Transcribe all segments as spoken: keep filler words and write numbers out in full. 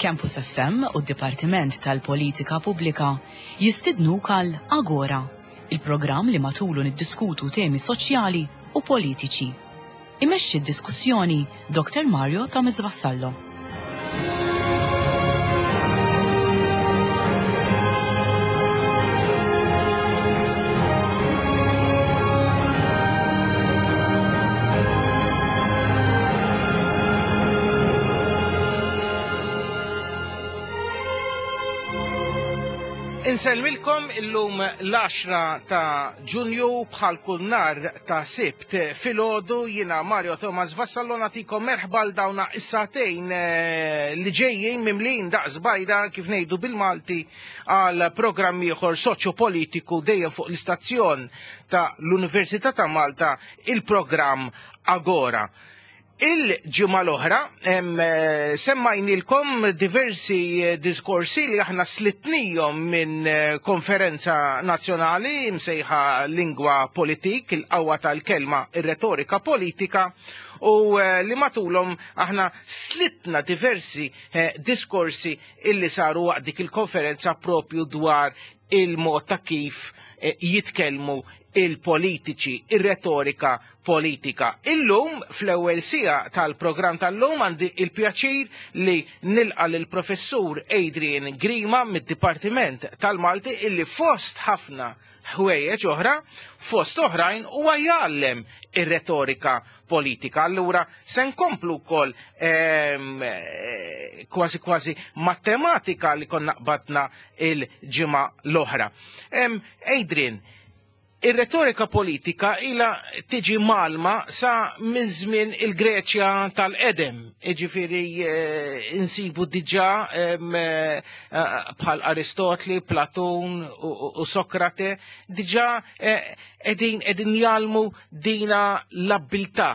Campus F M u d-Dipartiment tal-Politika Pubblika jistidnuk għal Agora, il-programm li matulu niddiskutu temi soċjali u politiċi. Imexxi d-diskussjoni Doktor Mario Thomas Vassallo. Insellmilkom illum l-għaxra ta' Ġunju, bħal kull nhar ta' Sibt filgħodu. Jiena Mario Thomas Vassallo, nagħtikom merħba għal dawna is-sagħtejn eh, li ġejjin mimlin daqs bajda, kif ngħidu bil-Malti, għal programm ieħor soċjo-politiku dejjem fuq l-istazzjon ta' l-Università ta' Malta, il-programm Agora. Il-ġimgħa l-oħra eh, semmajnilkom diversi eh, diskorsi li aħna slitnijom minn eh, konferenza nazzjonali msejħa Lingwa Politik, il-qawwa tal-kelma, ir-retorika politika, u li matulhom aħna slitna diversi diskorsi illi saru waqt dik il-konferenza propju dwar il-mod ta' kif jitkellmu il-politiċi, ir-retorika politika. Illum, fl-ewwel siegħa tal-programm tal-lum, għandi il-pjaċir li nilqa lill-professur Adrian Grima mid-Dipartiment tal-Malti, illi fost ħafna ħwejjeġ oħra, fost oħrajn, huwa jgħallem ir-retorika politika. Allura se nkomplu wkoll ehm, eh, kważi kważi matematika li konna qbadna il-ġimgħa l-oħra. Ehm, Adrian, ir-retorika politika ila tiġi mgħallma sa minn żmien il-Greċja tal-Qedem. Iġifieri eh, insibu diġà eh, bħal Aristotli, Platun u Sokrate, diġà qegħdin qegħdin jgħallmu dina l-abbiltà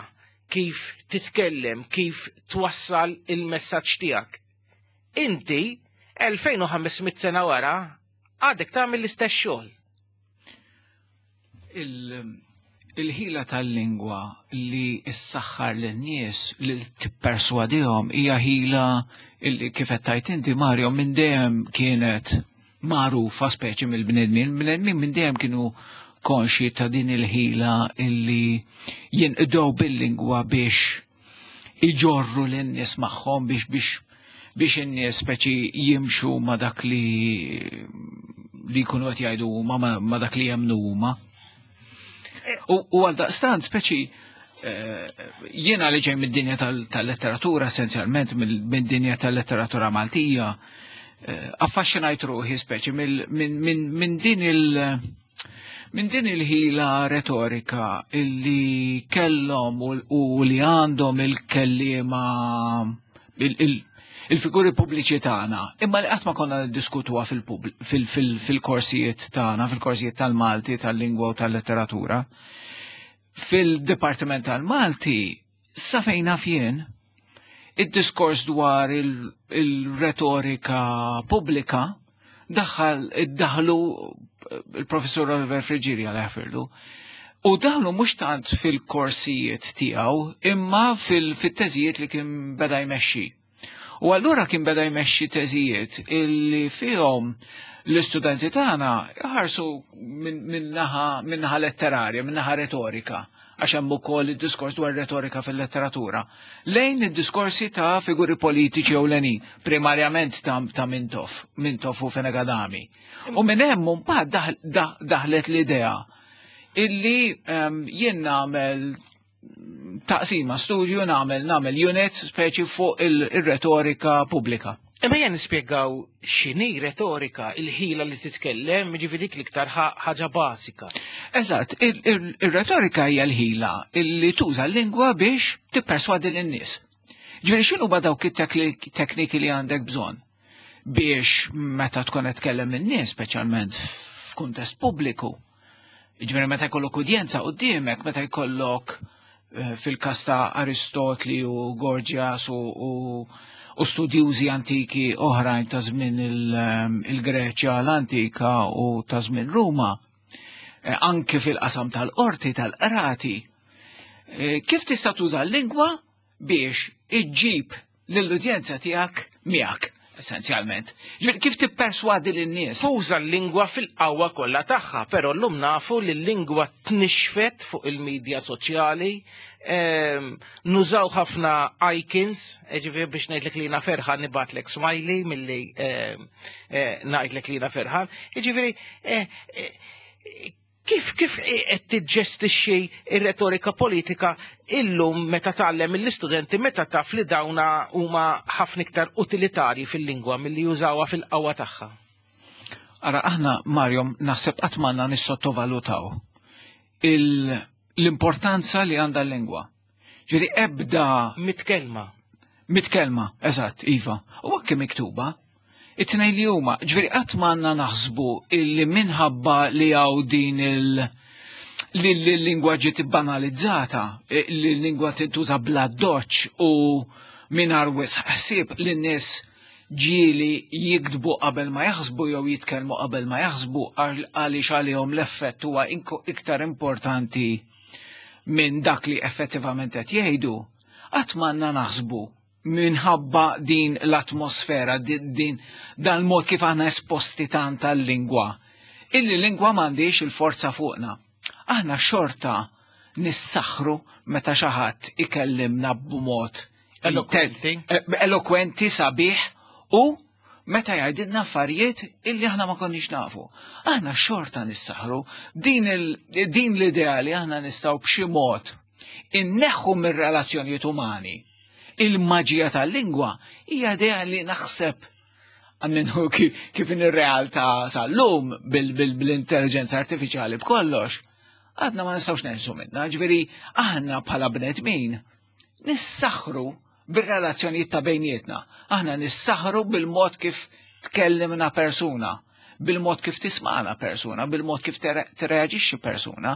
kif titkellem, kif twassal il-messaġġ tiegħek. Inti, elfejn u ħames mitt sena wara, għadek tagħmel l-istess xogħol. Il-ħila tal-lingwa li ssaħħar lin-nies, li tipperswadihom, hija ħila li, kif qed tgħid inti, Mario, minn dejjem kienet magħrufa speċi mill-bnedmin. Bnedmin minn dejjem kienu konxi ta' din il-ħila illi jinqdew bil-lingwa biex iġorru lin-nies magħhom, biex biex biex in-nies speċi jimxu ma' dak li li jkunu qed jgħidu huma, ma dak li jemmnu huma. U għal daqstant speċi eh, jiena li ġej mid-dinja tal-letteratura, essenzjalment mid-dinja tal-letteratura Maltija, eh, affaxxinajt ruħi speċi minn din il- minn din il-ħila retorika illi kellhom u li għandhom il-kellima, il-figuri pubbliċi tagħna, imma li qatt ma konna niddiskutuha fil-korsijiet tagħna, fil-korsijiet tal-Malti, tal-lingwa u tal-letteratura. Fil-Dipartiment tal-Malti, sa fejn naf jien, id-diskors dwar il-retorika pubblika daħal iddaħlu il-professur Oliver Friggieri, Alla jaħfirlu. U daħlu mhux tant fil-korsijiet tiegħu, imma fil-teżijiet li kien beda jmexxi. U allura kien beda jmexxi teżijiet illi fihom l-istudenti tagħna ħarsu minn naħa letterarja, minn naħa retorika, għax hemm ukoll id-diskors dwar retorika fil-letteratura, lejn id-diskorsi ta' figuri politiċi ewlenin, primarjament ta', ta Mintoff, Mintoff u Fenech Adami. U minn hemm mbagħad daħlet l-idea illi um, jien nagħmel taqsima studju, nagħmel nagħmel unit speċi fuq il-retorika pubblika. Imma jen nispjegaw x'inhi retorika, il-ħila li titkellem, ġifieri dik l-iktar ħaġa bażika. Eżatt, il-retorika hija l-ħila illi tuża l-lingwa biex tipperswadi lin-nies. Ġifieri x'inhu dawk it-tekniki li għandek bżonn biex meta tkun qed tkellem in-nies, speċjalment f'kuntest pubbliku? Ġifieri meta jkollok udjenza quddiemek, meta jkollok eh, fil-kas ta' Aristotli u Gorgias u, u studjużi antiki oħrajn ta' żmien ehm, il-Greċja l-antika u ta' żmien Ruma, eh, anki fil-qasam tal-qorti, tal-qrati, eh, kif tista' tuża l-lingwa biex iġġib lill-udjenza tiegħek miegħek? Essenzjalment. Ġifieri kif tipperswadi lin-nies? Tuża l-lingwa fil-qawwa kollha tagħha, però llum nafu li l-lingwa tnixfet fuq il-medja soċjali, ehm, nużaw ħafna icons, ġifieri biex ngħidlek li jiena ferħan nibgħatlek smiley milli ehm, eh, ngħidlek li jiena ferħan. Ġifieri eh, eh, kif kif qed tiġġestixxi ir-retorika politika illum meta tgħallem mill-istudenti, meta taf li dawna huma ħafna iktar utilitarji fil-lingwa milli jużawha fil-qawwa tagħha? Ara, aħna, Mario, naħseb qatt m'għandna nissottovalutaw l-importanza li għandha l-lingwa. Ġifieri ebda Mitkelma. Mitkelma, eżatt, iva. U anke miktuba. It-tnejn li huma, ġifieri qatt m'għandna naħsbu illi minħabba li hawn din il- li l-lingwa ġiet banalizzata, li l-lingwa tintuża bla doċ u mingħajr wisq ħsieb, li n-nies ġieli jiktbu qabel ma jaħsbu jew jitkellmu qabel ma jaħsbu għaliex għalihom l-effett huwa iktar importanti minn dak li effettivament qed jgħidu. Qatt m'għandna naħsbu minħabba din l-atmosfera, din dan mod kif aħna esposti tant tal-lingwa, illi lingwa m'għandix il-forza fuqna. Aħna xorta nissaħru meta xi ħadd ikellimna b'mod elokwenti, eh, elokwenti sabiħ u meta jgħidilna affarijiet illi aħna ma konniex nafu. Aħna xorta nissaħru. din din l-idea li aħna nistgħu b'xi mod inneħħu mir-relazzjonijiet umani il-maġija tal-lingwa hija idea li naħseb għamminhu kif in ir-realtà sal-lum bil-intelligenza artifiċjali b'kollox, għadna ma nistgħux neħilsu minna. Ġifieri aħna bħala bnedmin nissaħru bir-relazzjonijiet ta' bejnietna. Aħna nissaħru bil-mod kif tkellimna persuna, bil-mod kif tismana persuna, bil-mod kif tirreaġixxi persuna.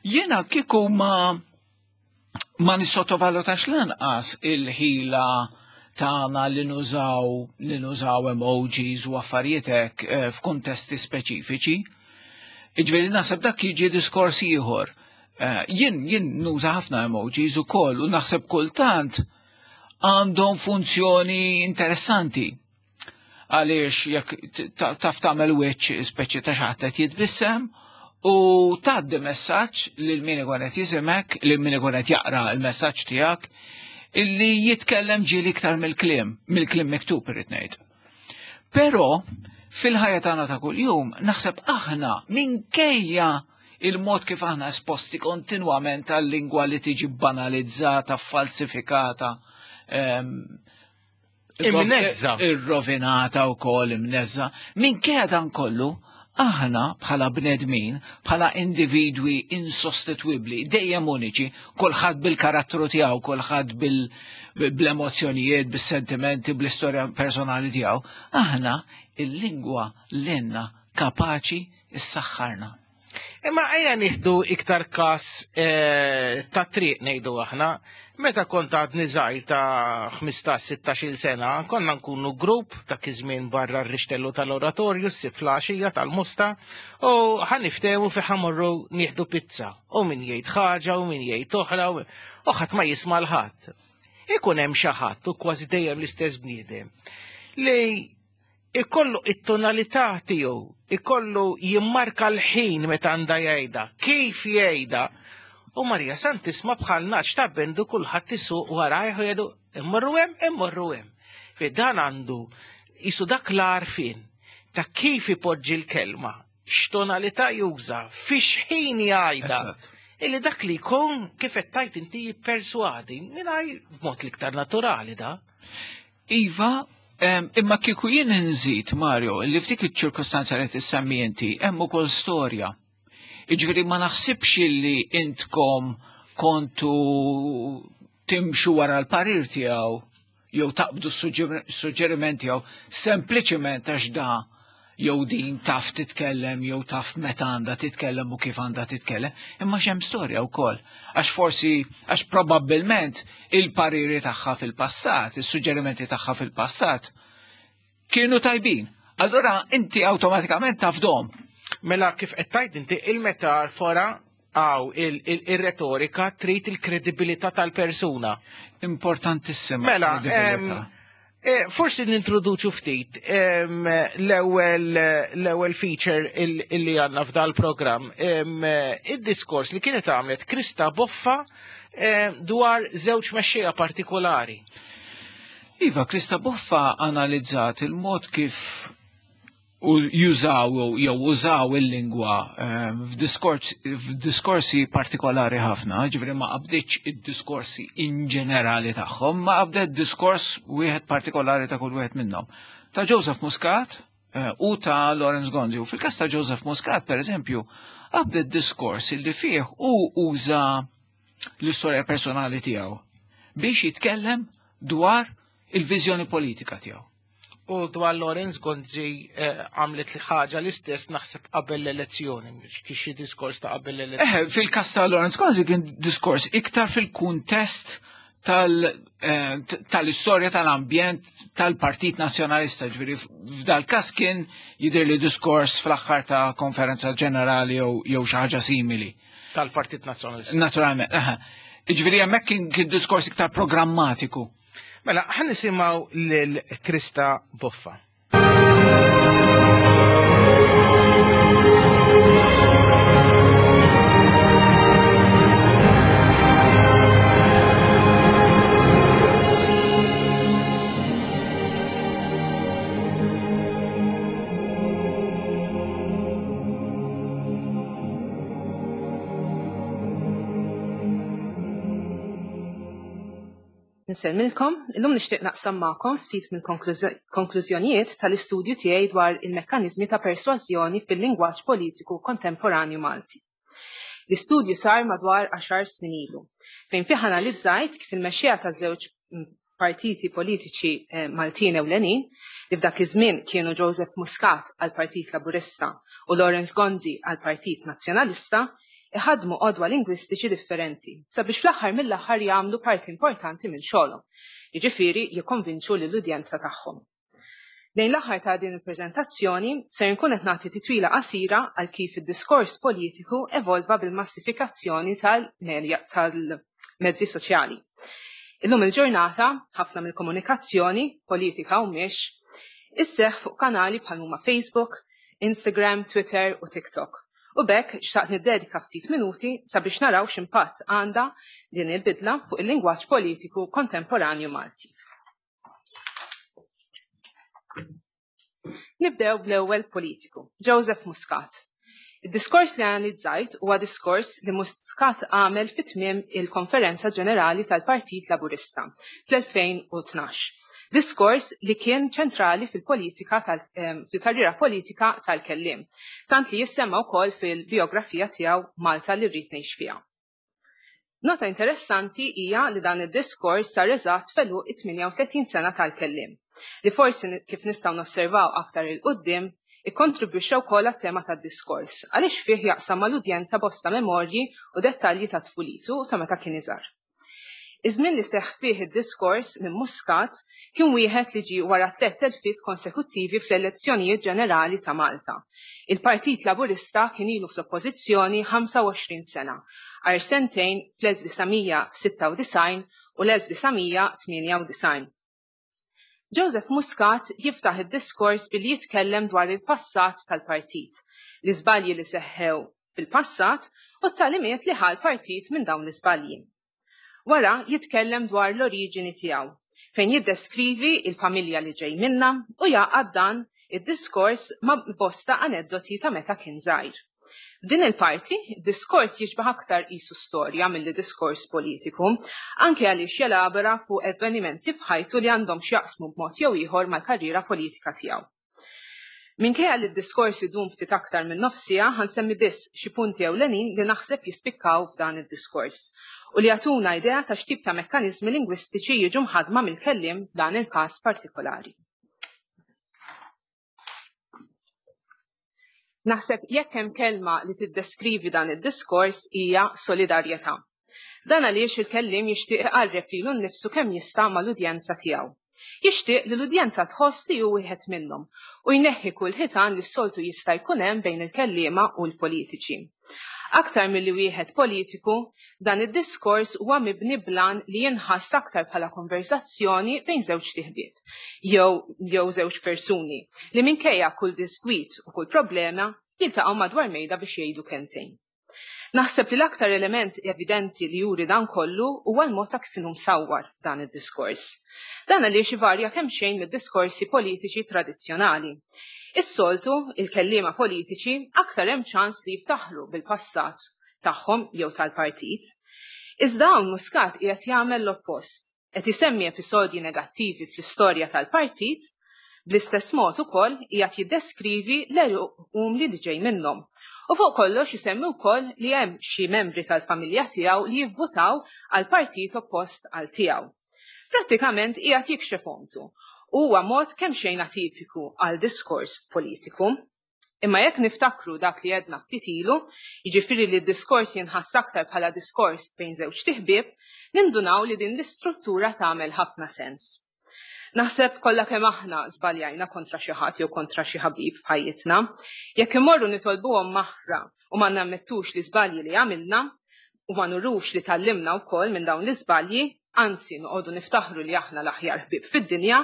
Jiena kieku ma ma nissottovalutax lanqas il-ħila tagħna li nużaw li nużaw emojis u affarijiet hekk eh, f'kuntesti speċifiċi. Iġifieri naħseb dak jiġi diskors ieħor. Eh, jien jien nuża ħafna emojis ukoll u naħseb kultant għandhom funzjoni interessanti. Għaliex jekk taf tagħmel wiċċ speċi ta' xi ħadd qed jitbissem u tgħaddi messaġġ lil min ikun qed jisimek, lil min ikun qed jaqra l-messaġġ tiegħek, illi jitkellem ġieli iktar mill-kliem, mill-kliem miktub, irrid ngħid. Però fil-ħajja tagħna ta' kuljum naħseb aħna, minkejja il-mod kif aħna esposti kontinwament għal-lingwa li tiġi banalizzata, falsifikata, imnezza. Irrovinata u kol imnezza. Minkejja dan kollu, aħna bħala bnedmin, bħala individwi insostitwibli, dejjem uniċi, kulħadd bil-karattru tiegħu, kulħadd bil-emozzjonijiet, bis-sentimenti, bl-istorja personali tiegħu, aħna il-lingwa l-enna kapaċi issaħħarna. Imma ejja nieħdu iktar kas eh, ta' triq, ngħidu aħna, meta kont għadni żgħir ta' ħmistax sittax-il sena, konna nkunu grupp ta' iż-żmien barra r-rixtellu tal-oratorju, s-siflaxija tal-Mosta, u ħa niftehmu fejn ħa mmorru nieħdu pizza. U min jgħid ħaġa u min jgħid oħra u ħadd ma jisma' l-ħadd. Ikun hemm xi ħadd, u kważi dejjem l-istess bniedem, li ikollu it-tonalità tiegħu, ikollu jimmarka l-ħin meta għandha jgħidha, kif jgħidha. U Marija Santisma bħal naċ ta' bendu, kulħadd isuq warajh u jgħidu immorru hemm, immorru hemm. Fi dan għandu jisu dak l-għarfien ta' kif ipoġġi l-kelma, x'tonalità juża, fix ħin jgħidha. Illi dak li jkun, kif qed tajt inti, jipperswadi mingħajr b'mod l-iktar naturali da. Iva, imma kieku jien nżid, Mario, li f'dik iċ-ċirkostanza li tissemmi inti hemm ukoll storja. Iġifieri ma naħsibx li intkom kontu timxu wara l-parir tiegħu jew taqbdu s-suġġeriment tiegħu sempliċement għax da jew din taf titkellem jew taf meta għandha titkellem u kif għandha titkellem, imma x'hemm storja wkoll. Għax forsi, għax probabbilment il-pariri tagħha fil-passat, is-suġġerimenti tagħha fil-passat kienu tajbin. Allura inti awtomatikament tafdom. Mela kif qed tgħid inti, il-metafora għaw il-retorika trid il-kredibilità tal-persuna. Importantissima. Mela, kredibilità. Eh, forsi nintroduċu ftit l-ewwel l-ewwel feature illi għandna f'dal programm id-diskors li kienet għamlet Krista Boffa dwar żewġ mexxejja partikolari. Iva, Krista Boffa analizzat il-mod kif jużaw jew użaw il-lingwa f'diskorsi partikolari ħafna, ġifieri ma qabditx id-diskorsi in ġenerali tagħhom, ma qabdet diskors wieħed partikolari ta' kull wieħed minnhom. Ta' Joseph Muscat u ta' Lawrence Gonzi. U fil-każ ta' Joseph Muscat, per eżempju, qabdet diskors li fih u uża l-istorja personali tiegħu biex jitkellem dwar il-viżjoni politika tiegħu. U dwar Lawrence Gonzi għamlet li ħaġa l-istess naħseb qabel l-elezzjoni, kien xi diskors ta' qabel l-elezzjoni. Eh, fil-każ ta' Lawrence Gonzi kien diskors iktar fil-kuntest tal-istorja tal-ambjent tal-Partit Nazzjonalista, ġifieri f'dal każ kien jidher li diskors fl-aħħar ta' konferenza ġenerali jew xi ħaġa simili. Tal-Partit Nazzjonalista. Naturalment, eh. Ġifieri hemmhekk kien diskors iktar programmatiku. Mela, ħan nisimgħu lil Krista Boffa. Nsellmilkom, illum nixtieq naqsam magħkom ftit mill-konklużjonijiet tal-istudju tiegħi dwar il-mekkaniżmi ta' persważjoni fil-lingwaġġ politiku kontemporanju Malti. L-istudju sar madwar għaxar snin ilu, fejn fih analizzajt kif il-mexxejja ta' żewġ partiti politiċi Maltin ewlenin li f'dak iż-żmien kienu Joseph Muscat għall-Partit Laburista u Lawrence Gonzi għall-Partit Nazzjonalista iħadmu qodwa lingwistiċi differenti sabiex fl-aħħar mill-aħħar jagħmlu parti importanti minn xogħolhom, jiġifieri jikkonvinċu lill-udjenza tagħhom. Lejn l-aħħar ta' din il-preżentazzjoni ser nkun qed nagħti titwila qasira għal kif id-diskors politiku evolva bil-massifikazzjoni tal-mezzi soċjali. Illum il-ġurnata ħafna mill-komunikazzjoni politika u mhix isseħħ fuq kanali bħal huma Facebook, Instagram, Twitter u TikTok. U bekk xtaqt niddedika ftit minuti sabiex naraw x'impatt għandha din il-bidla fuq il-lingwaġġ politiku kontemporanju Malti. Nibdew bl-ewwel politiku, Joseph Muscat. Id-diskors li analizzajt huwa diskors li Muscat għamel fi tmiem il-Konferenza Ġenerali tal-Partit Laburista fl-elfejn u tnax. Diskors li kien ċentrali fil-politika fil-karriera politika tal-kelliem, tant li jissemma wkoll fil-biografija tiegħu Malta li rrid ngħix fiha. Nota interessanti hija li dan id-diskors sar eżatt f'għeluq it-tmienja u tletin sena tal-kelliem, li forsi kif nistgħu nosservaw aktar il quddiem ikkontribwixxa wkoll għat-tema tad-diskors, għaliex fih jaqsam mal-udjenza bosta memorji u dettalji ta' tfulitu ta' meta kien iżgħar. Iż-żmien li seħħ fih id-diskors minn Muscat kien wieħed li ġie wara tliet telfiet konsekuttivi fl-elezzjonijiet ġenerali ta' Malta. Il-Partit Laburista kien ilu fl-oppożizzjoni ħamsa u għoxrin sena, għar sentejn fl-elf disa' mija sitta u disgħin u l-elf disa' mija tmienja u disgħin. Joseph Muscat jiftaħ id-diskors billi jitkellem dwar il-passat tal-partit, l-iżbalji li seħħew fil-passat u t-tagħlimiet li ħa l-partit minn dawn l-iżbalji. Wara jitkellem dwar l-oriġini tiegħu, fejn jiddeskrivi il-familja li ġej minna u jaqgħad dan id-diskors ma' bosta aneddoti ta' meta kien żgħir. F'din il-parti, diskors jiġbaħ aktar qisu storja milli diskors politiku, anke għaliex jelabora fuq avvenimenti f'ħajtu li għandhom x'jaqsmu b'mod jew ieħor mal-karriera politika tiegħu. Minkejja li d-diskors idum ftit aktar minn nofsija, ħansemmi biss xi punti ewlenin li naħseb jispikkaw f'dan id-diskors u li jagħtuna idea ta' x'tip ta' mekkaniżmi lingwistiċi jiġu mħadma mill-kelliem f'dan il-każ partikolari. Naħseb jekk hemm kelma li tiddeskrivi dan id-diskors hija solidarjetà. Dan għaliex il-kelliem jixtieq iqarreb lilu nnifsu kemm jista' mal-udjenza tiegħu. Jixtieq li l-udjenza tħoss li hu wieħed minnhom u jneħħi kull ħitan li s-soltu jista' jkun hemm bejn il-kelliema u l-politiċi. Aktar milli wieħed politiku, dan id-diskors huwa mibni blan li jinħass aktar bħala konversazzjoni bejn żewġ tiħbieb jew jew żewġ persuni li minkejja kull diskwit u kull problema jiltaqgħu madwar mejda biex jgħidu kelmtejn. Naħseb li l-aktar element evidenti li juri dan kollu huwa l-mod ta' kif inhu msawwar dan id-diskors. Dan għaliex ivarja kemm xejn mid-diskorsi politiċi tradizzjonali. Is-soltu, il-kelliema politiċi aktar hemm ċans li jiftaħru bil-passat tagħhom jew tal-partit. Iżda hawn Muscat qiegħed jagħmel l-oppost, qed isemmi episodji negattivi fl-istorja tal-partit, bl-istess mod ukoll qiegħed jiddeskrivi l-għeruq umli li ġej minnhom. U fuq kollox isemmi wkoll li hemm xi membri tal-familja tiegħu li jivvutaw għal partit oppost għal tiegħu. Prattikament qiegħed jikxef omtu. Huwa mod kemm xejn atipiku għal diskors politiku. Imma jekk niftakru dak li għedna ftit ilu, jiġifieri li d-diskors jinħass aktar bħala diskors bejn żewġ tiħbieb, nindunaw li din l-istruttura tagħmel ħafna sens. Naħseb kollha kemm aħna żbaljajna kontra xi ħadd jew kontra xi ħabib f'ħajjitna. Jekk immorru nitolbuhom maħfra u ma nammettux li żbalji li għamilna u ma nurux li tgħallimna wkoll minn dawn l-iżbalji, anzi noqogħdu niftaħru li aħna l-aħjar ħbieb fid-dinja,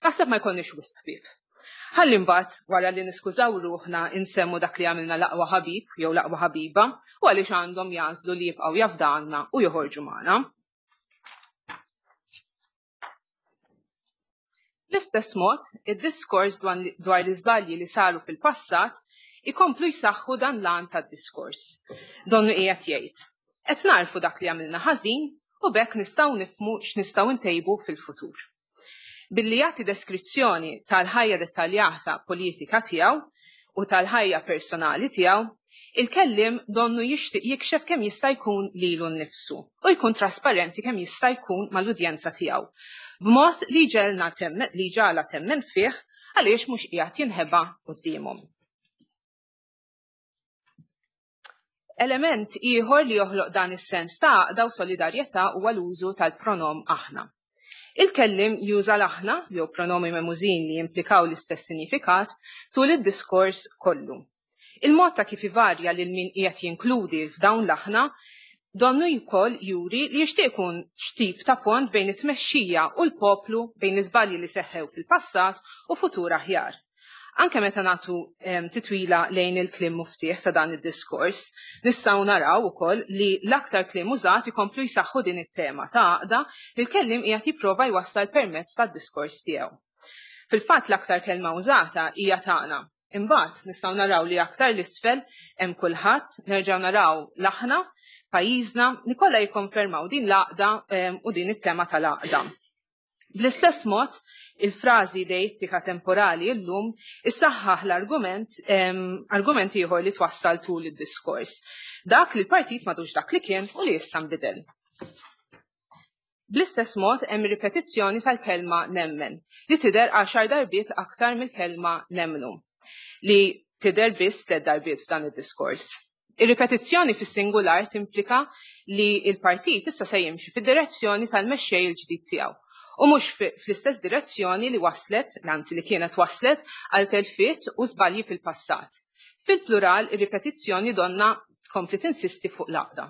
naħseb ma jkollniex wisq ħbieb. Ħalli mbagħad wara li niskużaw ruħna insemmu dak li għamilna l-aqwa ħabib jew l-aqwa ħabiba u għaliex għandhom jagħżlu li jibqgħu jafdanna u joħorġu magħna. Bl-istess mod, id-diskors dwar l-iżbalji li saru fil-passat ikomplu jsaħħu dan l-għan tad-diskors. Donnu qiegħed jgħid, qed narfu dak li għamilna ħażin u b'hekk nistgħu nifhmu x'nistgħu ntejbu fil-futur. Billi jagħti deskrizzjoni tal-ħajja dettaljata politika tiegħu u tal-ħajja personali tiegħu, il-kellim donnu jixtieq jikxef kemm jista' jkun lilu nnifsu u jkun trasparenti kemm jista' jkun mal-udjenza tiegħu, b'mod li ġelna temmen li ġala temmen fih għaliex mhux qiegħed jinħeba quddiemhom. Element ieħor li joħloq dan is-sens ta' għaqda u solidarjetà huwa l-użu tal-pronom aħna. Il-kellim juża l-aħna jew pronomi memużin li jimplikaw l-istess sinifikat tul id-diskors kollu. Il-mod ta' kif ivarja lil min qiegħed jinkludi f'dawn l-aħna donnu wkoll juri li jixtieq ikun x'tip ta' pont bejn it-tmexxija u l-poplu bejn l-iżbalji li seħħew fil-passat u futur aħjar. Anke meta nagħtu titwila lejn il-kliem muftieħ ta' dan id-diskors, nistgħu naraw ukoll li l-aktar kliem użat ikomplu jsaħħu din it-tema ta' għaqda li l-kelliem qiegħed jipprova jwassal permezz tad-diskors tiegħu. Fil-fatt l-aktar kelma użata hija tagħna. Imbagħad nistgħu naraw li aktar l-isfel hemm kulħadd, nerġgħu naraw l-aħna, pajjiżna, li kollha jikkonfermaw din l-għaqda u din it-tema tal-għaqda. Bl-istess mod, il-frażi deittika temporali llum issaħħaħ l-argument argument ieħor li twassal tul id-diskors. Dak li l-partit m'għadux dak li kien u li issa nbidel. Bl-istess mod hemm ripetizzjoni tal-kelma nemmen li tidher għaxar darbiet aktar mill-kelma nemmnu li tidher biss tliet darbiet f'dan id-diskors. Ir-ripetizzjoni fis-singular timplika li l-partit issa se jimxi fid-direzzjoni tal-mexxej il-ġdid tiegħu u mhux fl-istess direzzjoni li waslet, anzi li kienet waslet għal telfiet u żbalji fil-passat. Fil-plural, ir-ripetizzjoni donna tkompli tinsisti fuq l-għaqda.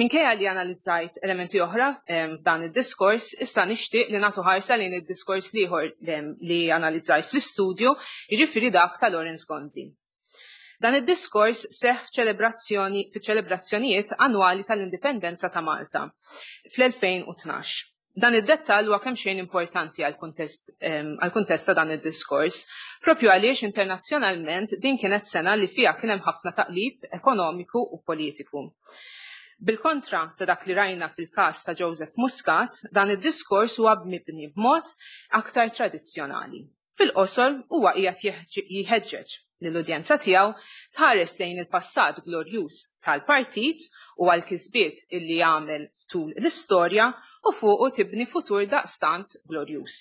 Minkejja li analizzajt elementi oħra f'dan id-diskors, issa nixtieq li nagħtu ħarsa lejn id-diskors ieħor li analizzajt fl-istudju, jiġifieri dak ta' Lawrence Gonzi. Dan id-diskors seħħ ċelebrazzjoni fiċ-ċelebrazzjonijiet annwali tal-Indipendenza ta' Malta fl-elfejn u tnax. Dan id-dettall huwa kemm xejn importanti għall-kuntest għall-kuntest ta' dan id-diskors, propju għaliex internazzjonalment din kienet sena li fiha kien hemm ħafna taqlib ekonomiku u politiku. Bil-kontra ta' dak li rajna fil-każ ta' Joseph Muscat, dan id-diskors huwa mibni b'mod aktar tradizzjonali. Fil-qosor huwa qiegħed jħeġġeġ lill-udjenza tiegħu tħares lejn il-passat glorjuż tal-partit u għall-kisbiet illi jagħmel tul l-istorja u fuqu tibni futur daqstant glorjuż.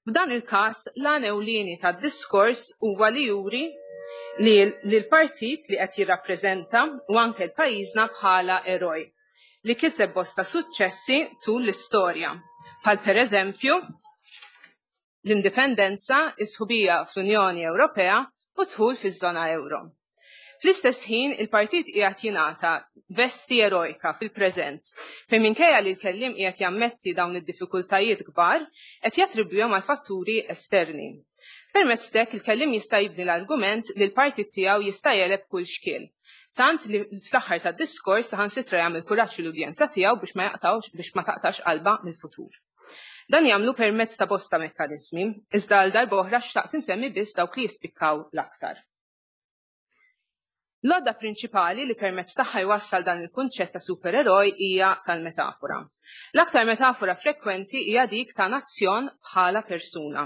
F'dan il-każ l-għan ewlieni tad-diskors huwa li juri li l-partit li qed jirrappreżenta u anke l-pajjiżna bħala eroj li kiseb bosta suċċessi tul l-istorja, Bħal pereżempju l-indipendenza, is-sħubija fl-Unjoni Ewropea u dħul fiż-żona euro. Fl-istess ħin, il-partit qiegħed jingħata vesti erojka fil-preżent, fejn minkejja li l-kelliem qiegħed jammetti dawn id-diffikultajiet kbar, qed jattribwihom għal fatturi esterni. Permezz t'hekk il-kelliem jista' jibni l-argument li l-partit tiegħu jista' jegħleb kull xkiel. Tant li fl-aħħar tad-diskors saħansitra jagħmel kuraġġ l-udjenza tiegħu biex ma jaqtawx biex ma taqtax qalba mill-futur. Dan jagħmlu permezz ta' bosta mekkaniżmi, iżda għal darba oħra xtaqt insemmi biss dawk li jispikkaw l-aktar. L-għodda prinċipali li permezz tagħha jwassal dan il-kunċett ta' supereroj hija tal-metafora. L-aktar metafora frekwenti hija dik ta' nazzjon bħala persuna,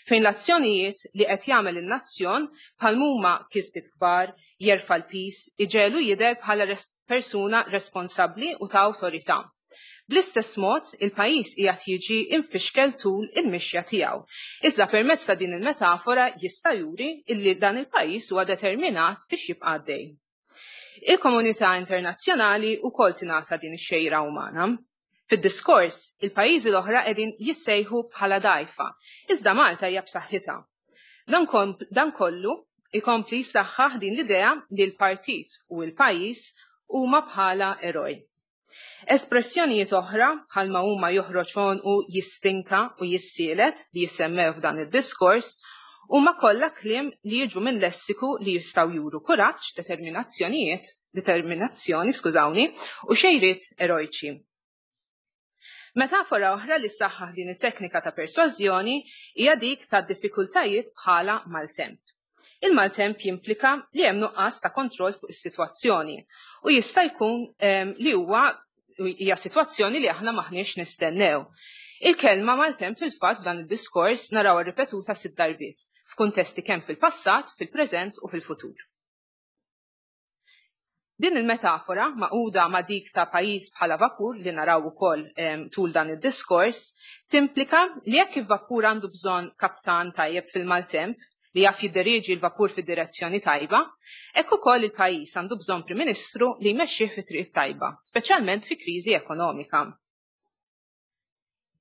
fejn l-azzjonijiet li qed jagħmel in-nazzjon bħal huma kisbiet kbar, jerfa' l-piż, iġegħlu jidher bħala res persuna responsabbli u ta' awtorità. Bl-istess mod, il-pajjiż qiegħed jiġi imfixkel tul il-mixja tiegħu. Iżda permezz ta' din il-metafora jista' juri illi dan il-pajjiż huwa determinat biex jibqa' għaddej. Il-komunità internazzjonali wkoll tingħata din ix-xejra umana. Fid-diskors, il-pajjiżi l-oħra qegħdin jissejħu bħala dgħajfa, iżda Malta hija b'saħħitha. Dan, dan kollu ikompli jsaħħaħ din l-idea li l-partit u l-pajjiż huma bħala eroj. Espressjonijiet oħra bħalma huma joħroġ u jistinka u jissielet li jissemmew f'dan id-diskors huma kollha kliem li jiġu minn lessiku li jistgħu juru kuraġġ, determinazzjonijiet, determinazzjoni, skużawni, u xejriet erojċi. Metafora oħra li saħħaħ din it-teknika ta' persważjoni hija dik ta' diffikultajiet bħala maltemp. Il-maltemp jimplika li hemm nuqqas ta' kontroll fuq is-sitwazzjoni u jista' jkun li huwa hija sitwazzjoni li aħna maħniex nistennew. Il-kelma maltemp fil-fatt f'dan id-diskors narawha ripetuta sitt darbiet f'kuntesti kemm fil-passat, fil-preżent u fil-futur. Din il-metafora magħquda ma' dik ta' pajjiż bħala vapur li naraw ukoll tul dan id-diskors timplika li jekk il-vapur għandu bżonn kaptan tajjeb fil-maltemp li jaf jidderieġi l-vapur fid-direzzjoni tajba, hekk ukoll il-pajjiż għandu bżonn Prim Ministru li jmexxih fi triq tajba, speċjalment fi kriżi ekonomika.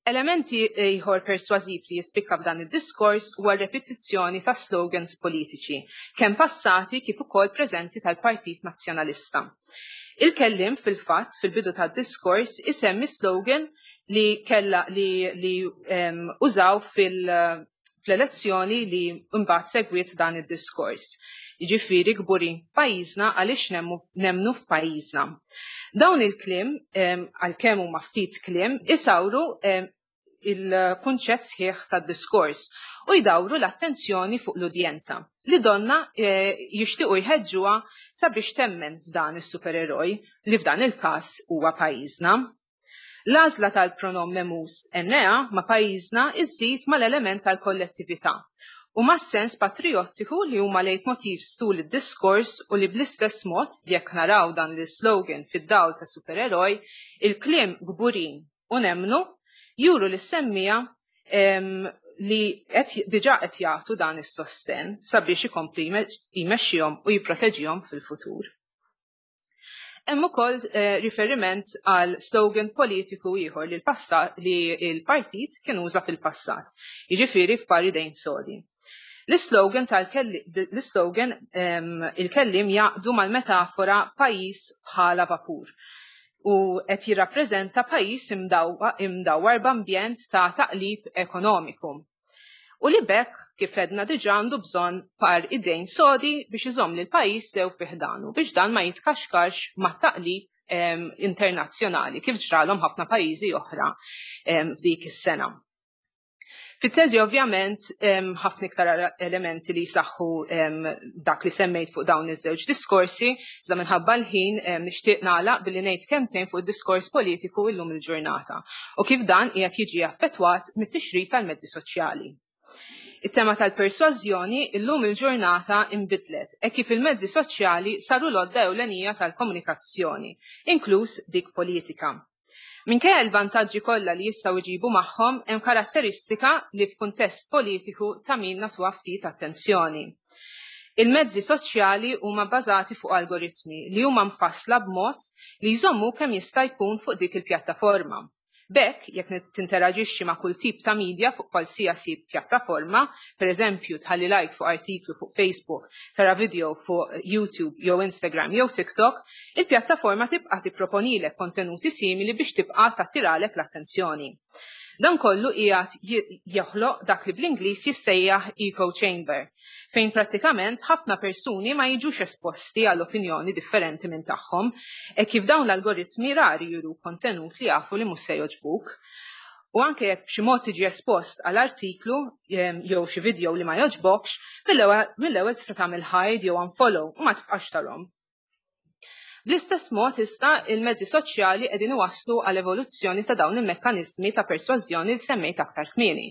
Elementi ieħor persważiv li jispikka f'dan id-diskors huwa r-repetizzjoni ta' slogans politiċi, kemm passati kif ukoll preżenti tal-Partit Nazzjonalista. Il-kellim fil-fatt fil-bidu tad-diskors isemmi slogan li kella li, li um, użaw fil- fl-elezzjoni li mbagħad segwiet dan id-diskors. Jiġifieri kburin f'pajjiżna għaliex nemmnu f'pajjiżna. Dawn il-kliem, għalkemm huma ftit kliem, isawru il-kunċett sħiħ tad-diskors u jdawru l-attenzjoni fuq l-udjenza li donna jixtiequ jħeġġuha sabiex temmen f'dan is-supereroj li f'dan il-każ huwa pajjiżna. L-għażla tal-pronom memus N A ma' pajjiżna iżżid mal-element tal-kollettività u mas-sens patriottiku li huma leitmotivs tul id-diskors u li bl-istess mod, jekk naraw dan l-slogan fid-dawl ta' supereroj, il-kliem kburin u nemmnu juru li semmija li diġà qed jagħtu dan is-sosten sabiex ikompli jmexxihom u jipproteġihom fil-futur. Hemm ukoll eh, riferiment għal slogan politiku ieħor li l-passat li l-partit kien uża fil-passat, jiġifieri f'par idejn sodi. L-slogan tal-slogan il-kellim jgħaqqdu mal-metafora pajjiż bħala vapur u qed jirrappreżenta pajjiż imdawwar b'ambjent ta' taqlib ekonomiku. U li b'hekk, kif għedna diġà, għandu bżonn par idejn sodi biex iżomm lil pajjiż sew fi ħdanu biex dan ma jitkaxkarx ma' taqlib internazzjonali kif ġralhom ħafna pajjiżi oħra f'dik is-sena. Fit-teżi ovvjament ħafna iktar elementi li jsaħħu dak li semmejt fuq dawn iż-żewġ diskorsi, iżda minħabba l-ħin nixtieq nagħlaq billi ngħid kemmtejn fuq id-diskors politiku illum il-ġurnata u kif dan qiegħed jiġi affettwat mit-tixrid tal-mezzi soċjali. It-tema tal-persważjoni illum il-ġurnata imbidlet e kif il-mezzi soċjali saru l-għodda ewlenija tal-komunikazzjoni, inkluż dik politika. Minkejja l-vantaġġi kollha li jistgħu jġibu magħhom, hemm karatteristika li f'kuntest politiku ta' min nagħtuha ftit attenzjoni. Il-mezzi soċjali huma bbażati fuq algoritmi li huma mfassla b'mod li jżommu kemm jista' jkun fuq dik il-pjattaforma. B'hekk, jekk tinteraġixxi ma' kull tip ta' media fuq qualsiasi pjattaforma, per eżempju tħalli like fuq artiklu fuq Facebook, tara video fuq YouTube jew Instagram jew TikTok, il-pjattaforma tibqa' tipproponilek kontenuti simili biex tibqa' tattiralek l-attenzjoni. Dan kollu qiegħed joħloq dak li bl-Ingliż jissejjaħ echo chamber, fejn prattikament ħafna persuni ma jiġux esposti għal opinjoni differenti minn tagħhom, e kif dawn l-algoritmi rari juru kontenut li jafu li mhux se jogħġbuk. U anke jekk b'xi mod tiġi espost għal artiklu jew xi video li ma jogħġbokx, mill-ewwel tista' tagħmel hide jew unfollow u ma tibqax tarhom. Bl-istess mod issa il-mezzi soċjali qegħdin iwasslu għal evoluzzjoni ta' dawn il-mekkaniżmi ta' persważjoni li semmejt aktar kmieni.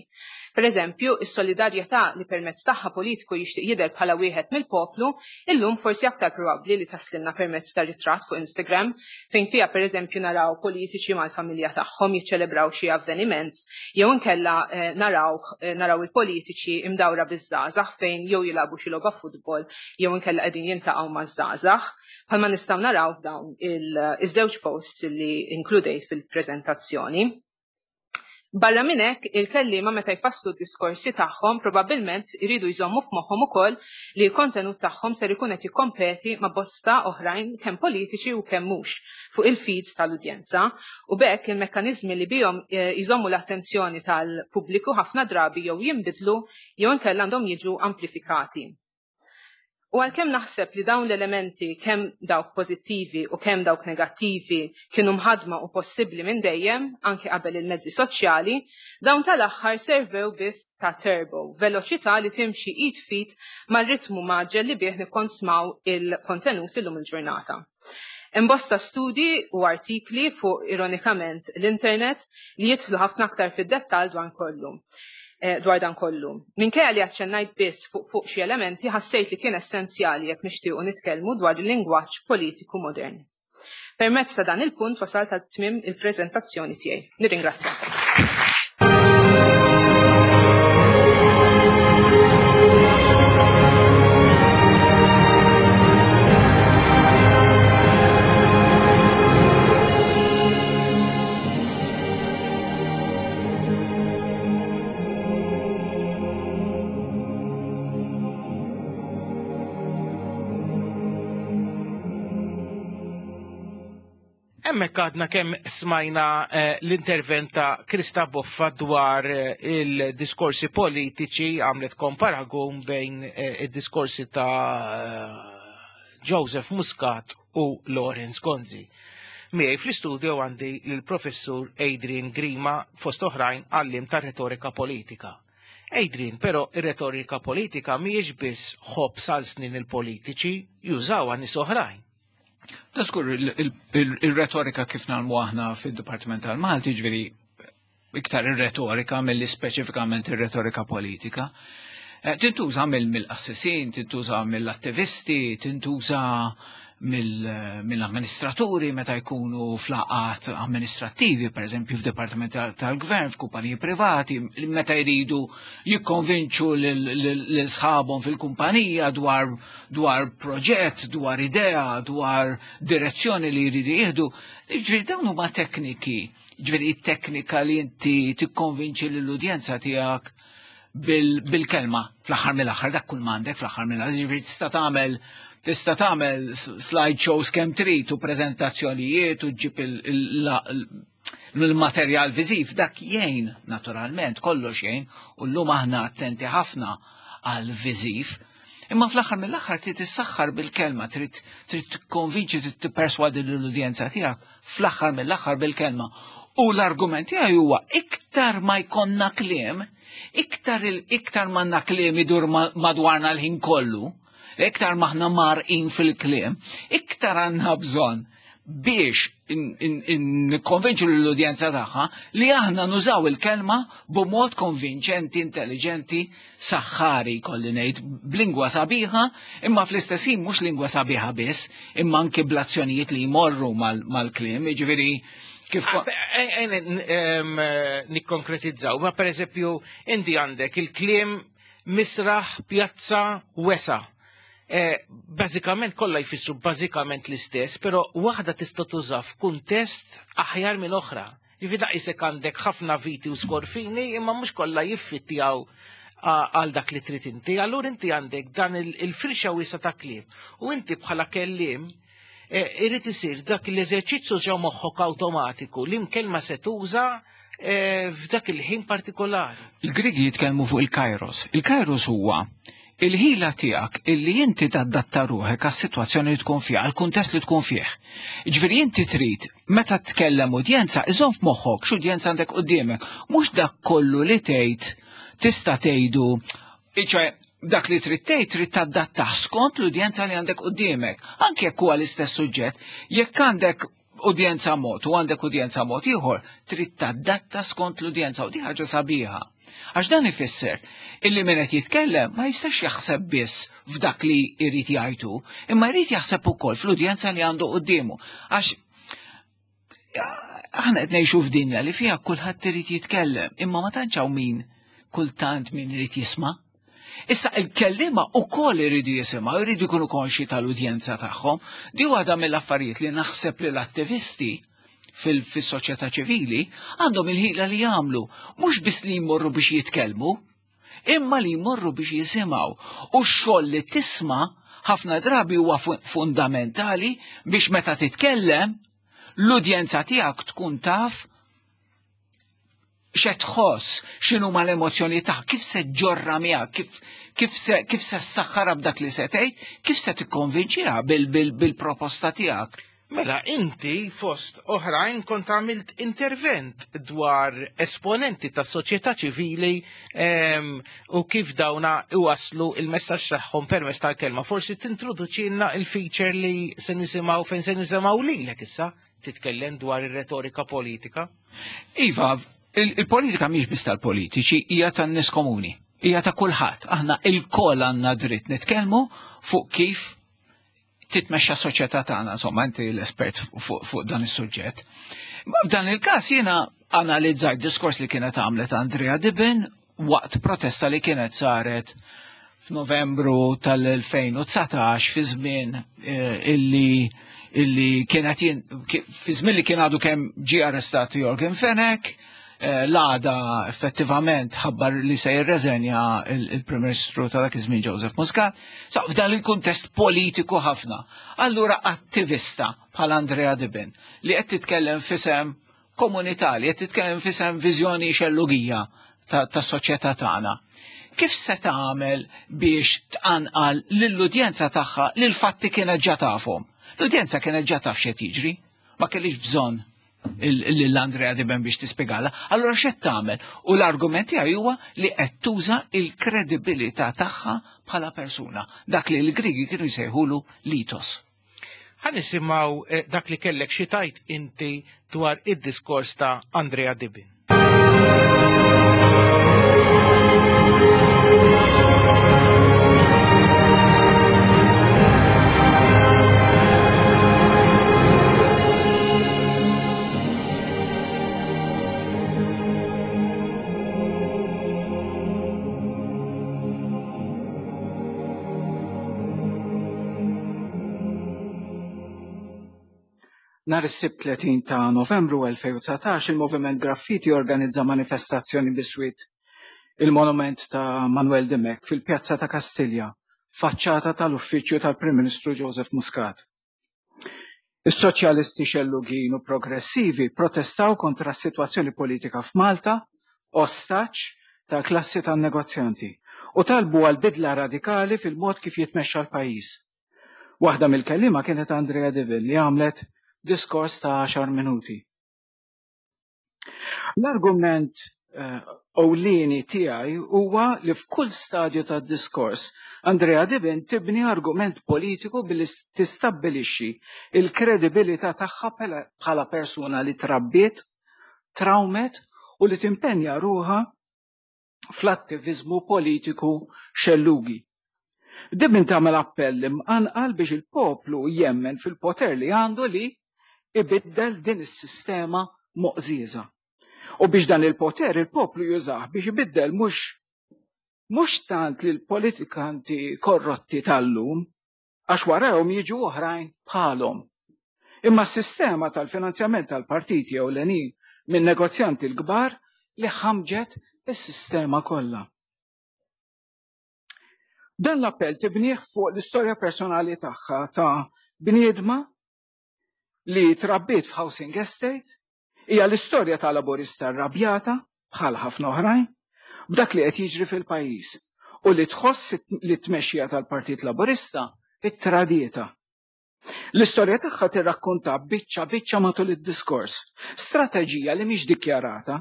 Per eżempju, is-solidarjetà li permezz tagħha politiku jixtieq jidher bħala wieħed mill-poplu, illum forsi aktar probabbli li taslilna permezz ta' ritratt fuq Instagram, fejn fiha per eżempju naraw politiċi mal-familja tagħhom jiċċelebraw xi avveniment, jew inkella eh, naraw, eh, naraw il-politiċi imdawra biż-żgħażagħ fejn jew jilagħbu xi logħba futbol jew inkella qegħdin jiltaqgħu maż-żgħażagħ. Bħalma nistgħu naraw f'dawn iż-żewġ posts li inkludejt fil-preżentazzjoni. Barra minn hekk, il-kelliema meta jfasslu d-diskorsi tagħhom probabbilment iridu jżommu f'moħħhom ukoll li l-kontenut tagħhom ser ikun qed jikkompeti ma' bosta oħrajn kemm politiċi u kemm mhux fuq il-feeds tal-udjenza, u b'hekk il-mekkaniżmi li bihom eh, jżommu l-attenzjoni tal-pubbliku ħafna drabi jew jinbidlu jew inkella għandhom jiġu amplifikati. U għalkemm naħseb li dawn l-elementi kemm dawk pożittivi u kemm dawk negattivi kienu mħadma u possibbli minn dejjem, anke qabel il-mezzi soċjali, dawn tal-aħħar servew biss ta' turbo, veloċità li timxi id f'id mar-ritmu mgħaġġel li bih nikkonsmaw il-kontenut illum il-ġurnata. Hemm bosta studji u artikli fuq ironikament l-internet li jidħlu ħafna aktar fid-dettall dwar kollu. Eh, dwar dan kollu. Minkejja li aċċennajt biss fuq fuq xi elementi, ħassejt li kien essenzjali jekk nixtiequ nitkellmu dwar il-lingwaġġ politiku modern. Permezz ta' dan il-punt wasalt għal tmiem il-preżentazzjoni tiegħi. Nirringrazzjakom. Hemmhekk għadna kemm smajna eh, l-intervent ta' Krista Boffa dwar eh, il-diskorsi politiċi, għamlet komparagun bejn eh, id-diskorsi ta' Joseph Muscat u Lawrence Gonzi. Miegħi fl-istudio għandi l-professur Adrian Grima, fost oħrajn għallim ta' retorika politika. Adrian, però ir-retorika politika mhijiex biss ħobb sal snin il-politiċi, jużawha nies oħrajn. Da skur il-retorika kif nagħmlu aħna fid-Dipartiment tal-Malti, ġifieri iktar ir-retorika milli speċifikament ir-retorika politika. Eh, tintuża mill-qassisin, tintuża mill-attivisti, tintuża mill-amministraturi meta jkunu f'laqgħat amministrattivi, per eżempju f'Dipartiment tal-Gvern, f'kumpaniji privati, meta jridu jikkonvinċu lil sħabhom fil-kumpanija dwar dwar proġett, dwar idea, dwar direzzjoni li jridu jieħdu. Ġifieri dawn huma tekniki, ġifieri it-teknika li inti tikkonvinċi lill-udjenza tiegħek bil-kelma fl-aħħar mill-aħħar, dak kull m'għandek fl-aħħar mill-aħħar, ġifieri tista' tagħmel tista' tagħmel slideshows kemm trid u preżentazzjonijiet u ġġib il-materjal viżiv, dak jgħin naturalment, kollox jgħin, u llum aħna attenti ħafna għal viżiv. Imma fl-aħħar mill-aħħar trid issaħħar bil-kelma, trid trid tikkonvinċi, trid tipperswadi lill-udjenza tiegħek fl-aħħar mill-aħħar bil-kelma. U l-argument tiegħi huwa iktar ma jkollna kliem, iktar iktar m'għandna kliem idur madwarna l-ħin kollu, iktar maħna marqin fil-kliem, iktar għandna bżonn biex nikkonvinċu l-udjenza tagħha li aħna nużaw il-kelma b'mod konvinċenti, intelligenti, saħħari kolli ngħid, b'lingwa sabiħa, imma fl-istess ħin mhux lingwa sabiħa biss, imma anke bl-azzjonijiet li jmorru mal-kliem, jiġifieri kif nikkonkretizzaw, ma per eżempju inti għandek il-kliem misraħ, pjazza, wesa. Eh, bażikament kollha jfissru bażikament l-istess, però waħda tista' tuża f'kuntest aħjar minn oħra. Ġifieri daqsek għandek ħafna viti u skorfini, imma mhux kollha jiffittjaw għal dak li trid inti. Allura inti għandek dan il-firxa wiesa ta' kliem. U inti bħala kelliem irid isir dak l-eżerċizzju ġew moħħok awtomatiku li kelma se tuża f'dak il-ħin partikolari. Il-Grigi jitkellmu fuq il-kairos. Il-kairos huwa il-ħila tiegħek illi inti tadatta ruħek għas-sitwazzjoni li tkun fiha, għall-kuntest li tkun fih. Ġifieri inti trid meta tkellem udjenza, iżomm f'moħħok x'udjenza għandek quddiemek, mhux dak kollu li tgħid tista' tgħidu, ċoè dak li trid tgħid trid tadattah skont l-udjenza li għandek quddiemek. Anke jekk huwa l-istess suġġett, jekk għandek udjenza mod u għandek udjenza mod ieħor, trid tadatta skont l-udjenza u di ħaġa sabiħa. Għax dan ifisser illi min qed jitkellem ma jistax jaħseb biss f'dak li jrid jgħidu, imma jrid jaħseb ukoll fl-udjenza li għandu quddiemu. Għax aħna qed ngħixu f'dinja li fiha kulħadd irid jitkellem, imma ma tantx hawn min kultant min irid jisma'. Issa il-kellima ukoll iridu jisimgħu, iridu jkunu konxi tal-udjenza tagħhom. Di waħda mill-affarijiet li naħseb li l-attivisti fil-soċjetà ċivili għandhom il-ħila li jagħmlu, mhux biss li jmorru biex jitkellmu, imma li jmorru biex jisimgħu. U x-xogħol li tisma' ħafna drabi huwa fundamentali biex meta titkellem l-udjenza tiegħek tkun taf x'qed tħoss, x'inhuma l-emozzjoni tagħha, kif se ġorra miegħek, kif kif se kif se ssaħħarha b'dak li se tgħid, kif se tikkonvinċiha bil-proposta tiegħek. Mela inti fost oħrajn kont għamilt intervent dwar esponenti tas soċjetà ċivili u kif dawna iwaslu il-messaġġ tagħhom permezz tal-kelma. Forsi tintroduċilna il-feature li se nisimgħu fejn se nisimgħu lilek issa titkellem dwar ir-retorika politika. Iva, il-politika mhix biss tal-politiċi, hija tan-nies komuni, hija ta' kulħadd. Aħna il-koll għandna dritt nitkellmu fuq kif titmexxa soċjetà tagħna, insomma, inti l-espert fuq dan is-suġġett. F'dan il-każ jiena analizzajt diskors li kienet għamlet Andrea Dibin waqt protesta li kienet saret f'Novembru tal-elfejn u dsatax fi żmien illi illi kienet fi żmien li kien għadu kemm ġie arrestat Yorgen Fenech, l-għada effettivament ħabbar li se jirreżenja il-Prim Ministru ta' dak iż-żmien Joseph Muscat. Sa f'dan il-kuntest politiku ħafna. Allura attivista bħal Andrea Dibin li qed titkellem f'isem komunità, li qed titkellem f'isem viżjoni xellugija tas-soċjetà tagħna. Kif se tagħmel biex tqanqal lill-udjenza tagħha li l-fatti kienet ġa tafhom? L-udjenza kienet ġa taf x'qed jiġri, ma kellix bżonn l-Andrea Dibin biex tispjegala. Allora x'qed tagħmel? U l-argument tiegħi huwa li qed tuża l-kredibilità tagħha bħala persuna, dak li l-Grigi kienu jsejħulu litos. Ħa nisimgħu dak li kellek xi tajt inti dwar id-diskors ta' Andrea Dibin. Nhar is-Sibt tletin ta' Novembru elfejn u dsatax il-Moviment Graffiti organizza manifestazzjoni biswit il-monument ta' Manuel Dimech fil-Pjazza ta' Kastilja, faċċata tal-Uffiċċju tal-Prim Ministru Joseph Muscat. Is-soċjalisti xellugin u progressivi protestaw kontra s-sitwazzjoni politika f'Malta, ostaġġ tal-klassi tan-negozjanti, u talbu għal bidla radikali fil-mod kif jitmexxa l-pajjiż. Waħda mill-kelliema kienet Andrea Dibin li għamlet diskors ta' għaxar minuti. L-argument ewlieni tiegħi huwa li f'kull stadju tad-diskors Andrea Dibin tibni argument politiku billi tistabbilixxi il-kredibilità tagħha bħala persuna li trabbiet, trawmet u li timpenja ruħha fl-attiviżmu politiku xellugi. Dibin tagħmel appell imqanqal biex il-poplu jemmen fil-poter li għandu li ibiddel din is-sistema moqżieża. U biex dan il-poter il-poplu jużah biex ibiddel mhux mhux tant lil politikanti korrotti tal-lum, għax warahom jiġu oħrajn bħalhom. Imma s-sistema tal-finanzjament tal-partiti ewlenin minn negozjanti l-kbar li ħamġet is-sistema kollha. Dan l-appell tibnieh fuq l-istorja personali tagħha ta' bniedma li trabbiet f'housing estate, hija l-istorja ta' laburista rrabjata bħal ħafna oħrajn b'dak li qed jiġri fil-pajjiż u li tħoss li t-tmexxija tal-Partit Laburista ittradietha. L-istorja tagħha tirrakkonta biċċa biċċa matul id-diskors, strateġija li mhix dikjarata,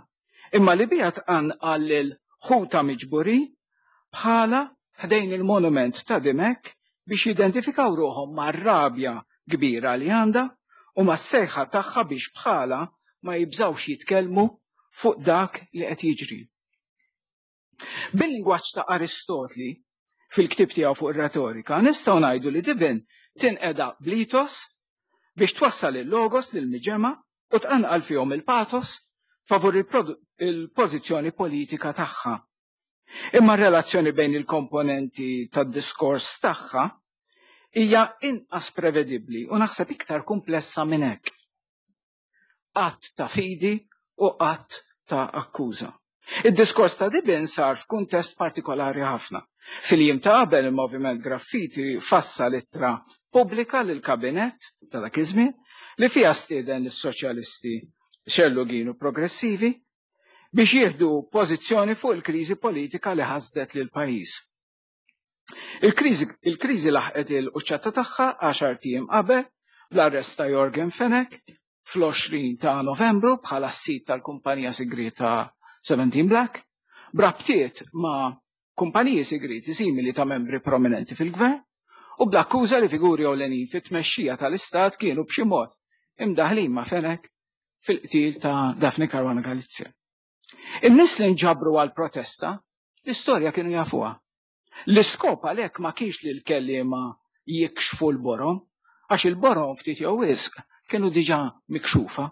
imma li biha tqanqal lil ħuta miġburin bħala ħdejn il-monument ta' Dimech biex jidentifikaw ruħhom mar-rabja kbira li għandha u mas-sejħa tagħha biex bħala ma jibżawx jitkellmu fuq dak li qed jiġri. Bil-lingwaġġ ta' Aristotli fil-ktib tiegħu fuq ir-retorika nistgħu ngħidu li Dibin tinqeda blitos biex twassal il-logos lil miġema u tqanqal fihom il-patos favur il-pożizzjoni politika tagħha. Imma r-relazzjoni bejn il-komponenti tad-diskors tagħha hija inqas prevedibbli u naħseb iktar komplessa minn hekk. Att ta' fidi u att ta' akkuża. Id-diskors ta' Dibin sar f'kuntest partikolari ħafna. Fil-jiem ta' qabel il-Moviment Graffiti fassal ittra pubblika lil kabinett ta' dak iż-żmien li fiha stieden lis-soċjalisti xellugin u progressivi biex jieħdu pożizzjoni fuq il-kriżi politika li ħasdet lil pajjiż. Il-kriżi laħqet il-quċċata tagħha għaxar ijiem qabel bl-arrest ta' Yorgen Fenech fl-għoxrin ta' Novembru bħala s-sit tal-kumpanija segreta seventeen Black, brabtiet ma' kumpaniji segreti simili ta' membri prominenti fil-gvern u bl-akkuża li figuri ewlenin fit-tmexxija tal-Istat kienu b'xi mod imdaħlin ma' Fenech fil-qtil ta' Daphne Caruana Galizia. In-nies li nġabru għal-protesta, l-istorja kienu jafuha. L-iskop għalhekk ma kienx li l-kelliema jikxfu l-borom, għax il-borom ftit jew wisq kienu diġà mikxufa.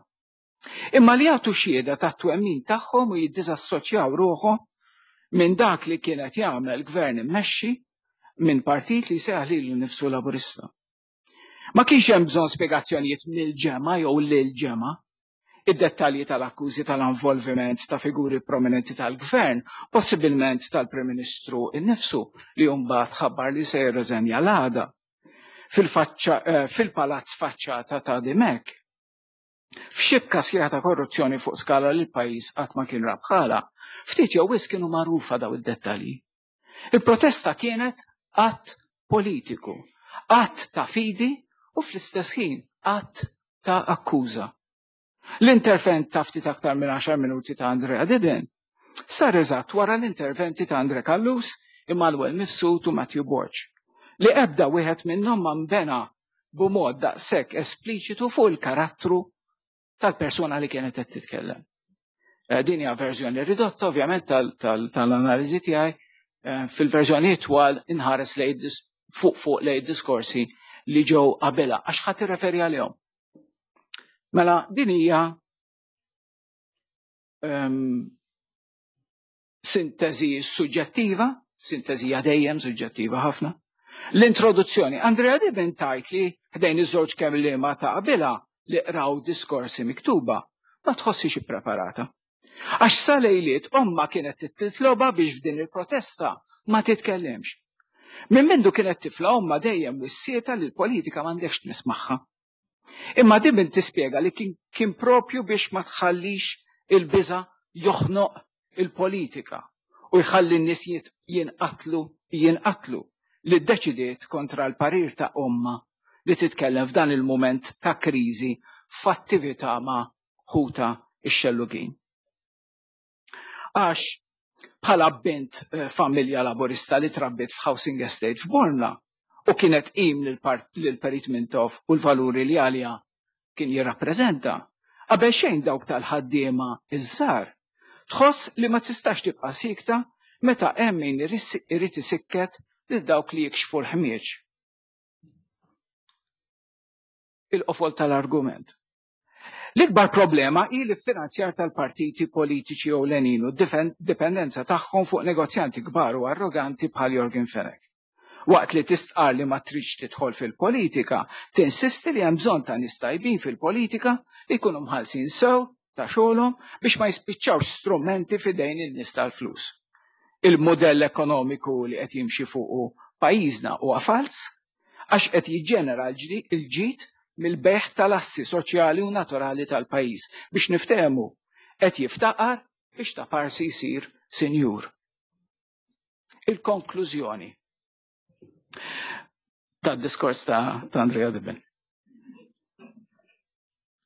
Imma li jagħtu xhieda tat-twemmin tagħhom u jiddiżassoċjaw ruħhom minn dak li kienet jagħmel gvern immexxi minn partit li seħ lilu nnifsu Laburista. Ma kienx hemm bżonn spjegazzjonijiet mill-ġemgħa jew lil-ġemgħa. Id-dettalji tal-akkużi tal-involviment ta' figuri prominenti tal-gvern, possibilment tal-Prim Ministru innifsu li mbagħad ħabbar li se jirreżenja l-għada fil-palazz faċċata ta' Dimech. F'xibka sħiħa ta' korruzzjoni fuq skala li l-pajjiż qatt ma kien rabħala, ftit jew wisq kienu magħrufa daw id-dettalji. Il-protesta kienet att politiku, att ta' fidi u fl-istess ħin att ta' akkuża. L-intervent ta' ftit aktar minn għaxar minuti ta' Andrea Dibin sar eżatt wara l-interventi ta' Andre Callus, Immanuel Mifsud u Matthew Borg, li ebda wieħed minnhom ma nbena b'mod daqshekk espliċitu fuq il-karattru tal-persuna li kienet qed titkellem. Din hija verżjoni ridotta ovvjament tal-analiżi tiegħi, fil-verżjoni twal inħares fuq fuq lejn diskorsi li ġew qabilha għax ħadd irreferi għalihom. Mela din hija sintesi suġġettiva, sintesi dejjem suġġettiva ħafna. L-introduzzjoni, Andrea Dibin tajt li ħdejn iż-żewġ kelliema ta' qabilha li qraw diskorsi miktuba, ma tħossix ippreparata. Għax sa lejliet omma kienet titloba biex f'din il-protesta ma titkellimx. Minn mindu kienet tifla omma dejjem wissieta li l-politika m'għandekx nismagħha. Imma Dibin tispjega li kien, kien propju biex ma tħallix il-biża joħnoq il-politika u jħalli n-nies jinqatlu jinqatlu li ddeċidiet kontra l-parir ta' omma li titkellem f'dan il-moment ta' kriżi f'attività ma' ħuta ix-xellugin. Għax bħala bint familja laburista li trabbit f'housing estate f'Bormla u kienet qim lil-Perit Mintoff u l-valuri li għalija kien jirrappreżenta, qabel xejn dawk tal-ħaddiema iż-żgħar, tħoss li ma tistax tibqa' sikta meta hemm min irid isikket lil dawk li jikxfu l-ħmieġ. Il-qofol tal-argument. L-ikbar problema hi l-finanzjar tal-partiti politiċi ewlenin u d-dipendenza tagħhom fuq negozjanti kbar u arroganti bħal Yorgen Fenech. Waqt li tistqar li ma tridx tidħol fil-politika, tinsisti li hemm bżonn ta' nies tajbin fil-politika li jkunu mħallsin sew ta' xogħolhom biex ma jispiċċawx strumenti f'idejn in-nies tal-flus. Il-modell ekonomiku li qed jimxi fuqu pajjiżna huwa falz għax qed jiġġenera l-ġid mill-bejgħ tal-assi soċjali u naturali tal-pajjiż. Biex niftehmu, qed jiftaqar biex ta' parsi jsir sinjur. Il-konklużjoni tad-diskors ta', ta Andrea Dibben.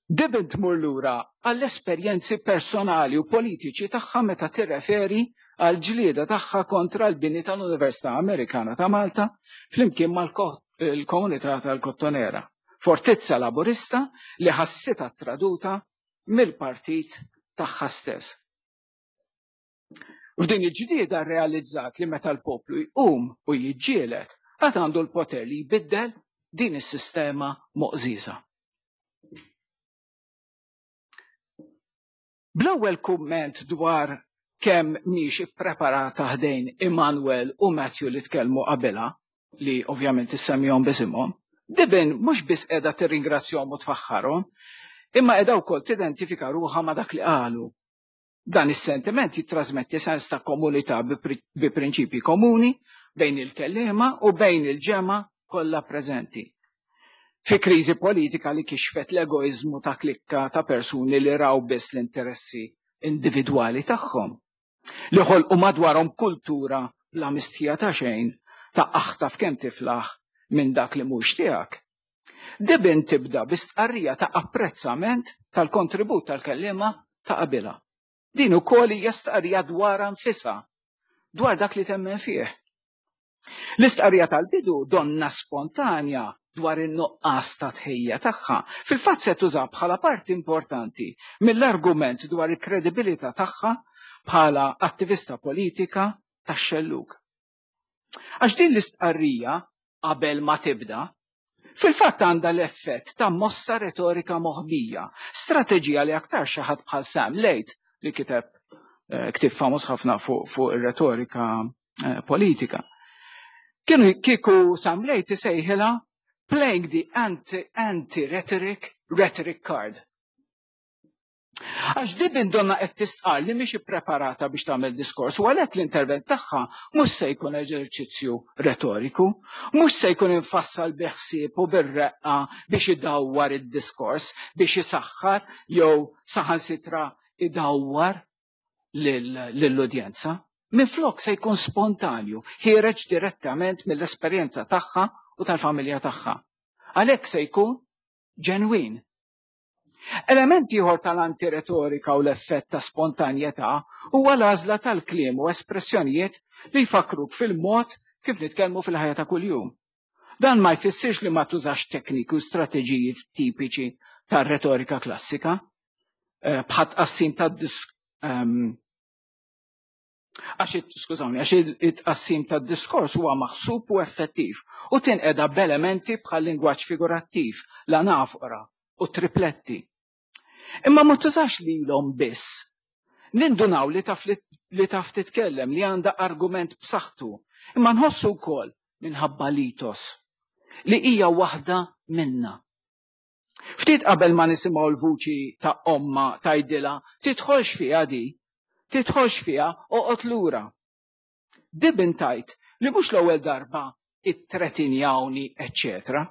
Dibben tmur lura għall-esperjenzi personali u politiċi tagħha meta tirreferi għal ġlieda tagħha kontra l-bini tal-Università Amerikana ta' Malta flimkien mal-komunità tal-Kottonera, fortizza laburista li ħassitha traduta mill-partit tagħha stess. F'din il-ġlieda realizzat li meta l-poplu jqum u jiġġieled, għad għandu l-poter li jbiddel din is-sistema moqżiża. Bl-ewwel kumment dwar kemm mhix ippreparata ħdejn Immanuel u Matthew li tkellmu qabilha, li ovvjament issemmihom bisimhom, Dibben mhux biss qiegħda tirringrazzjahom u tfaħħarhom, imma qiegħda wkoll tidentifika ruħha ma' dak li qalu. Dan is-sentiment jittrasmetti sens ta' komunità bi prinċipji komuni bejn il-kelliema u bejn il-ġemgħa kollha preżenti. Fi kriżi politika li kixfet l-egoiżmu ta' klikka ta' persuni li raw biss l-interessi individwali tagħhom, li ħolqu madwarhom kultura bla mistħija ta' xejn ta' aħtaf kemm tiflaħ minn dak li mhux tiegħek. Dibben tibda bi stqarrija ta' apprezzament tal-kontribut tal-kelliema ta' qabilha. Din ukoll hija stqarrija dwar nfisha, dwar dak li temmen fih. L-istqarrija tal-bidu donna spontanja dwar in-nuqqas ta' tħejja tagħha, fil-fatt se tuża bħala parti importanti mill-argument dwar il-kredibilità tagħha bħala attivista politika tax-xellug. Għax din l-istqarrija qabel ma tibda, fil-fatt għandha l-effett ta' mossa retorika moħbija, strateġija li aktar xi ħadd bħal Sam Late li kiteb eh, ktieb famuż ħafna fuq fu ir-retorika eh, politika. Kienu kieku Sam Late isejħilha playing the anti-rhetoric rhetoric card. Għax Dibben donna qed tistqar li mhix ippreparata biex tagħmel diskors u għalhekk l-intervent tagħha mhux se jkun eżerċizzju retoriku, mhux se jkun infassal bi ħsieb u bir-reqqa biex idawwar id-diskors, biex isaħħar jew saħansitra idawwar lill-udjenza. Minflok se jkun spontanju, ħiereġ direttament mill-esperjenza tagħha u tal-familja tagħha. Għalhekk se jkun ġenwin. Element ieħor tal-antiretorika u l-effett ta' spontanjetà huwa l-għażla tal-kliem u espressjonijiet li jfakruk fil-mod kif nitkellmu fil-ħajja ta' kuljum. Dan ma jfissirx li ma tużax tekniki u strateġiji tipiċi tar-retorika klassika, bħat tqassim tad-disk għax skużawni, għax it-tqassim tad-diskors huwa maħsub u effettiv u tinqeda b'elementi bħal lingwaġġ figurattiv, l-anafora u tripletti. Imma ma tużax lilhom biss. Nindunaw li taf li taf titkellem, li għandha argument b'saħħtu, imma nħossu wkoll minħabba litos li hija waħda minna. Ftit qabel ma nisimgħu l-vuċi ta' omma tgħidilha tidħolx fiha di, tidħolx fiha, oqgħod lura. Dibben tgħid li mhux l-ewwel darba it-tretinjawni, eċċetera.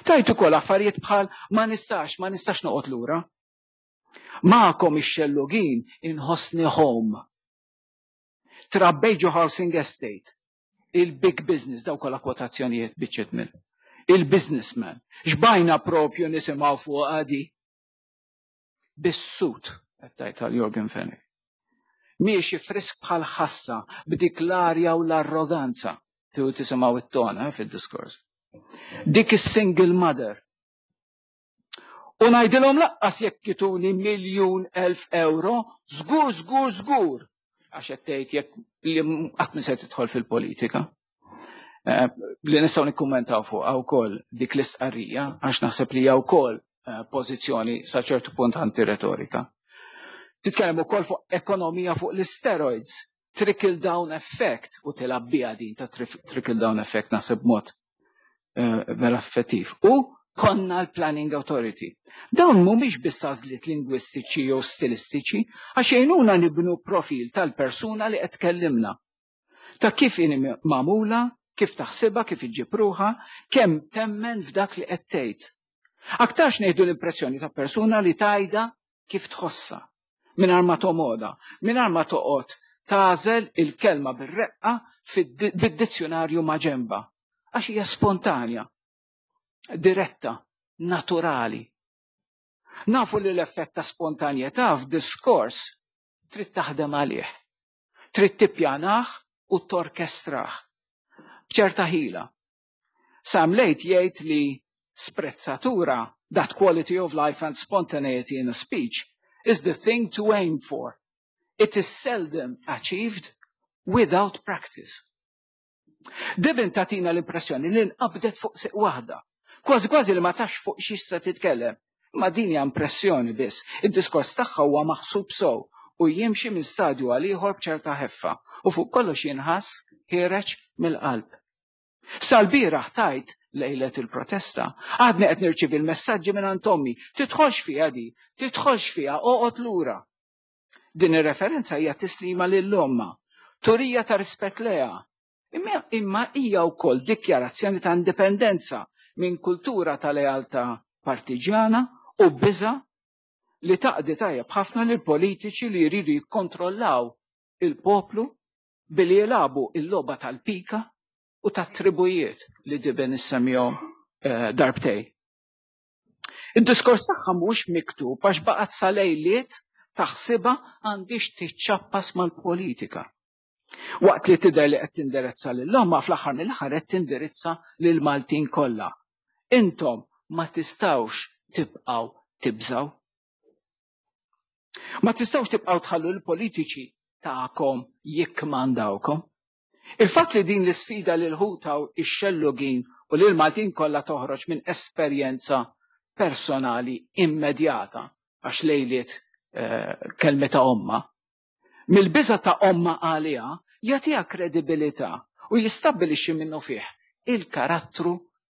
Tajt ukoll affarijiet bħal ma nistax, ma nistax noqgħod lura. Magħkom ix-xellugin inħossni home. Trabbejt ġo housing estate, il-big business, daw kollha kwotazzjonijiet biċċiet mill. Il-businessman, xbajna propju nisimgħu fuq għadi. Bis-sut, qed tgħid għal Yorgen Fenech. Miexi frisk bħal ħassa b'dik l-arja u l-arroganza. Tiegħu tisimgħu it-tona eh, fid-diskors. Dik is-single mother. U ngħidilhom laqqas jekk jtuni miljun elf euro, żgur, żgur, żgur. Għax qed tgħid jekk li qatt ma se tidħol fil-politika. Eh, li nistgħu nikkummentaw fuqha wkoll dik l-istqarrija, għax naħseb li hija wkoll eh, pożizzjoni sa ċertu punt antiretorika. Titkellem ukoll fuq ekonomija fuq l-steroids, trickle down effect, u tilgħab biha din ta' trickle down effect naħseb mod eh, vera effettiv. U Konna l-Planning Authority. Dawn mhumiex biss għażliet lingwistiċi jew stilistiċi, għax jgħinuna nibnu profil tal-persuna li qed tkellimna. Ta' kif inhi magħmula, kif taħsibha, kif iġġib ruħha, kemm temmen f'dak li qed tgħid. Aktarx ngħidu l-impressjoni ta' persuna li tgħidha kif tħossha, mingħajr ma tomoda, mingħajr ma toqgħod tagħżel il-kelma bir-reqqa bid-dizzjonarju ma' ġenba, għax hija spontanja, diretta, naturali. Nafu li l-effett ta' spontanjetà f'diskors trid taħdem għalih, trid tippjanah u torkestrah b'ċerta ħila. Sam Late jgħid li sprezzatura, that quality of life and spontaneity in a speech, is the thing to aim for. It is seldom achieved without practice. Dibben tagħtina l-impressjoni li nqabdet fuq siq waħda. Kważi kważi li ma tafx fuq xiex se titkellem. Ma din hija impressjoni biss. Id-diskors tagħha huwa maħsub sew u jimxi minn stadju għal ieħor b'ċerta ħeffa u fuq kollox jinħass ħiereġ mill-qalb. Sal-bieraħ tajt lejlet il-protesta, għadni qed nirċivi l-messaġġi minn ommi, "Tidħolx fiha di, tidħolx fiha, oqgħod lura." Din ir-referenza hija tislima lil ommha, turija ta' rispett lejha. Imma, imma hija wkoll dikjarazzjoni ta' indipendenza minn kultura ta' lealtà partiġjana u biża li taqdi tajjeb ħafna lil politiċi li jridu jikkontrollaw il-poplu billi jilagħbu il-logħba tal-pika u tat-tribujiet li Dibben issemmihom eh, darbtejn. Id-diskors tagħha mhux miktub għax baqgħet sa lejliet taħsibha għandix tiċċappas mal-politika. Waqt li tidher li qed tindirizza lil ommha, fl-aħħar mill-aħħar qed tindirizza lil Maltin kollha. Intom ma tistgħux tibqgħu tibżaw. Ma tistgħux tibqgħu tħallu l-politiċi tagħkom jikkmandawkom. Il-fatt li din l-isfida lil ħutha ix-xellugin u lil Maltin kollha toħroġ minn esperjenza personali immedjata, għax lejliet eh, kelmita ommha, mill-biża ta' ommha għaliha, jagħtiha kredibilità u jistabbilixxi minnu fih il-karattru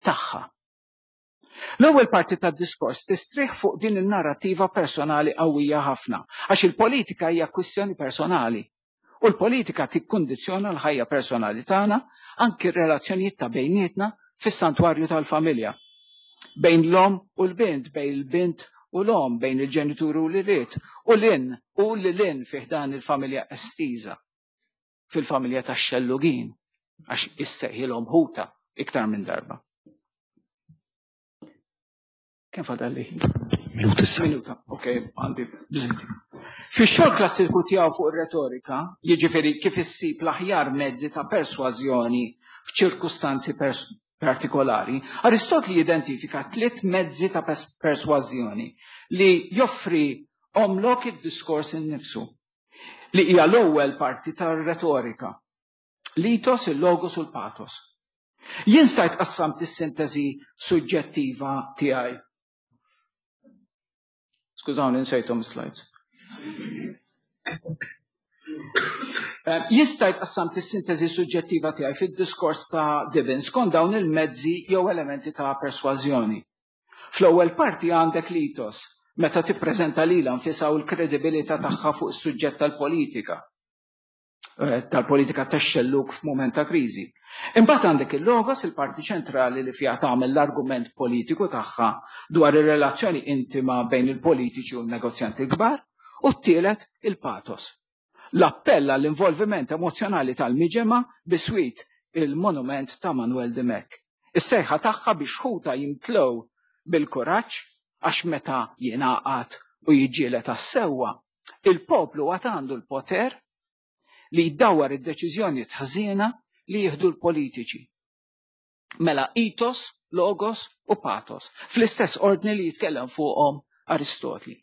tagħha. L-ewwel parti tad-diskors tistrieħ fuq din in-narrativa personali qawwija ħafna, għax il-politika hija kwistjoni personali. U l-politika tikkundizzjona l-ħajja personali tagħna, anki r-relazzjonijiet ta' bejnietna fis-santwarju tal-familja. Bejn l-om u l-bint, bejn il-bint u l-om, bejn il-ġenituri u l-ulied, u l-in u l-in fih dan il-familja estiża, fil-familja tax-xellugin, għax issejħilhom ħuta iktar minn darba. Kemm fadalli? Minuta issa. Minuta, ok, għandi bżonn. Fix-xogħol klassiku tiegħu fuq ir-retorika, jiġifieri kif issib l-aħjar mezzi ta' persważjoni f'ċirkustanzi partikolari, Aristotli jidentifika tliet mezzi ta' persważjoni li joffri omlok id-diskors innifsu, li hija l-ewwel parti tar-retorika. L-ethos, il-logos u l-pathos. Jien stajt qassamt is-sintesi suġġettiva tiegħi. Skużawni, nsejthom slides. Eh, jista' jtqassam is-sintesi suġġettiva tiegħi fid-diskors ta' Dibben skont dawn il-mezzi jew elementi ta' persważjoni. Fl-ewwel parti għandek l-ethos, meta tippreżenta lilha nfisha u l-kredibilità tagħha fuq is-suġġett tal-politika. Eh, tal-politika tax-xellug f'mument ta' kriżi. Imbagħad għandek il-logos, il-parti ċentrali li fiha tagħmel l-argument politiku tagħha dwar ir-relazzjoni intima bejn il-politiċi u l-negozjanti l-kbar, u t-tielet il-pathos. L-appell għall-involviment emozjonali tal-miġemgħa biswit il-monument ta' Manuel Dimech. Is-sejħa tagħha biex ħuta jimtlew bil-kuraġġ, għax meta jingħaqad u jiġġieled għas-sewwa, il-poplu għad għandu l-poter li jdawwar id-deċiżjoni ħażina li jieħdu l-politiċi. Mela ethos, logos u pathos, fl-istess ordni li jitkellem fuqhom Aristotli.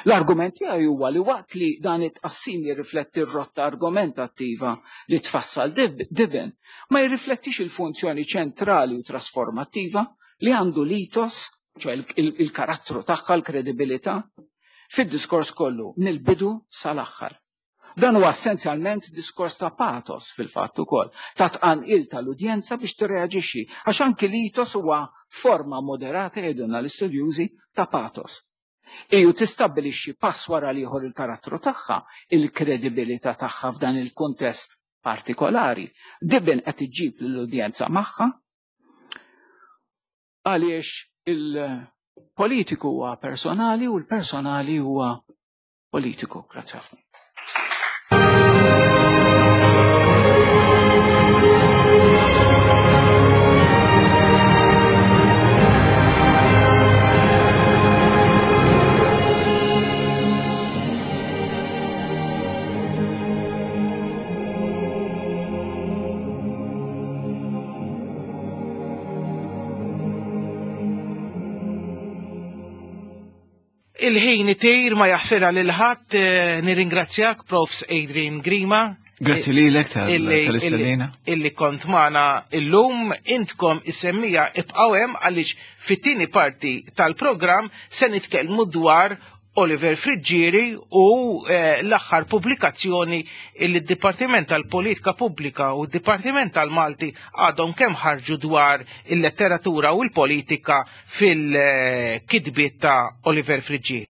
L-argument tiegħi huwa li waqt li dan it-tqassim jirrifletti r-rotta argumentattiva li tfassal Dibben, ma jirriflettix il-funzjoni ċentrali u trasformattiva li għandu l-ethos, ċoè il-karattru tagħha, l-kredibilità, fid-diskors kollu mill-bidu sal-aħħar. Dan huwa essenzjalment diskors ta' pathos fil-fatt ukoll, ta' tqanqil tal-udjenza biex tirreaġixxi, għax anki l-ethos huwa forma moderata jgħidulna l-istudjużi ta' pathos. Iju tistabbilixxi pass wara l-ieħor il-karattru tagħha, il-kredibilità tagħha f'dan il-kuntest partikolari. Dibben qed iġġib lill-udjenza magħha għaliex il-politiku huwa personali u l-personali huwa politiku. Grazzi ħafna. Il-ħin itir ma jaħfirha lil ħadd, nirringrazzjak Profs Adrian Grima. Grazzi lilek tal-istedina. Illi kont magħna illum, intkom is-semmija ibqgħu hemm għaliex fit-tieni parti tal-programm se nitkellmu dwar Oliver Friggieri u l-aħħar pubblikazzjoni li d-Dipartiment tal-Politika Pubblika u d-Dipartiment tal-Malti għadhom kemm ħarġu dwar il-letteratura u l-politika fil-kitbiet ta' Oliver Friggieri.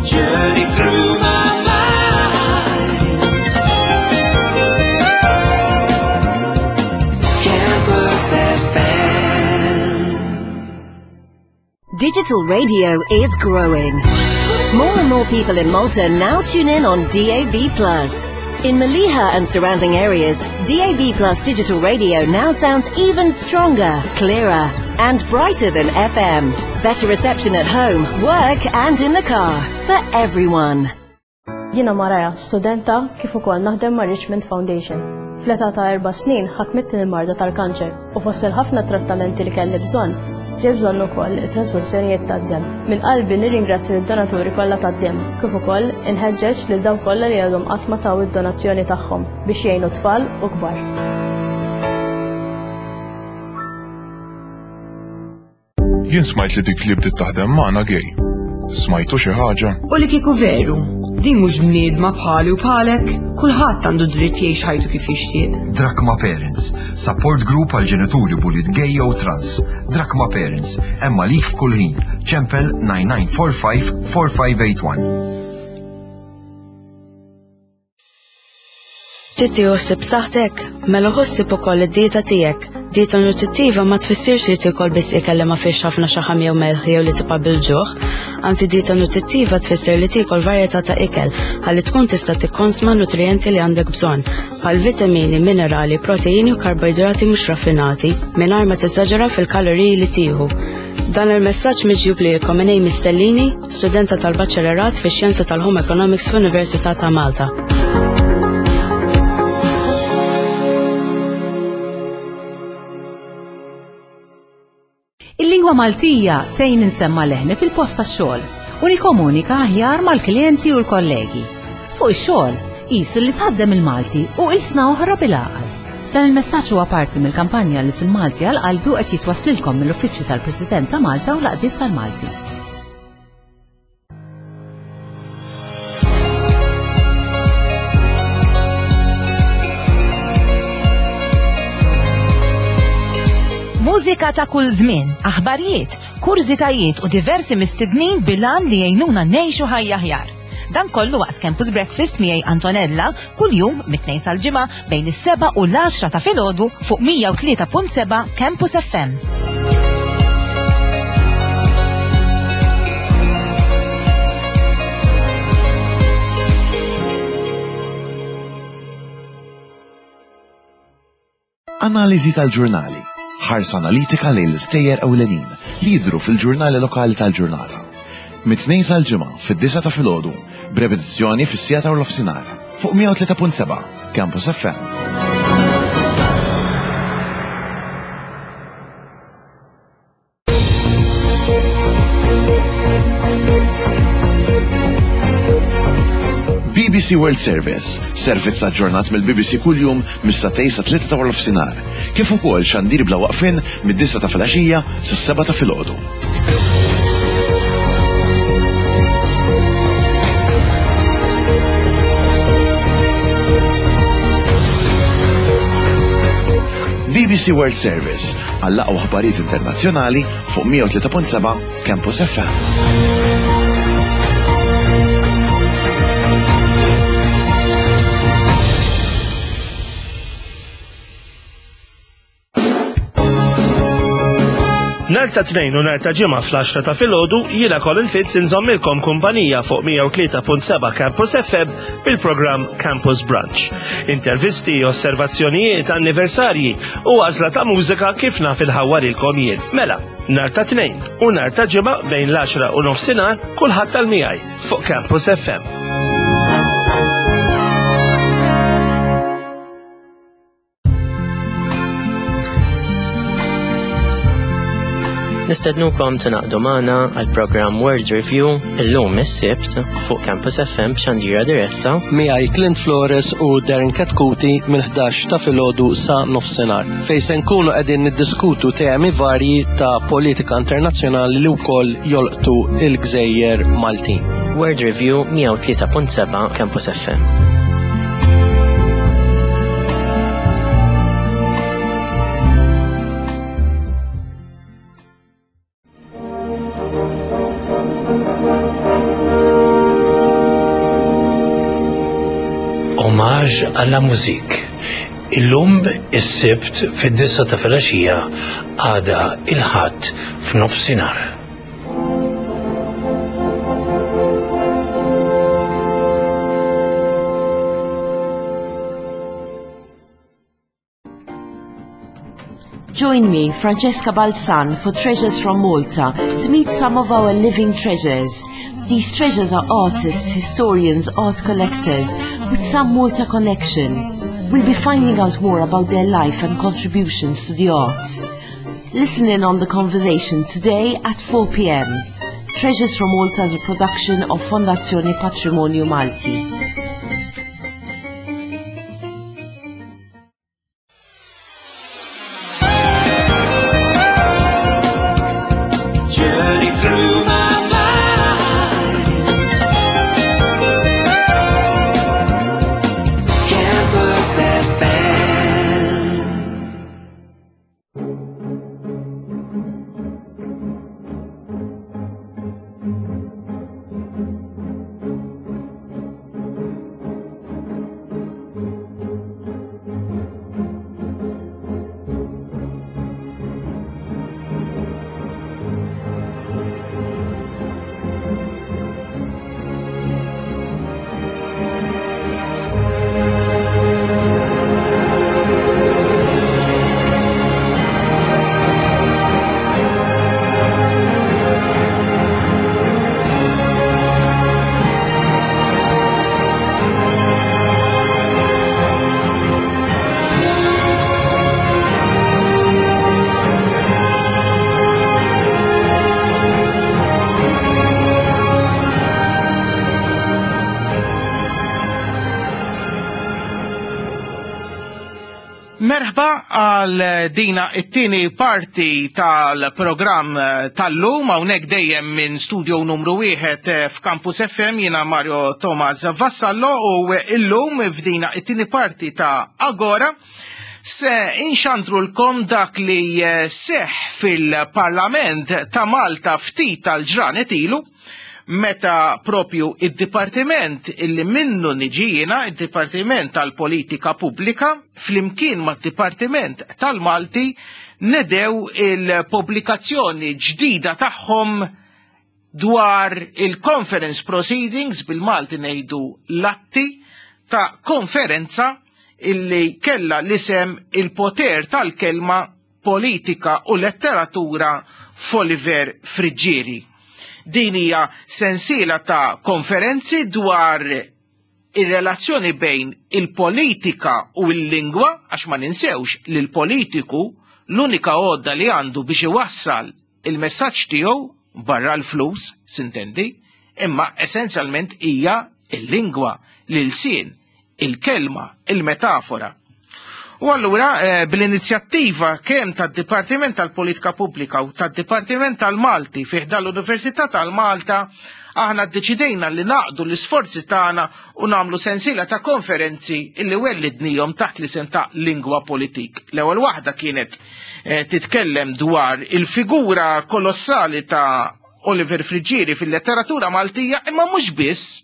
Journey through my mind. Campus F M. Digital radio is growing. More and more people in Malta now tune in on D A B plus. In Maliha and surrounding areas, D A B plus digital radio now sounds even stronger, clearer, and brighter than F M. Better reception at home, work, and in the car for everyone. Jiena Maraja, studenta kif ukoll naħdem ma' Richmond Foundation. Fl-età ta' erba' snin ħakmitni l-marda tal-kanċer u fost il-ħafna trattamenti li kelli bżonn, ġej bżonn ukoll it-trasfużjonijiet tad-demm. Minn qalbi nirringrazzja lid-donaturi kollha tad-demm, kif ukoll inħeġġeġ lil dawk kollha li għadhom qatt ma taw id-donazzjoni tagħhom biex jgħinu tfal u kbar. Jien smajt li dik li bdiet taħdem magħna gej. Smajtu xi ħaġa? U li kieku veru, din mhux bniedma bħali u bħalek, kulħadd għandu dritt jgħix ħajtu kif jixtieq. Drakma Parents, support group għal ġenituri b'ulied gay jew trans. Drakma Parents, hemm għalik f'kull ħin. Ċempel nine nine four five four five eight one. Trid tieħu b'saħħtek, mela ħossib ukoll id-dieta tiegħek. Dieta nutrittiva ma tfissirx li tiekol biss ikel li ma fiex ħafna xaħam jew melħ jew li tibqa' bil-ġuħ. Anzi, dieta nutrittiva tfisser li tiekol varjetà ta' ikel ħalli tkun tista' tikkonsma nutrijenti li għandek bżonn, bħal vitamini, minerali, proteini u karboidrati mhux raffinati, mingħajr ma tiżaġera fil-kaloriji li tieħu. Dan il-messaġġ miġjub lilkom minn Amy Stellini, studenta tal-Baċellerat fix-Xjenza tal-Home Economics fl-Università ta' Malta. Il-lingwa Maltija tgħin insemma leħni fil-post tax-xogħol u nikkomunika aħjar mal-klijenti u l-kollegi. Fuq ix-xogħol, qis li tħaddem il-Malti u qisna oħra bil-għaqal. Dan il-messaġġ huwa parti mill-kampanja li L-Ilsien Malti għal qalbi u qed jitwasslilkom mill-Uffiċċju tal-President ta' Malta u l-Għaqdiet tal-Malti. Mużika ta' kull żmien, aħbarijiet, kurżitajiet u diversi mistednin bilan li jgħinuna ngħixu ħajja aħjar. Dan kollu waqt Campus Breakfast miegħi Antonella kuljum mit-tnejn sal-ġimgħa bejn is-seba' u l-għaxra ta' filgħodu fuq mija u tlieta punt seba' Campus F M. Analiżi tal-ġurnali. Ħarsa analitika lejn l-istejjer ewlenin li jidhru fil-ġurnali lokali tal-ġurnata. Mit-tnejn sal-ġimgħa fid-disgħa ta' filgħodu, b'repetizzjoni fis-siegħa ta' nofsinhar fuq mija u tlieta punt seba' Campus F M. B B C World Service, servizz aġġornat mill-B B C kuljum mis-satej sa tlieta ta' nofsinhar, kif ukoll xandir bla waqfien mid-disgħa ta' filgħaxija sas-seba' ta' filgħodu. B B C World Service għall-aqwa aħbarijiet internazzjonali fuq mija u tlieta punt seba' Campus F M. Nhar ta' Tnejn u nhar ta' Ġimgħa fl-għaxra ta' filgħodu jiena Colin Fitz inżommilkom kumpanija fuq mija u tlieta punt seba' Campus F M bil-programm Campus Brunch. Intervisti, osservazzjonijiet, anniversarji u għażla ta' mużika kif naf inħawwarilkom jien. Mela, nhar ta' Tnejn u nhar ta' Ġimgħa bejn l-għaxra u nofsinhar kulħadd tal-miegħi fuq Campus F M. Nistednukom tingħaqdu magħna għal programm World Review illum is-Sibt fuq Campus F M b'xandira diretta. Miegħi Clint Flores u Darren Katkuti mill-ħdax ta' filgħodu sa nofsinhar, fejn se nkunu qegħdin niddiskutu temi varji ta' politika internazzjonali li wkoll jolqtu il-gżejjer Maltin. World Review, mija u tlieta punt seba' Campus F M. Hommage à la musique. Illum is-Sibt fid-disgħa ta' filgħaxija, għada il-Ħadd f'nofsinhar. Join me, Francesca Balzan, for Treasures from Malta to meet some of our living treasures. These treasures are artists, historians, art collectors with some Malta connection. We'll be finding out more about their life and contributions to the arts. Listen in on the conversation today at four p m. Treasures from Malta is a production of Fondazione Patrimonio Malti. Journey through my mind. Campus F M. Merħba għal dina it-tieni parti tal-programm tal-lum, hawnhekk dejjem minn studio numru wieħed f'Campus F M. Jiena Mario Thomas Vassallo u illum f'dina it-tieni parti ta' Agora se inxandrulkom dak li seħ fil-Parlament ta' Malta ftit tal-ġranet ilu, meta propju id-dipartiment illi minnu niġi jiena, id-Dipartiment tal-Politika Pubblika, flimkien mad-Dipartiment tal-Malti, nedew il-pubblikazzjoni ġdida tagħhom dwar il-conference proceedings, bil-Malti ngħidu l-atti ta' konferenza illi kella l-isem "Il-Poter tal-Kelma, Politika u Letteratura f'Oliver Friggieri". Din hija sensiela ta' konferenzi dwar ir-relazzjoni bejn il-politika u l-lingwa, għax ma ninsewx li l-politiku l-unika għodda li għandu biex iwassal il-messaġġ tiegħu, barra l-flus, sintendi, imma essenzjalment hija il-lingwa, l-ilsien, il-kelma, il-metafora. U allura eh, bl-inizjattiva kemm tad-Dipartiment tal-Politika Pubblika u tad-Dipartiment tal-Malti fih dal-Università tal-Malta Aħna ddeċidejna li naqdu l-isforzi tagħna u nagħmlu sensiela ta' konferenzi illi wellidnihom taħt l-isem ta' Lingwa Politik. L-ewwel waħda kienet eh, titkellem dwar il-figura kolossali ta' Oliver Friggieri fil-letteratura Maltija, imma mhux biss,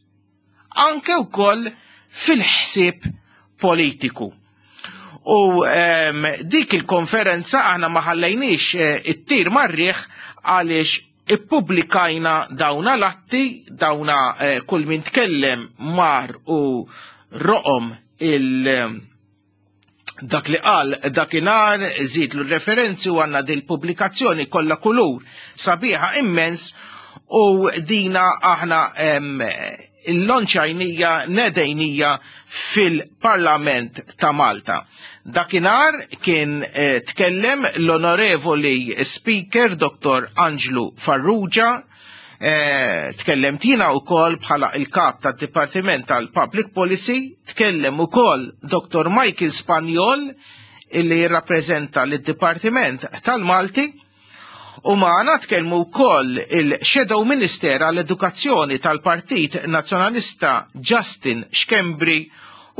anke wkoll fil-ħsieb politiku. U um, dik il-konferenza aħna ma ħallejniex eh, it-tir marriħ għaliex ippubblikajna dawna l-atti, dawna eh, kull min tkellem mar u roqom il- dak li qal dakinhar, żid l-referenzi u għandna dil pubblikazzjoni kollha kulur sabiħa immens u dina aħna il-lonċajnija nedejnija fil-Parlament ta' Malta. Dakinhar kien eh, tkellem l-Onorevoli Speaker Doktor Anġlu Farrugia, eh, tkellem tina u kol bħala il-kap ta' Dipartiment tal-Public Policy, tkellem u kol Doktor Michael Spagnol illi jirrappreżenta l-Dipartiment tal-Malti, u maħna tkellmu wkoll il-Shadow Minister għall-Edukazzjoni tal-Partit Nazzjonalista Justin Schembri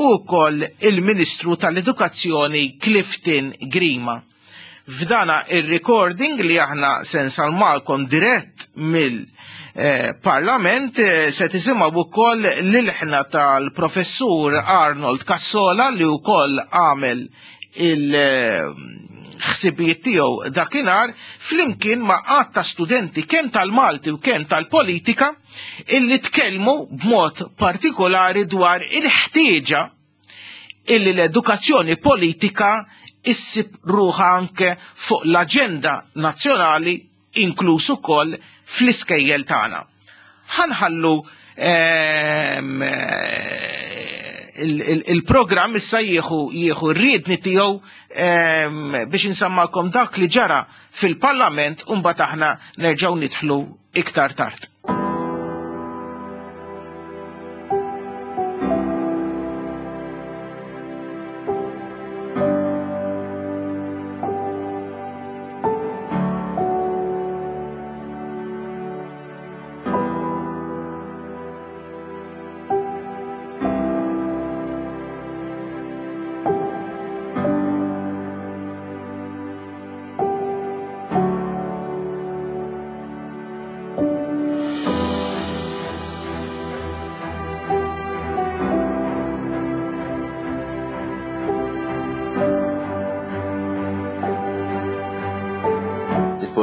u wkoll il-Ministru tal-Edukazzjoni Clifton Grima. F'dana il-recording li aħna se nsalmalkom dirett mill-Parlament se tisimgħu wkoll l-ilħna tal-Professur Arnold Cassola li wkoll għamel il- ħsibijiet tiegħu dakinhar flimkien ma' għadd ta' studenti kemm tal-Malti u kemm tal-politika illi tkellmu b'mod partikolari dwar il-ħtieġa illi l-edukazzjoni politika issib ruħa anke fuq l-aġenda nazzjonali inkluż ukoll fl-iskejjel tagħna. Ħanħallu ehm, il-programm issa jieħu jieħu r-riedni tiegħu biex insammalkom dak li ġara fil-Parlament u mbagħad aħna nerġgħu nidħlu iktar tard.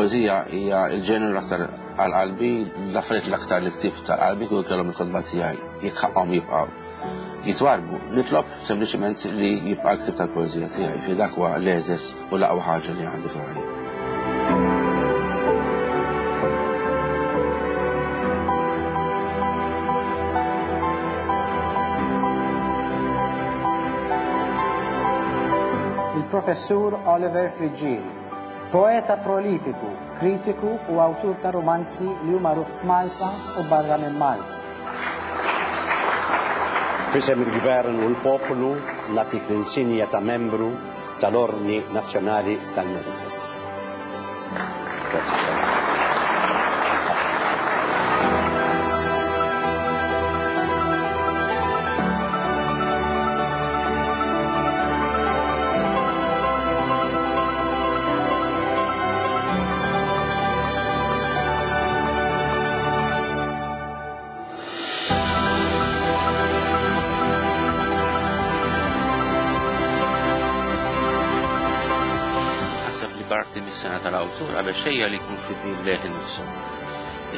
Il-poezija hija l-ġeneru l-aktar għal-qalbi, l-affarijiet l-aktar li ktibt tal-qalbi kull kellhom il-kotba tiegħi jekk ħaqhom jibqgħu jitwarbu. Nitlob sempliċement li jibqa' l-ktib tal-poezija tiegħi, fi dak huwa l-eżes u l-aqwa ħaġa li għandi fil-ħajja. Il-Professur Oliver Friggieri, poeta prolifiku, kritiku u awtur ta' romanzi li huma magħruf f'Malta u barra minn Malta. Fisem il-Gvern u l-poplu nagħtik l-insinja ta' membru tal-Ordni Nazzjonali tal-Merito. Parti mis-sena tal-awtur qabel xejja li jkun fidil lejh innifsu.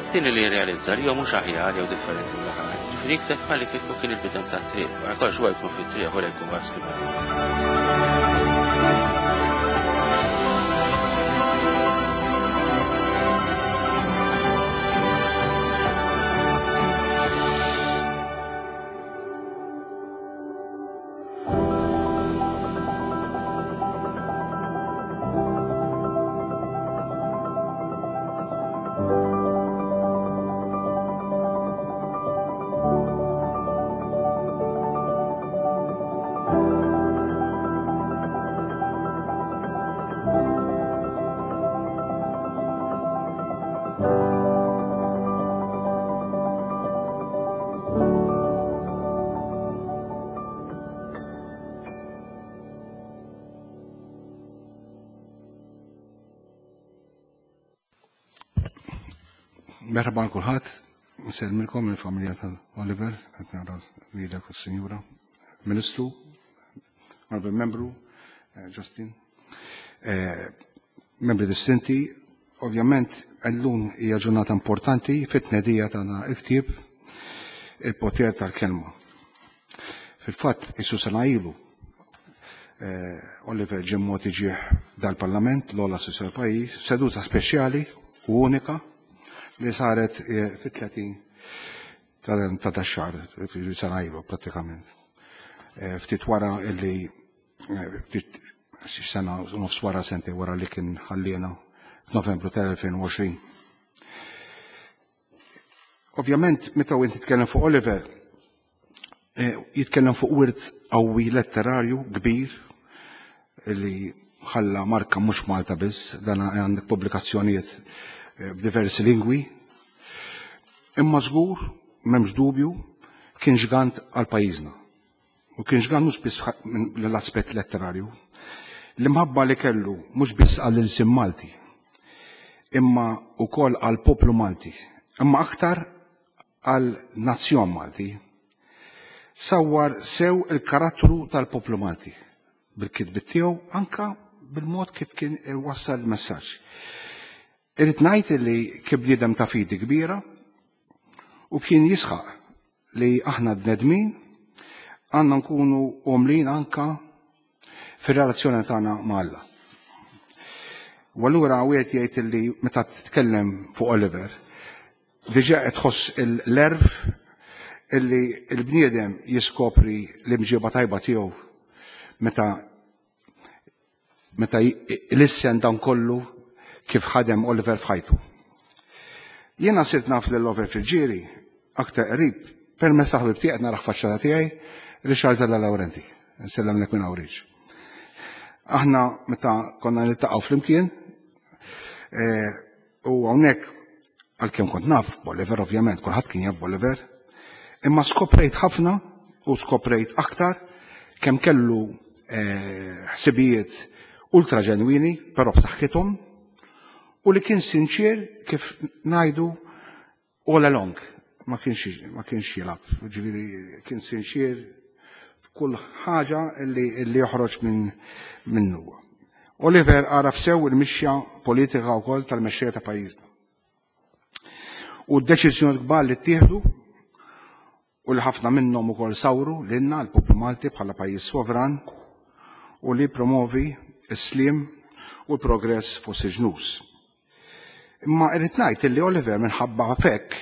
It-tieni li jirrealizza li jew mhux aħjar jew differenti mill-oħrajn. Ġifieri jikteb bħalli kieku kien il-bidem tat-triq, wara kollox huwa jkun fit-triq u jkun wara skrivani. Merħba għal kulħadd, nsellmilkom il-familja tal-Oliver, qed nara lilek u s-Sinjura, Ministru, Honorable Membru, eh, Justin, eh, membri distinti, ovvjament illum hija ġurnata importanti fit-tnedija tagħna il-ktieb Il-Poter tal-Kelma. Fil-fatt, isu sena ilu, eh, Oliver ġie mogħti ġieħ dal-Parlament, l-ogħla istituzzjoni tal-pajjiż, seduta speċjali u unika li saret eh, fit-tletin ta' dax-xahar, sena ilu prattikament. Eh, ftit wara illi ftit sena nofs wara sentejn wara li kien ħallina f'Novembru tal-elfejn u għoxrin. Ovvjament, meta inti titkellem fuq Oliver, eh, jitkellem fuq wirt qawwi letterarju kbir li ħalla marka mhux Malta biss, dan għandek pubblikazzjonijiet eh, f'diversi lingwi. Imma żgur, m'hemmx dubju, kien ġgant għal pajjiżna. U kien ġgant mhux biss l-aspett letterarju. L-imħabba li kellu mhux biss għall-ilsien Malti, imma wkoll għall-poplu Malti, imma aktar għal nazzjon Malti. Sawwar sew il-karattru tal-poplu Malti bil-kitbit tiegħu, anka bil-mod kif kien wassal il-messaġġ. Irrid ngħid li kien bniedem ta' fidi kbira u kien jisħaq li aħna bnedmin għandna nkunu umlin anka fir-relazzjoni tagħna ma' Alla. U allura wieħed jgħid li meta titkellem fuq Oliver, diġà qed tħoss l-erf illi l-bniedem jiskopri l-imġiba tajba tiegħu meta meta lissen dan kollu kif ħadem Oliver f'ħajtu. Jiena sirt naf lil Oliver Friggieri aktar qrib permezz ta' ħbib tiegħi qed naraħ faċċata tiegħi Richard Della Laurenti. Nsellem lek minn hawn. Aħna meta konna niltaqgħu flimkien eh, u hawnhekk għalkemm kont naf Boliver, ovvjament, kulħadd kien jaf Boliver, imma skoprejt ħafna u skoprejt aktar kemm kellu eh, ħsibijiet ultra ġenwini, però b'saħħithom, u li kien sinċir kif ngħidu all along, ma kienx ma kienx jilgħab, ġifieri kien sinċir f'kull ħaġa li, li joħroġ minn minnu. Oliver għaraf sew il-mixja politika wkoll tal-mexxejja ta' pajjiżna. U d-deċiżjoni kbar li ttieħdu u li ħafna minnhom ukoll sawru lilna l-poplu Malti bħala pajjiż sovran u li promovi s-slim u l-progress fost il-ġnus. Imma irrid ngħid li Oliver minħabba fekk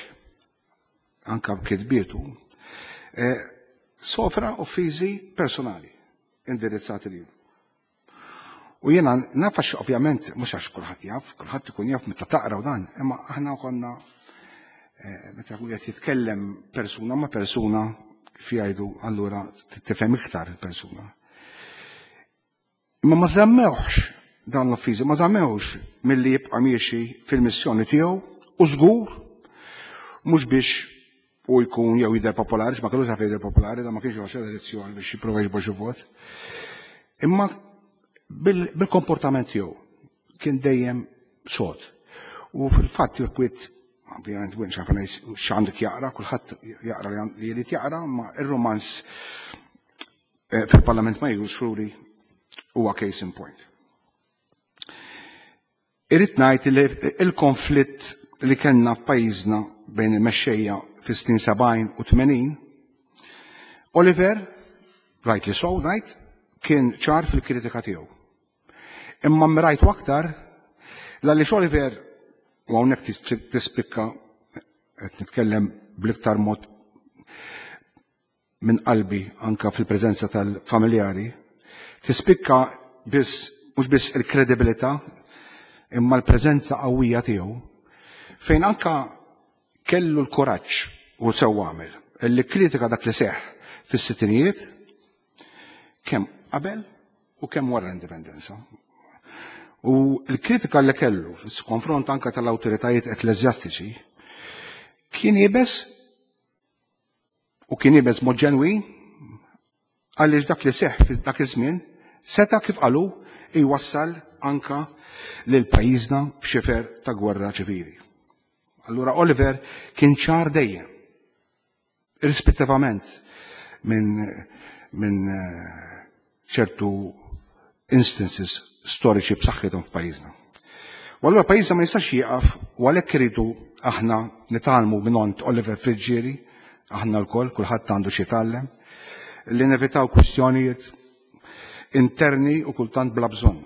anka b'kitbietu eh, sofra offiżi personali indirizzati lilu. U jiena naf għax ovvjament mhux għax kulħadd jaf, kulħadd ikun jaf meta taqra u dan, imma aħna konna eh, meta qed jitkellem persuna ma' persuna kif jgħidu allura tifhem iktar il-persuna. Imma ma żammewx dan l-offiżi, ma żammewx milli jibqa' miexi fil-missjoni tiegħu u żgur mhux biex u jkun jew jidher popolari, ma kellux għalfejn jidher popolari, da ma kienx joħroġ elezzjoni biex jipprova jiġbor xi vot. Imma bil-komportament tiegħu kien dejjem sod. U fil-fatt jekk wieħed ovvjament wien xafa x'għandek jaqra, kulħadd jaqra li jrid jaqra, ma ir-romanz eh, fil-Parlament ma jiġux fruri huwa case in point. Irrid ngħid li il-konflitt li kellna f'pajjiżna bejn il-mexxejja fis-snin sebgħin u tmenin, Oliver, rightly so, ngħid, kien ċar fil-kritika tiegħu. Imma mrajtu aktar għaliex Oliver, u hawnhekk tispikka qed nitkellem bl-iktar mod minn qalbi anka fil-preżenza tal-familjari, tispikka biss mhux biss il-kredibilità imma l-preżenza qawwija tiegħu fejn anka kellu l-kuraġġ u sew għamel li kritika dak li seħħ fis-sittinijiet kemm qabel u kemm wara l-indipendenza. U l-kritika li kellu fis-konfront anka tal-awtoritajiet ekkleżjastiċi kien iebes u kien iebes mod ġenwin għaliex dak li seħħ f'dak iż-żmien seta' kif qalu jwassal anka lil pajjiżna f'xifer ta' gwerra ċivili. Allura Oliver kien ċar dejjem, irrispettivament minn min ċertu instances storiċi b'saħħithom f'pajjiżna. U allura pajjiżna ma jistax jieqaf u għalhekk iridu aħna nitgħallmu minn Oliver Friggieri, aħna lkoll, kulħadd għandu xi jitgħallem, li nevitaw kwistjonijiet interni u kultant bla bżonn.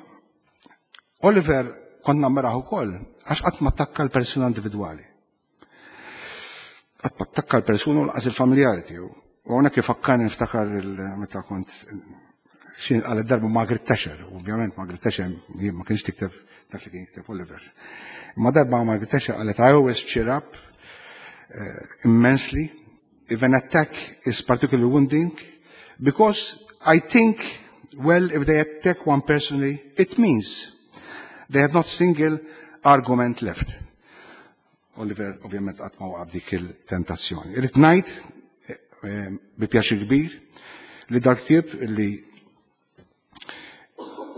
Oliver konna meraħ ukoll għax qatt ma attakka l-persuna individwali. Qatt ma attakka l-persuna u lanqas il-familjari tiegħu. U hawnhekk ifakkarni niftakar meta kont xin għal darba Margaret Thatcher, ovvjament Margaret Thatcher ma kienx tikteb dak li kien jikteb Oliver. Ma darba Margaret Thatcher qalet I always cheer up uh, immensely if an attack is particularly wounding because I think, well, if they attack one personally, it means they have not single argument left. Oliver ovvjament qatt ma waqaf dik il-tentazzjoni. Irrid ngħid bi pjaċir kbir li dal-ktieb li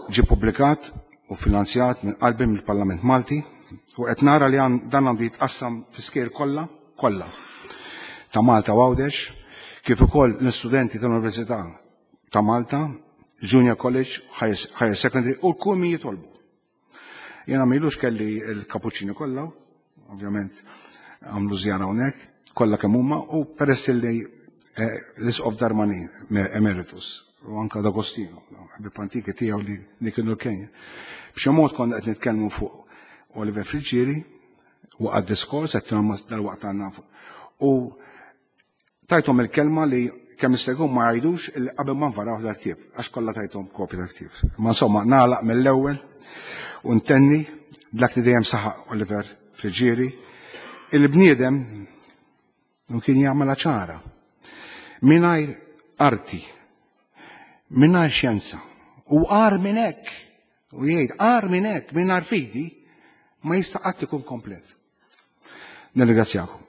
ġie publikat u finanzjat minn qalbi mill-Parlament Malti u qed nara li dan għandu jitqassam fl-iskejjel kollha kollha ta' Malta u Għawdex, kif ukoll l-istudenti tal-Università ta' Malta, Junior College, Higher Secondary u kull min jitolbu. Jena m'ilux kelli l-kapuċċini kollha, ovvjament għamlu żjara hawnhekk, kollha kemm huma u peress li l-Isqof Darmanin Emeritus u anka D'Agostino, ħbieb antiki tiegħu li kienu l-Kenja. B'xi mod konna qed nitkellmu fuq Oliver Friggieri u għad diskors qed dal-waqt għandna u tajthom il-kelma li kemm jista' jkun ma jgħidux illi qabel ma nvaraw dal-ktieb, għax kollha tajthom kopja tal-ktieb. Ma insomma nagħlaq mill-ewwel u ntenni dak li dejjem saħaq Oliver Friggieri, il-bniedem kien jagħmel ċara. Mingħajr arti, mingħajr xjenza, u agħar minn hekk, u jgħid agħar minn hekk, mingħajr fidi, ma jista' qatt ikun komplet. Nirringrazzjakom.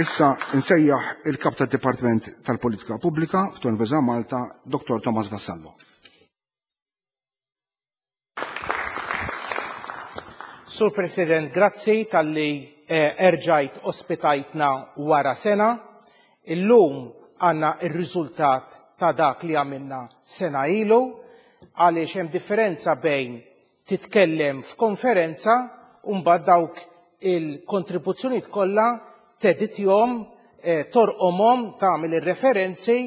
Issa nsejjaħ il-kap tad-Dipartiment tal-Politika Pubblika fl-Università Malta, Dottor Thomas Vassallo. Sur President, grazzi tal-li erġajt ospitajtna wara sena. Illum għanna il-riżultat ta' dak li għamilna sena ilu, għaliex hemm differenza bejn titkellem f'konferenza u mbagħad dawk il-kontribuzzjonijiet kollha teditjom, torqomhom, tagħmel ir-referenzi,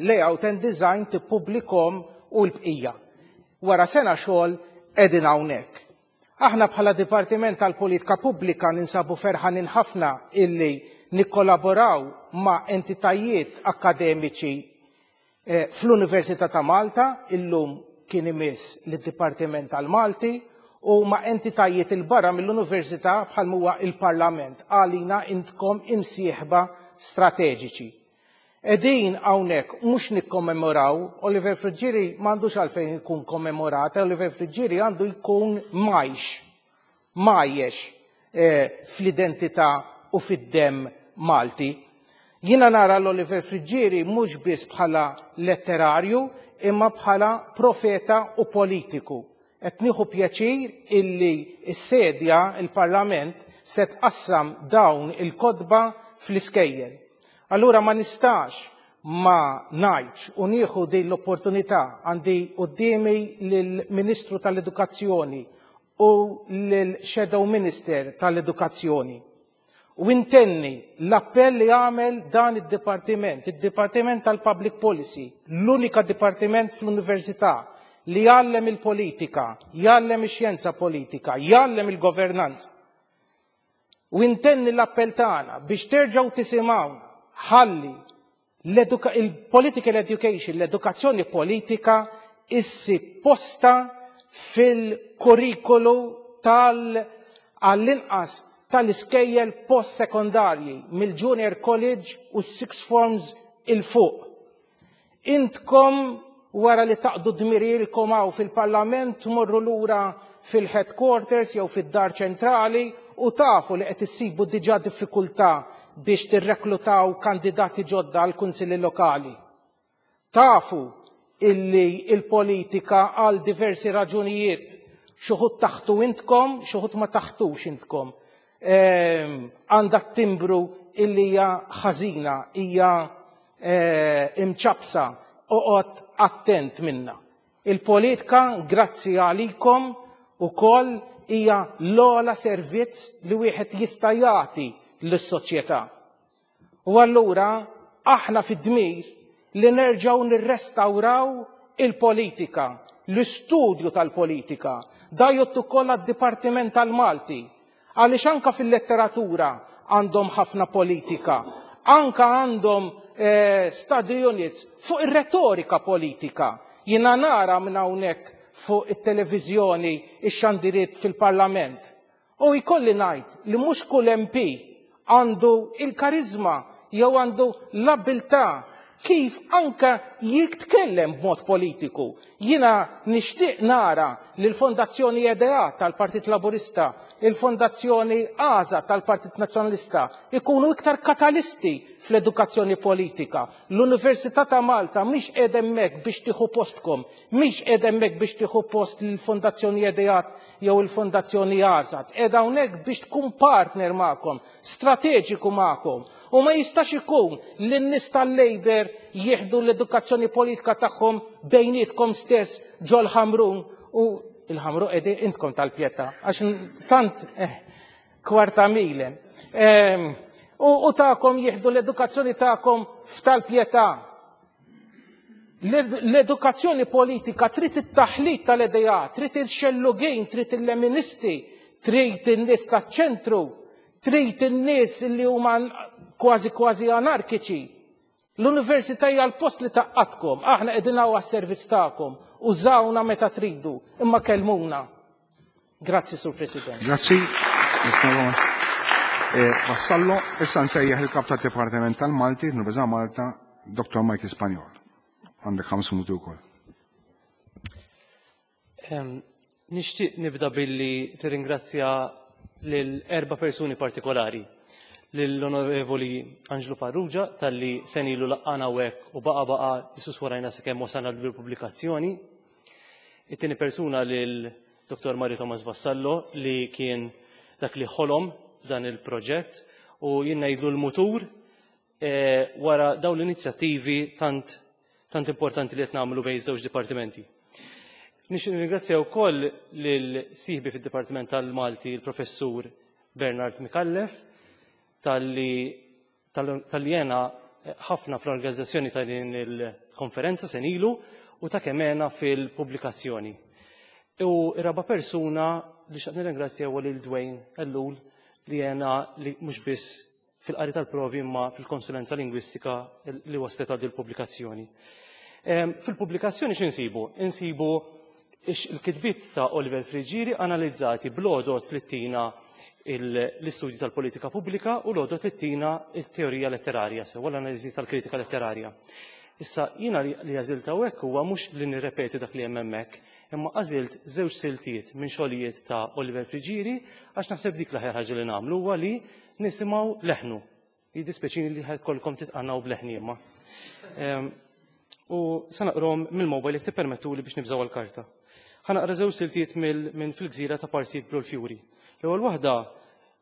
layout and design, tippubblikhom u l-bqija. Wara sena xogħol qegħdin hawnhekk. Aħna bħala Dipartiment tal-Politika Pubblika ninsabu ferħanin ħafna illi nikkollaboraw ma' entitajiet akademiċi fl-Università ta' Malta, illum kien imiss lid-Dipartiment tal-Malti, u ma' entitajiet il-barra mill-Università bħal huwa il-Parlament, għalina intkom imsieħba strateġiċi. Qegħdin hawnhekk mhux nikkommemoraw, Oliver Friggieri m'għandux għalfejn ikun kommemorat, Oliver Friggieri għandu jkun majx, majjex fl-identità u fid-demm Malti. Jiena nara l-Oliver Friggieri mhux biss bħala letterarju, imma bħala profeta u politiku. Qed nieħu pjaċir illi s-sedja, il-Parlament, se tqassam dawn il-kotba fl-iskejjel. Allura ma nistax ma ngħidx u nieħu din l-opportunità għandi quddiemi lill-Ministru tal-Edukazzjoni u lill-Shadow Minister tal-Edukazzjoni. U intenni l-appell li għamel dan id-dipartiment, id-Dipartiment tal-Public Policy, l-unika dipartiment fl-Università li jgħallem il-politika, jgħallem ix-xjenza politika, jgħallem il-governanza. U intenni l-appell tagħna biex terġgħu tisimgħu ħalli il-political education, l-edukazzjoni politika issib posta fil-kurrikulu tal għall-inqas tal-iskejjel post-sekondarji mill-junior college u six forms il-fuq. Intkom wara li taqdu dmirilkom hawn fil-Parlament tmorru lura fil-headquarters jew fid-dar ċentrali u tafu li qed issibu diġà diffikultà biex tirreklutaw kandidati ġodda għal kunsilli lokali. Tafu illi il-politika għal diversi raġunijiet Xi wħud taħtu intkom, xi wħud ma taħtux intkom. Għandha timbru illi hija ħażina, hija imċapsa, oqgħod attent minna. Il-politika, grazzi għalikom, ukoll hija l-ogħla servizz li wieħed jista' jagħti lis-soċjetà. U allura aħna fid-dmir li nerġgħu nirrestawraw il-politika, l-istudju tal-politika. Da jgħodd ukoll għad-Dipartiment tal-Malti, għaliex anka fil-letteratura għandhom ħafna politika, anka għandhom eh, study units fuq ir-retorika politika. Jiena nara minn hawnhekk fuq it-televiżjoni ix-xandiriet fil-Parlament. U jkolli ngħid li mhux kull M P għandu il-karizma jew għandu l-abilità kif anka jitkellem b'mod politiku. Jiena nixtieq nara li l-Fondazzjoni E D A tal-Partit Laburista, il-Fondazzjoni A Z A tal-Partit Nazzjonalista ikunu iktar katalisti fl-edukazzjoni politika. L-Università ta' Malta mhix qiegħda hemmhekk biex tieħu postkom, mhix qiegħda hemmhekk biex tieħu post l-Fondazzjoni E D A jew il-Fondazzjoni A Z A. Qiegħda hawnhekk biex tkun partner magħkom, strateġiku magħkom. U ma jistax ikun li n-nies tal-Labour jieħdu l-edukazzjoni politika tagħhom bejnietkom stess ġol Ħamrun u il-Ħamrun qegħdin intkom tal-Pietà, għax tant eh, kwarta mile. Ehm, u, u tagħkom jieħdu l-edukazzjoni tagħkom f'tal-Pietà. L-edukazzjoni politika trid it-taħlit tal-idea, trid il-xellugin, trid il-leministi, trid in-nies taċ-ċentru, trid in-nies li huma kważi kważi anarkiċi. L-università hija l-post li tgħaqqadkom, aħna qegħdin hawn għas-servizz tagħkom, użawna meta tridu, imma kellmuna. Grazzi, Sur President. Grazzi. Eh, Vassallo, issa nsejjaħ il-kap tad-Dipartiment tal-Malti, Università Malta, Doctor Michael Spagnol. Għandek ħames minuti wkoll. Nixtieq nibda billi tirringrazzja lil erba' persuni partikolari. Lill-Onorevoli Angelo Farrugia talli sena ilu laqgħana hawnhekk u baqa baqa jisus warajna sakemm wasalna l-pubblikazzjoni. It-tieni persuna lil Doctor Mario Thomas Vassallo li kien dak li ħolom dan il-proġett u jien ngħidlu l-mutur eh, wara dawn l-inizjattivi tant tant importanti li qed nagħmlu bejn żewġ dipartimenti. Nixtieq nirringrazzja wkoll lil sieħbi fid-Dipartiment tal-Malti, il-Professur Bernard Micallef, talli talli għena ħafna fl-organizzazzjoni ta' din il-konferenza sena ilu u ta' kemm għena fil-pubblikazzjoni. U r-raba' persuna li xtaqt nirringrazzja huwa lil Dwayne Ellul li għena li mhux biss fil-qari tal-provi imma fil-konsulenza lingwistika li waslet għal il-pubblikazzjoni. Fil-pubblikazzjoni x'insibu? Insibu il-kitbiet ta' Oliver Friggieri analizzati bl-għodot li tina l-istudju tal-politika pubblika u l-għodot li tina il-teorija letterarja, sew l-analiżi tal-kritika letterarja. Issa jiena li għażilt hawnhekk huwa mhux li nirrepeti dak li hemm hemmhekk, imma għażilt żewġ siltiet minn xogħlijiet ta' Oliver Friggieri għax naħseb dik l-aħjar ħaġa li nagħmlu huwa li nisimgħu leħnu. Jiddispjaċini li ħa jkollkom titqannaw b'leħni imma. U sa naqrahom mill-mobile jekk tippermettu li biex nibżaw l-karta. Ħa naqra żewġ siltiet minn Fil-Gżira ta' Parsi Jidblu l-Fjuri. L-ewwel waħda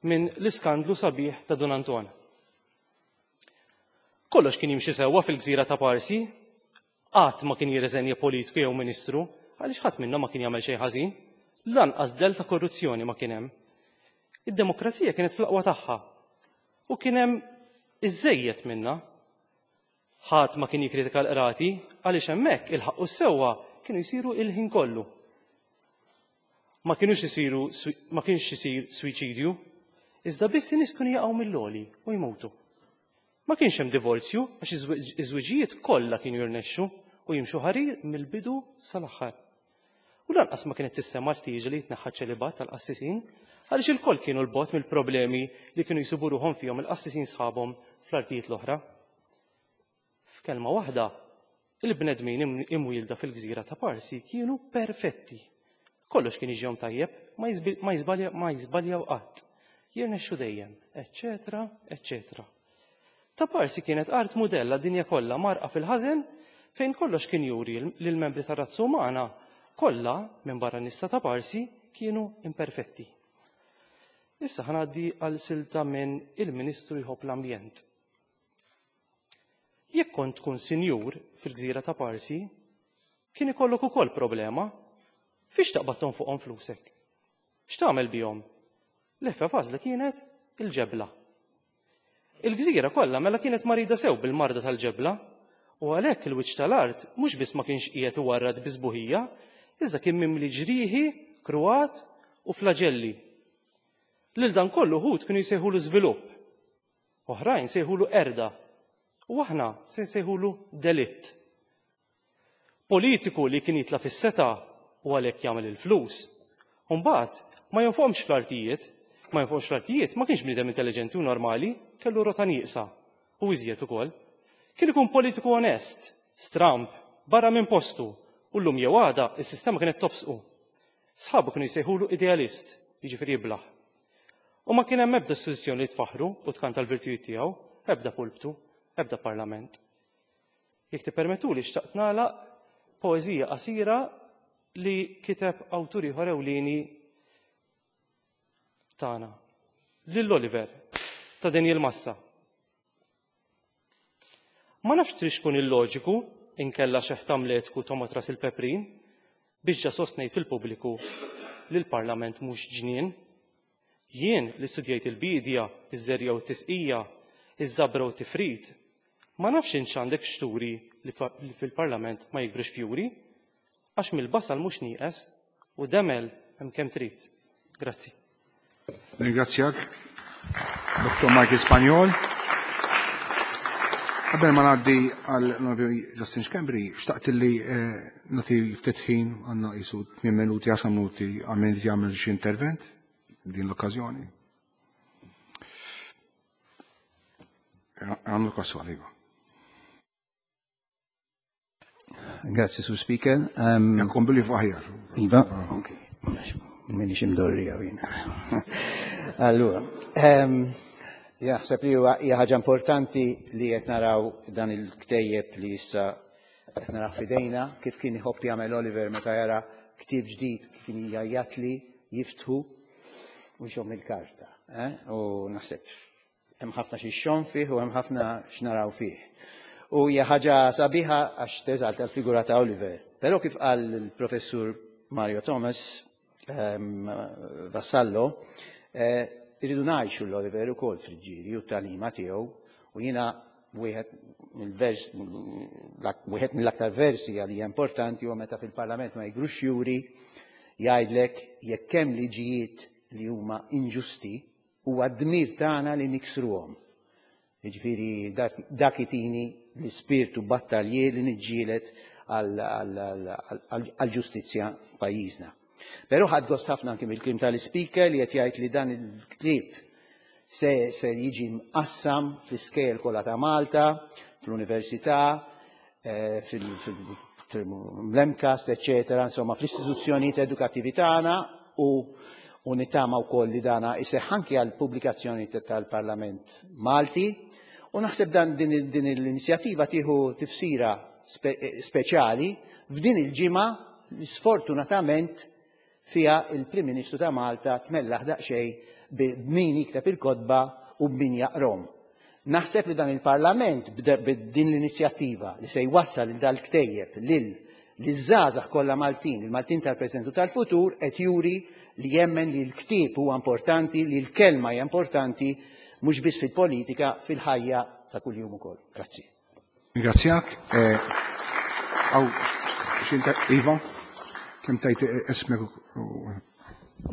minn L-Iskandlu Sabiħ ta' Dun Anton. Kollox kien jimxi sewwa fil-gżira ta' Parsi, qatt ma kien jirreżenja politiku jew ministru, għaliex ħadd minnhom ma kien jagħmel xejn ħażin, lanqas del ta' korruzzjoni ma kien hemm. Id-demokrazija kienet fl-aqwa tagħha u kien hemm iżejjed minnha. Ħadd ma kien jikkritika l-qrati għaliex hemmhekk il-ħaqq u s-sewwa kienu jsiru il-ħin kollu. Ma kienux isiru ma kienx isir suwiċidju, iżda biss in-nies kienu jaqgħu mill-għoli u jmutu. Ma kienx hemm divorzju għax iż-żwiġijiet kollha kienu jirnexxu u jimxu ħarir mill-bidu sal-aħħar. U lanqas ma kienet tissemma l-ħtieġa li jitneħħa ċelibat tal-qassisin għaliex il-koll kienu 'l bogħod mill-problemi li kienu jsibu ruħhom fihom il-qassisin sħabhom fl-artijiet l-oħra. F'kelma waħda, il-bnedmin imwielda fil-gżira ta' Parsi kienu perfetti. Kollox kien jiġihom tajjeb, ma jiżbalja ma jiżbaljaw qatt. Jirnexxu dejjem, eċċetera, eċċetera. Ta' Parsi kienet art mudella dinja kollha mgħarrqa fil-ħażen fejn kollox kien juri li l-membri tar-razza umana kollha minn barra n-nies ta' Parsi kienu imperfetti. Issa ħa ngħaddi għal silta minn Il-Ministru Jħobb l-Ambjent. Jekk kont tkun sinjur fil-gżira ta' Parsi, kien ikollok ukoll problema. Fiex taqbad tonfoqhom flusek? X'tagħmel bihom? L-eħfef għażla kienet il-ġebla. Il-gżira kollha mela kienet marida sew bil-marda tal-ġebla, u għalhekk il-wiċċ tal-art mhux biss ma kienx qiegħed iwarrad bi sbuħija, iżda kien mimli ġrieħi, kruat u flaġelli. Lil dan kollu wħud kienu jsejħulu żvilupp, oħrajn sejħulu qerda, u aħna se nsejħulu delitt. Politiku li kien jitla' fis-setgħa u għalhekk jagħmel il-flus, u mbagħad ma jonfoqhomx fl-artijiet, ma jonfoqx fl-artijiet ma kienx bniedem intelliġenti u normali, kellu rota nieqsa u iżjed ukoll. Kien ikun politiku onest, stramb, barra minn postu, u llum jew għada is-sistema kienet tobsqu. Sħabu kienu jsejħulu idealist, jiġifieri jiblaħ. U ma kien hemm ebda istituzzjoni li tfaħħru u tkanta l-virtujiet tiegħu, ebda pulptu, ebda parlament. Jekk tippermettuli xtaqt nagħlaq poeżija qasira li kiteb awtur ieħor ewlieni tagħna, lil Oliver ta' Daniel Massa. Ma nafx trix tkun illoġiku inkella xeħ tamletku tomgħod ras il-peprin biex ġa sostnejt fil-pubbliku li l-Parlament mhux ġnien. Jien li studjajt il-bidja, iż-żerja u t-tisqija, iż-żabra u t-tifrid, ma nafx int x'għandek x'turi li fil-Parlament ma jikbrux fjuri, għax mill-basal mhux nieqes u demel hemm kemm trid. Grazzi. Ringrazzjak, Dottor Michael Spagnol. Qabel ma ngħaddi għal Onorevoli Justin Schembri, xtaqt li nagħti ftit ħin, għandna qisu tmien minuti, għaxar minuti għal min jagħmel xi intervent din l-okkażjoni. Għamlu l-okkażjoni, iva. Grazzi, Sur Speaker. Jankun billi fuq aħjar. Iva, ok. Minix imdorri għaw jina. Allura, jaħseb li huwa hija ħaġa importanti li qed naraw dan il-ktejjeb li issa qed naraw f'idejna, kif kien iħobb jagħmel Oliver meta jara ktieb ġdid kien jgħajjatli jiftħu u jxomm il-karta. U naħseb hemm ħafna xi xogħol fih u hemm ħafna x'naraw fih. U hija ħaġa sabiħa għax teżalta l-figura ta' Oliver. Però kif qal il-professur Mario Thomas Vassallo, irridu ngħixu l-Oliver ukoll Friggieri u t-tagħlima tiegħu, u jiena wieħed mill-vers, wieħed mill-aktar versi għalija importanti huwa meta fil-Parlament ma jigrux juri jgħidlek jekk hemm liġijiet li huma inġusti huwa d-dmir tagħna li niksruhom. Jiġifieri dak itini l-ispirtu battaljier li niġġieled għall-ġustizzja f'pajjiżna. Però ħadd gost ħafna anke mill-kliem tal-ispeaker li qed jgħid li dan il-ktieb se, se jiġi mqassam fl-iskejjel kollha ta' Malta, fl-università, fil-MCAST, eċċetera, insomma fl-istituzzjonijiet edukattivi tagħna, u u nittama wkoll li dana iseħħ anke għall pubblikazzjoni tal-Parlament Malti. U naħseb dan din, din l-inizjattiva tieħu tifsira spe, speċjali f'din il-ġimgħa li sfortunatament fiha il-Prim Ministru ta' Malta tmellaħ daqsxejn b'min jikteb il-kotba u b'min jaqrom. Naħseb li dan il-Parlament b'din l-inizjattiva li se jwassal il dal-ktejjeb lil liż-żgħażagħ kollha Maltin, il-Maltin tal-preżent u tal-futur, qed juri li jemmen li l-ktieb huwa importanti, li l-kelma hija importanti, mhux biss fil-politika, fil-ħajja ta' kuljum ukoll. Grazzi. Ringrazzjak. Aw, Iva, kemm tajt ismek?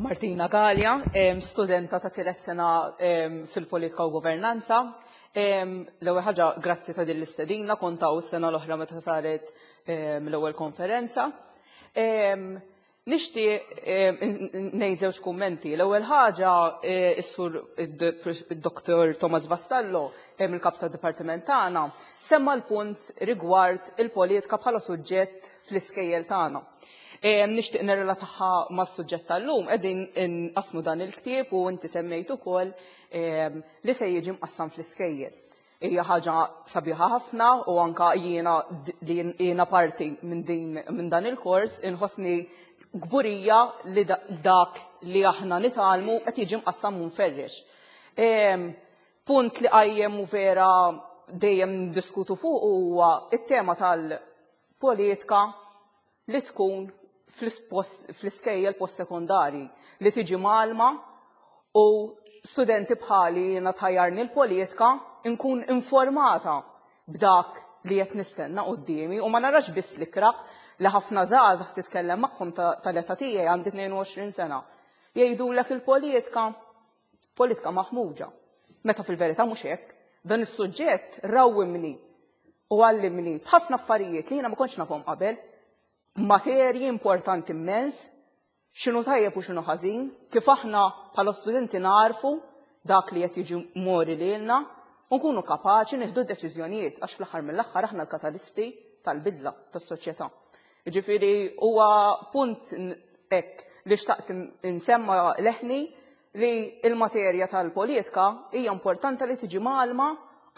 Martina Galea, studenta ta' tielet sena fil-politika u governanza. L-ewwel ħaġa, grazzi ta' din l-istedina, kont hawn is-sena l-oħra meta saret l-ewwel konferenza. Nixtieq ngħid żewġ kummenti. L-ewwel ħaġa, is-sur id-Doktor Thomas Vassallo, il-kap tad-dipartiment tagħna, semma l-punt rigward il-politika bħala suġġett fl-iskejjel tagħna. Nixtieq nirrelataha mas-suġġett tal-lum, qegħdin inqasmu dan il-ktieb u inti semmejt ukoll li se jiġi mqassam fl-iskejjel. Hija ħaġa sabiħa ħafna u anka jiena li jiena parti minn din minn dan il-kors inħossni kburija li dak li aħna nitgħallmu qed jiġi mqassam u mferrex. Punt li qajjem u vera dejjem ndiskutu fuq huwa it-tema tal-politika li tkun fl-iskejjel post-sekondari li tiġi mgħallma u studenti bħali jiena tħajjarni l-politika nkun informata b'dak li qed nistenna quddiemi u ma narax biss l-ikrah li ħafna żgħażagħ titkellem magħhom tal-età tiegħi għandi tnejn u għoxrin sena. Jgħidulek il-politika, politika maħmuġa. Meta fil-verità mhux hekk, dan is-suġġett rawwimni u għallimni b'ħafna affarijiet li jiena ma kontx nafhom qabel, materji importanti immens, x'inhu tajjeb u x'inhu ħażin, kif aħna bħala studenti narfu dak li qed jiġi mori lilna u nkunu kapaċi nieħdu deċiżjonijiet għax fl-aħħar mill-aħħar aħna l-katalisti tal-bidla tas-soċjetà. Jiġifieri huwa punt hekk li xtaqt insemma leħni li l-materja tal-politika hija importanti li tiġi mgħallma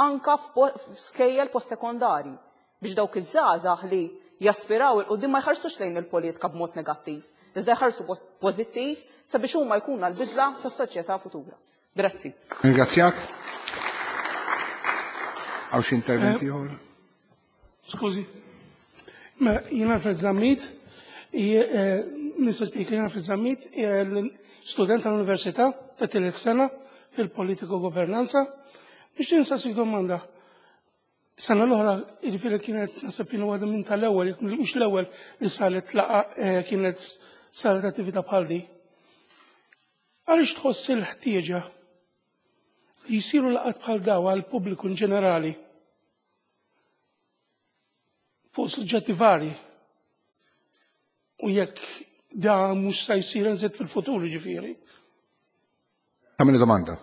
anka f'skejjel post-sekondari biex dawk iż-żgħażagħ li jaspiraw il quddiem ma jħarsux lejn il-politika b'mod negattiv, iżda jħarsu pożittiv sabiex huma jkunu l-bidla tas-soċjetà futura. Grazzi. Ringrazzjak. Għaw xi intervent ieħor? Skużi. Ma jiena Alfred Zammit, Mister Speaker, jiena Alfred Zammit, student tal-Università ta' tielet sena fil-Politiko Governanza. Nixtieq nsaqsik domanda. Sena l-oħra, jiġifieri kienet naħseb kienu waħda minn tal-ewwel, jekk mhux l-ewwel li saret laqa kienet saret attività bħal di. Għaliex tħoss il-ħtieġa li jsiru laqgħat bħal daw għall-pubbliku in ġenerali fuq suġġetti varji u jekk da mhux se jsir nżid fil-futur jiġifieri? Tagħmel domanda.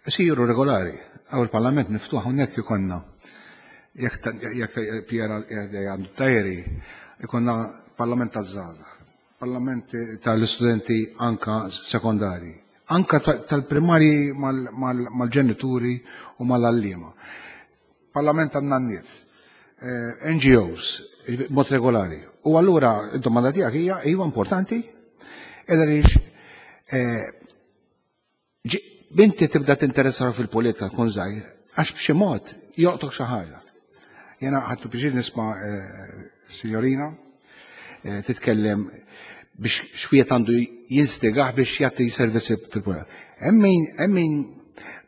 Isiru regolari, għaw il-Parlament miftuħ hawnhekk ikonna jekk Piera għandu tajri, ikonna Parlament taż-żgħażagħ, Parlament tal-istudenti anka sekondari, anka tal-primarji mal-ġenituri u mal-għalliema. Parlament tan-nanniet, N G Os, mod regolari. U allura id-domanda tiegħek hija iva importanti, għaliex binti tibda tinteressa fil-politika tkun żgħir, għax b'xi mod joqtok xi ħaġa. Jena ħadtu pjaċir nisma' signorina titkellem biex xwiet għandu jinstigah biex jagħti servizzi fil-politika. Hemm min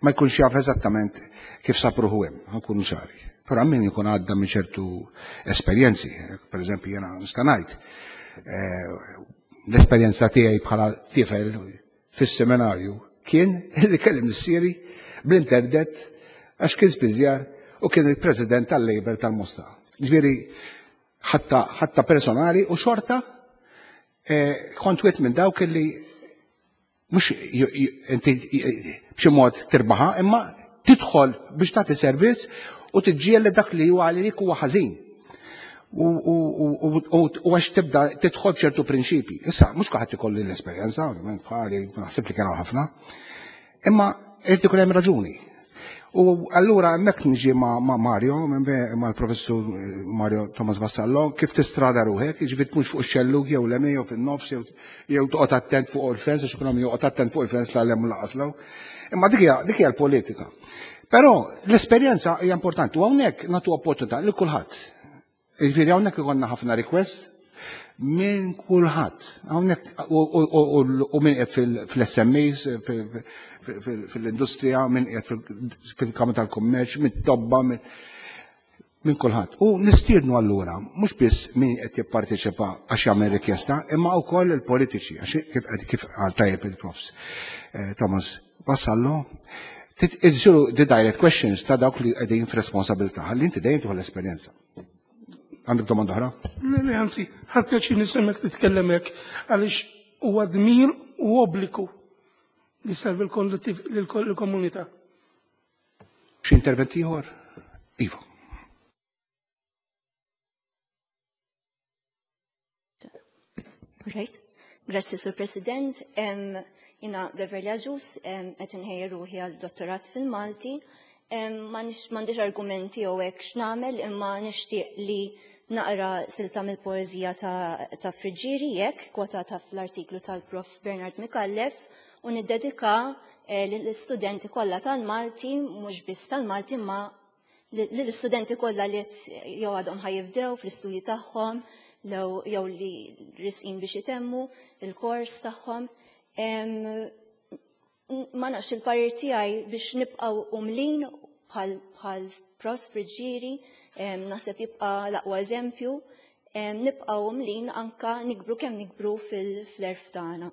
ma jkunx jaf eżattament kif sab ruħu hemm, ħankunu ċari. Però hemm min jkun għadda minn ċertu esperjenzi, per eżempju jiena nista' ngħid l-esperjenza tiegħi bħala tifel fis-seminarju kien li kellim missieri bl-internet għax kien spiżjar u kien il-president tal-Labor tal-Mosta. Ġifieri ħatta personali u xorta kont wieħed minn dawk li mhux inti b'xi mod tirbaħa, imma tidħol biex tagħti servizz u tiġġieled dak li huwa għalik huwa ħażin. U għax tibda tidħol ċertu prinċipji. Issa mhux kulħadd ikollu l-esperjenza, ovvjament bħali naħseb li kienu ħafna, imma qed ikun hemm raġuni. U allura hemmhekk niġi ma' Mario, mal-professur Mario Thomas Vassallo, kif tistrada ruħek, jiġifieri tmux fuq ix-xellug jew l-emi jew fin-nofs jew toqgħod attent fuq il-fens, għax ikun hemm joqgħod attent fuq il-fens la hemm laqas law. Imma dik hija l-politika. Però l-esperjenza hija importanti u hawnhekk nagħtu opportunità lil kulħadd. Jiġifieri hawnhekk ikollna ħafna request minn kulħadd. Hawnhekk u min qiegħed fil-S M Es, fil-industrija, min qiegħed fil-Kamra tal-Kummerċ, minn tobba, minn kulħadd. U nistiednu allura mhux biss min qed jipparteċipa għax jagħmel rikjesta, imma wkoll il-politiċi, għax kif qal tajjeb il-profs Thomas Vassallo, isiru the direct questions ta' dawk li qegħdin f'responsabilità, ħalli inti dejjem tieħu l-esperjenza. Għandek domanda oħra? Le, anzi, ħadd pjaċir nisemmek titkellem hekk għaliex huwa dmir u obbligu li servi l-komunità. Xi intervent ieħor? Iva. Right. Grazzi, Sur President. Jina Beverly Agius, qed inħejja ruħi għal dottorat fil-Malti. M'għandix argumenti jew hekk x'nagħmel, imma nixtieq li naqra silta mill-poeżija ta', ta Friggieri jekk kwotata fl-artiklu tal-Prof Bernard Micallef u niddedika eh, lill-istudenti kollha tal-Malti, mhux biss tal-Malti ma lill-istudenti kollha li jew għadhom ħa jibdew fl-istudji tagħhom jew li resqin biex itemmu il-kors tagħhom. Ma nafx, il-parir tiegħi biex nibqgħu umlin bħal Prof Friggieri, naħseb jibqa' l-aqwa eżempju, nibqgħu umlin anka nikbru kemm nikbru fil-għerf tagħna.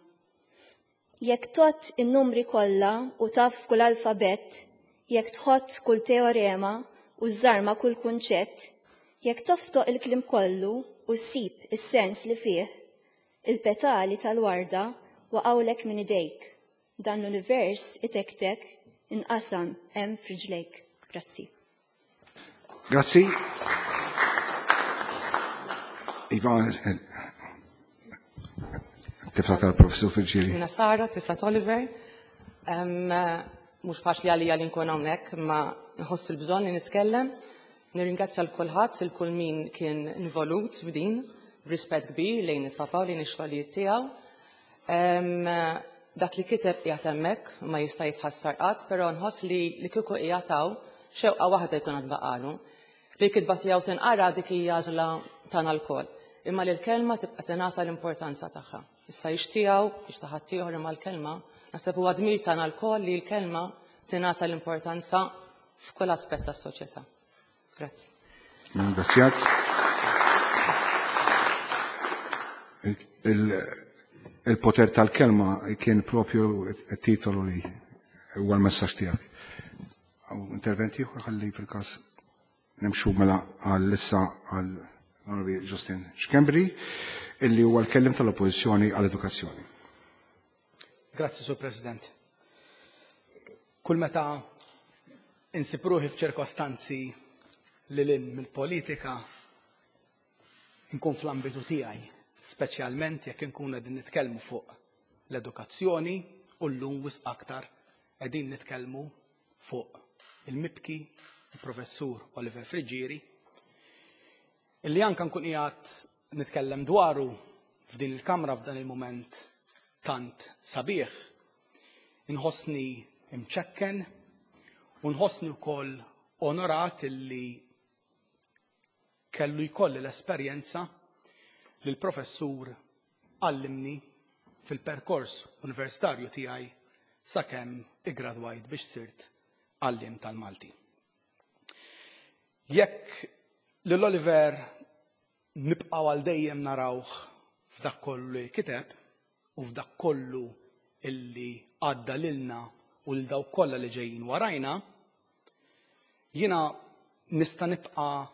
Jekk tgħodd in-numri kollha u taf kull alfabett, jekk tħott kull teorema u żarma kull kunċett, jekk toftoq il-kliem kollu u ssib is-sens li fih, il-petali tal-warda waqgħulek minn idejk. Dan l-univers itektek inqasam hemm f'riġlejk. Grazzi. Grazzi. Iva, tifla tal-professur Friggieri. Jiena Sara, tifla Oliver. Mhux faċli għalija li nkun hawnhekk, imma nħoss il-bżonn li nitkellem. Nirringrazzja lil kulħadd, lil kull min kien involut f'din, b'rispett kbir lejn il-papa u lejn ix-xogħlijiet tiegħu. Dak li kiteb qiegħed hemmhekk, ma jista' jitħassar qatt, però nħoss li li kieku qiegħed hawn xewqa waħda jkun għad baqalu. Li kitba tiegħu tinqara, dik hija għażla tagħna lkoll. Imma li l-kelma tibqa' tingħata l-importanza tagħha. Issa hix tiegħu, hix ta' ħaddieħor, imma l-kelma, naħseb huwa dmir tagħna lkoll li l-kelma tingħata l-importanza f'kull aspett tas-soċjetà. Grazzi. Ringrazzjak. Il-poter tal-kelma kien propju it-titolu li huwa l-messaġġ tiegħek. Interventi ħalli fil-każ nimxu mela għal-issa għal Onorevoli Justin Schembri, illi huwa l-kellim tal-Oppożizzjoni għall-Edukazzjoni. Grazzi, Sur President. Kull meta insib ruħi f'ċirkostanzi li lil mill-politika nkun fl-ambitu tiegħi, speċjalment jekk inkun qegħdin nitkellmu fuq l-edukazzjoni u llum wisq aktar qegħdin nitkellmu fuq il-mibki il-professur Oliver Friggieri, illi anka nkun qiegħed nitkellem dwaru f'din il-kamra f'dan il-mument tant sabiħ. Inħossni imċekken u nħossni wkoll onorat illi kellu jkolli l-esperjenza li l-professur għallimni fil-perkors universitarju tiegħi sakemm iggradwajt biex sirt għallim tal-Malti. Jekk lil Oliver nibqgħu għal dejjem narawh f'dak kollu li kiteb u f'dak kollu illi għadda lilna u l dawk kollha li ġejjin warajna, jiena nista' nibqa'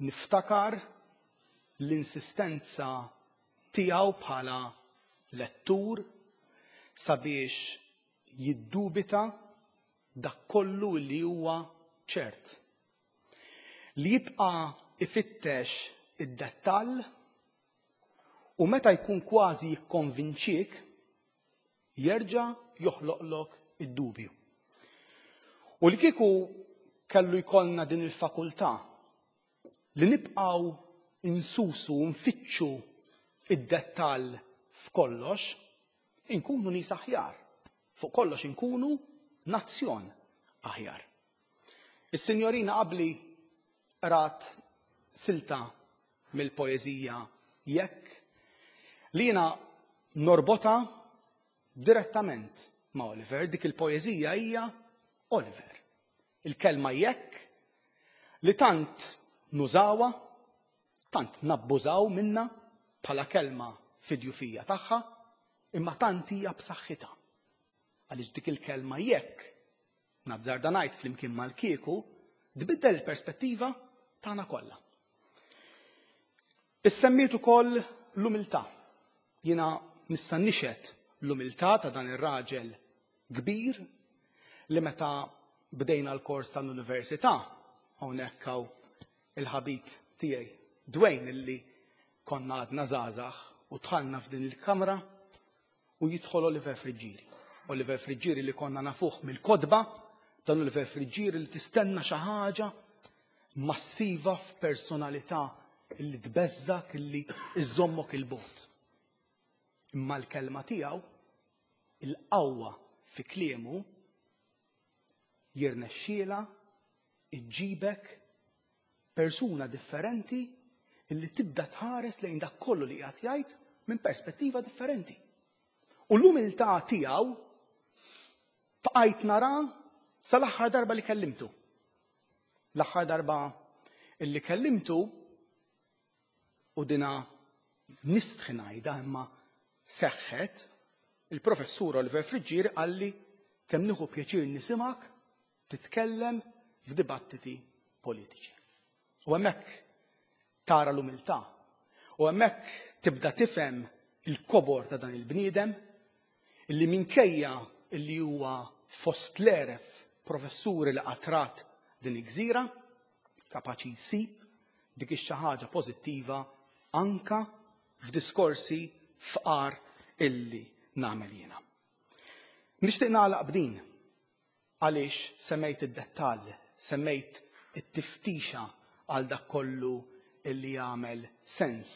niftakar l-insistenza tiegħu bħala lettur sabiex jiddubita dak kollu li huwa ċert. Li jibqa' ifittex id-dettall u meta jkun kważi jikkonvinċik jerġa' joħloqlok id-dubju. U li kieku kellu jkollna din il-fakultà li nibqgħu insusu u nfittxu id-dettall f'kollox, inkunu nies aħjar. Fuq kollox inkunu nazzjon aħjar. Is-sinjorina qabli rat silta mill-poeżija Jekk li jiena norbota direttament ma' Oliver. Dik il-poeżija hija Oliver. Il-kelma jekk li tant nużawha, tant nabbużaw minna bħala kelma fidjufija tagħha, imma tant hija b'saħħitha. Għaliex dik il-kelma jekk, nazzarda ngħid flimkien mal-kieku, tbiddel il-perspettiva tagħna kollha. Issemmiet ukoll l-umiltà. Jiena nista' nixhed l-umiltà ta' dan ir-raġel kbir li meta bdejna l-kors tal-università, hawnhekk hawn il-ħabib tiegħi Dwayne illi konna għadna żgħażagħ u dħalna f'din il-kamra u jidħol Oliver Friggieri. Oliver Friggieri li konna nafuh mill-kotba, dan Oliver Friggieri li tistenna xi ħaġa massiva f'personalità illi tbeżżak, illi iżommok il-bogħod. Imma l-kelma tiegħu, il-qawwa fi kliemu, jirnexxiela iġġibek persuna differenti illi tibda tħares lejn dak kollu li qiegħed jgħid minn perspettiva differenti. U l-umiltà tiegħu bqajt nara sal-aħħar darba li kellimtu. L-aħħar darba illi kellimtu, u dina nistħi ngħidha imma seħħet, il-professur Oliver Friggieri qalli kemm nieħu pjaċir nisimgħek titkellem f'dibattiti politiċi. U hemmhekk tara l-umiltà. U hemmhekk tibda tifhem il-kobor ta' dan il-bniedem illi minkejja illi huwa fost l-eref professuri li qatrat din il-gżira, kapaċi jsib dik ix-xi ħaġa pożittiva anka f'diskorsi fqar illi nagħmel jiena. Nixtieq nagħlaq b'din għaliex semmejt id-dettall, semmejt it-tiftixa għal dak kollu illi jagħmel sens,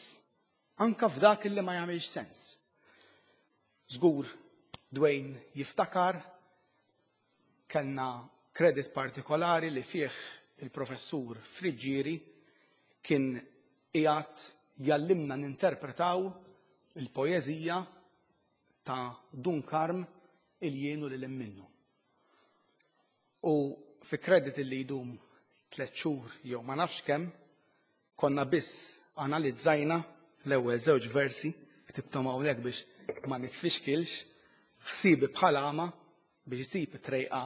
anka f'dak illi ma jagħmilx sens. Żgur Dwayne jiftakar kellna kredit partikolari li fih il-professur Friggieri kien qiegħed jallimna ninterpretaw il-poeżija ta' Dun Karm il-jienu li minnu. U fi kredit li jdum tliet xhur jew ma nafx kemm, konna biss analizzajna l-ewwel żewġ versi, ktibthom hawnhekk biex ma nitfixkilx, ħsibi bħal għama biex isib it-trejqa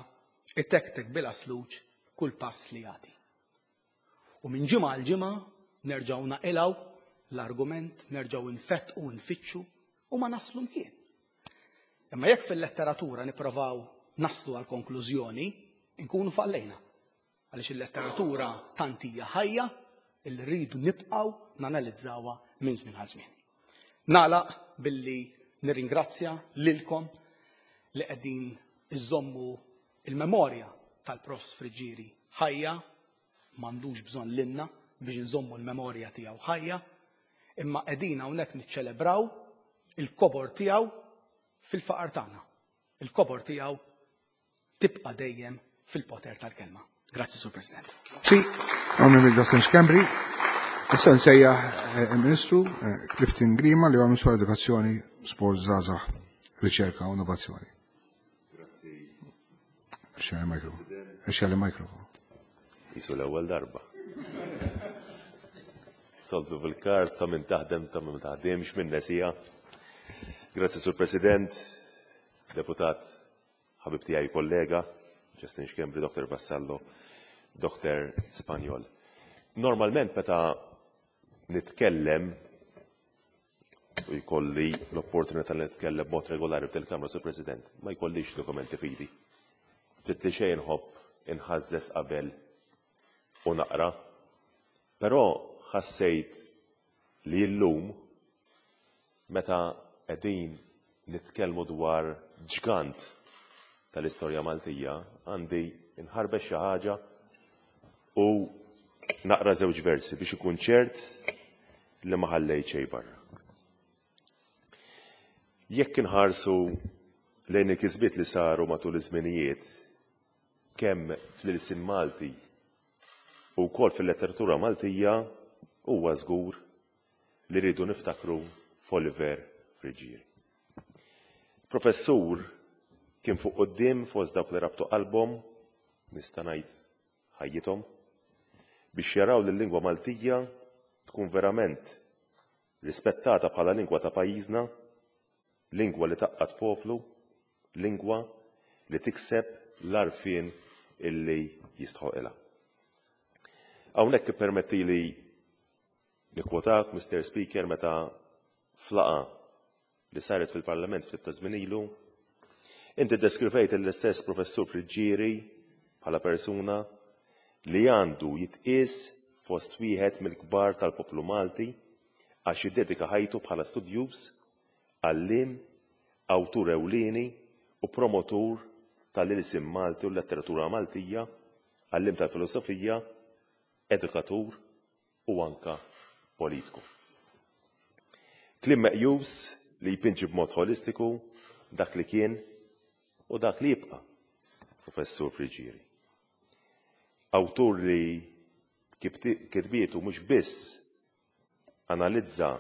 itektek bila sluġ kull pass li jagħti. U minn ġimgħa għal ġimgħa nerġgħu naqilgħu l-argument, nerġgħu nfettqu u nfittxu u ma naslu mkien. Imma jekk fil-letteratura nipprovaw naslu għal konklużjoni, inkunu fallejna. Għaliex il-letteratura tant hija ħajja illi rridu nibqgħu nanalizzawha minn żmien għal żmien. Nagħlaq billi nirringrazzja lilkom li qegħdin iżommu il-memorja tal-Profs Friggieri ħajja, m'għandux bżonn lilna biex nżommu l-memorja tiegħu ħajja, imma qegħdin hawnhekk niċċelebraw il-kobor tiegħu fil-faqar tagħna. Il-kobor tiegħu tibqa' dejjem fil-poter tal-kelma. Grazzi, Sur President. Grazzi, Onorevoli Justin Schembri. Issa nsejjaħ il-Ministru Clifton Grima li huwa Ministru Edukazzjoni, Sport, Żgħażagħ, Riċerka u Innovazzjoni. Grazzi. Xejn mikrofon. Xejn mikrofon. Jisu l-ewwel darba. Soltu bil-karta minn taħdem ta' minn taħdemx minn nesija. Grazzi, Sur President, Deputat, ħabib tiegħi kollega, Justin Schembri, Doktor Vassallo, Doktor Spanjol. Normalment meta nitkellem u jkolli l-opportunità li nitkellem b'mod regolari f'dil-Kamra, Sur President, ma jkollix dokumenti fidi. Ftit li xejn nħobb inħażżes qabel u naqra, però ħassejt li llum meta qegħdin nitkellmu dwar ġgant tal-istorja Maltija, għandi nħarbex xi ħaġa u naqra żewġ versi biex ikun ċert li ma ħallejt xejn barra. Jekk inħarsu lejn il-kisbiet li saru matul iż-żminijiet, kemm fl-ilsien Malti u wkoll fil-letteratura Maltija, huwa żgur li rridu niftakru f'Oliver Friggieri. Professur kien fuq quddiem fost dawk li rabtu qalbhom, nista' ngħid ħajjithom, biex jaraw li l-lingwa Maltija tkun verament rispettata bħala lingwa ta' pajjiżna, lingwa li taqqat poplu, lingwa li tikseb l-għarfien illi jistħoqilha. Hawnhekk ippermettili nikkwotak, Mister Speaker, meta flaqa li saret fil-Parlament ftit ta' żmien ilu, inti ddeskrivejt l-istess Professur Friggieri bħala persuna li għandu jitqies fost wieħed mill-kbar tal-poplu Malti għax jiddedika ħajtu bħala studjuż, għalliem, awtur ewlieni u promotur tal-ilsien Malti u l-letteratura Maltija, għalliem tal-filosofija, edukatur u anka politiku. Kliem meqjus li jpinġi b'mod holistiku dak li kien u dak li jibqa' Professur Friggieri. Awtur li kitbietu mhux biss analizza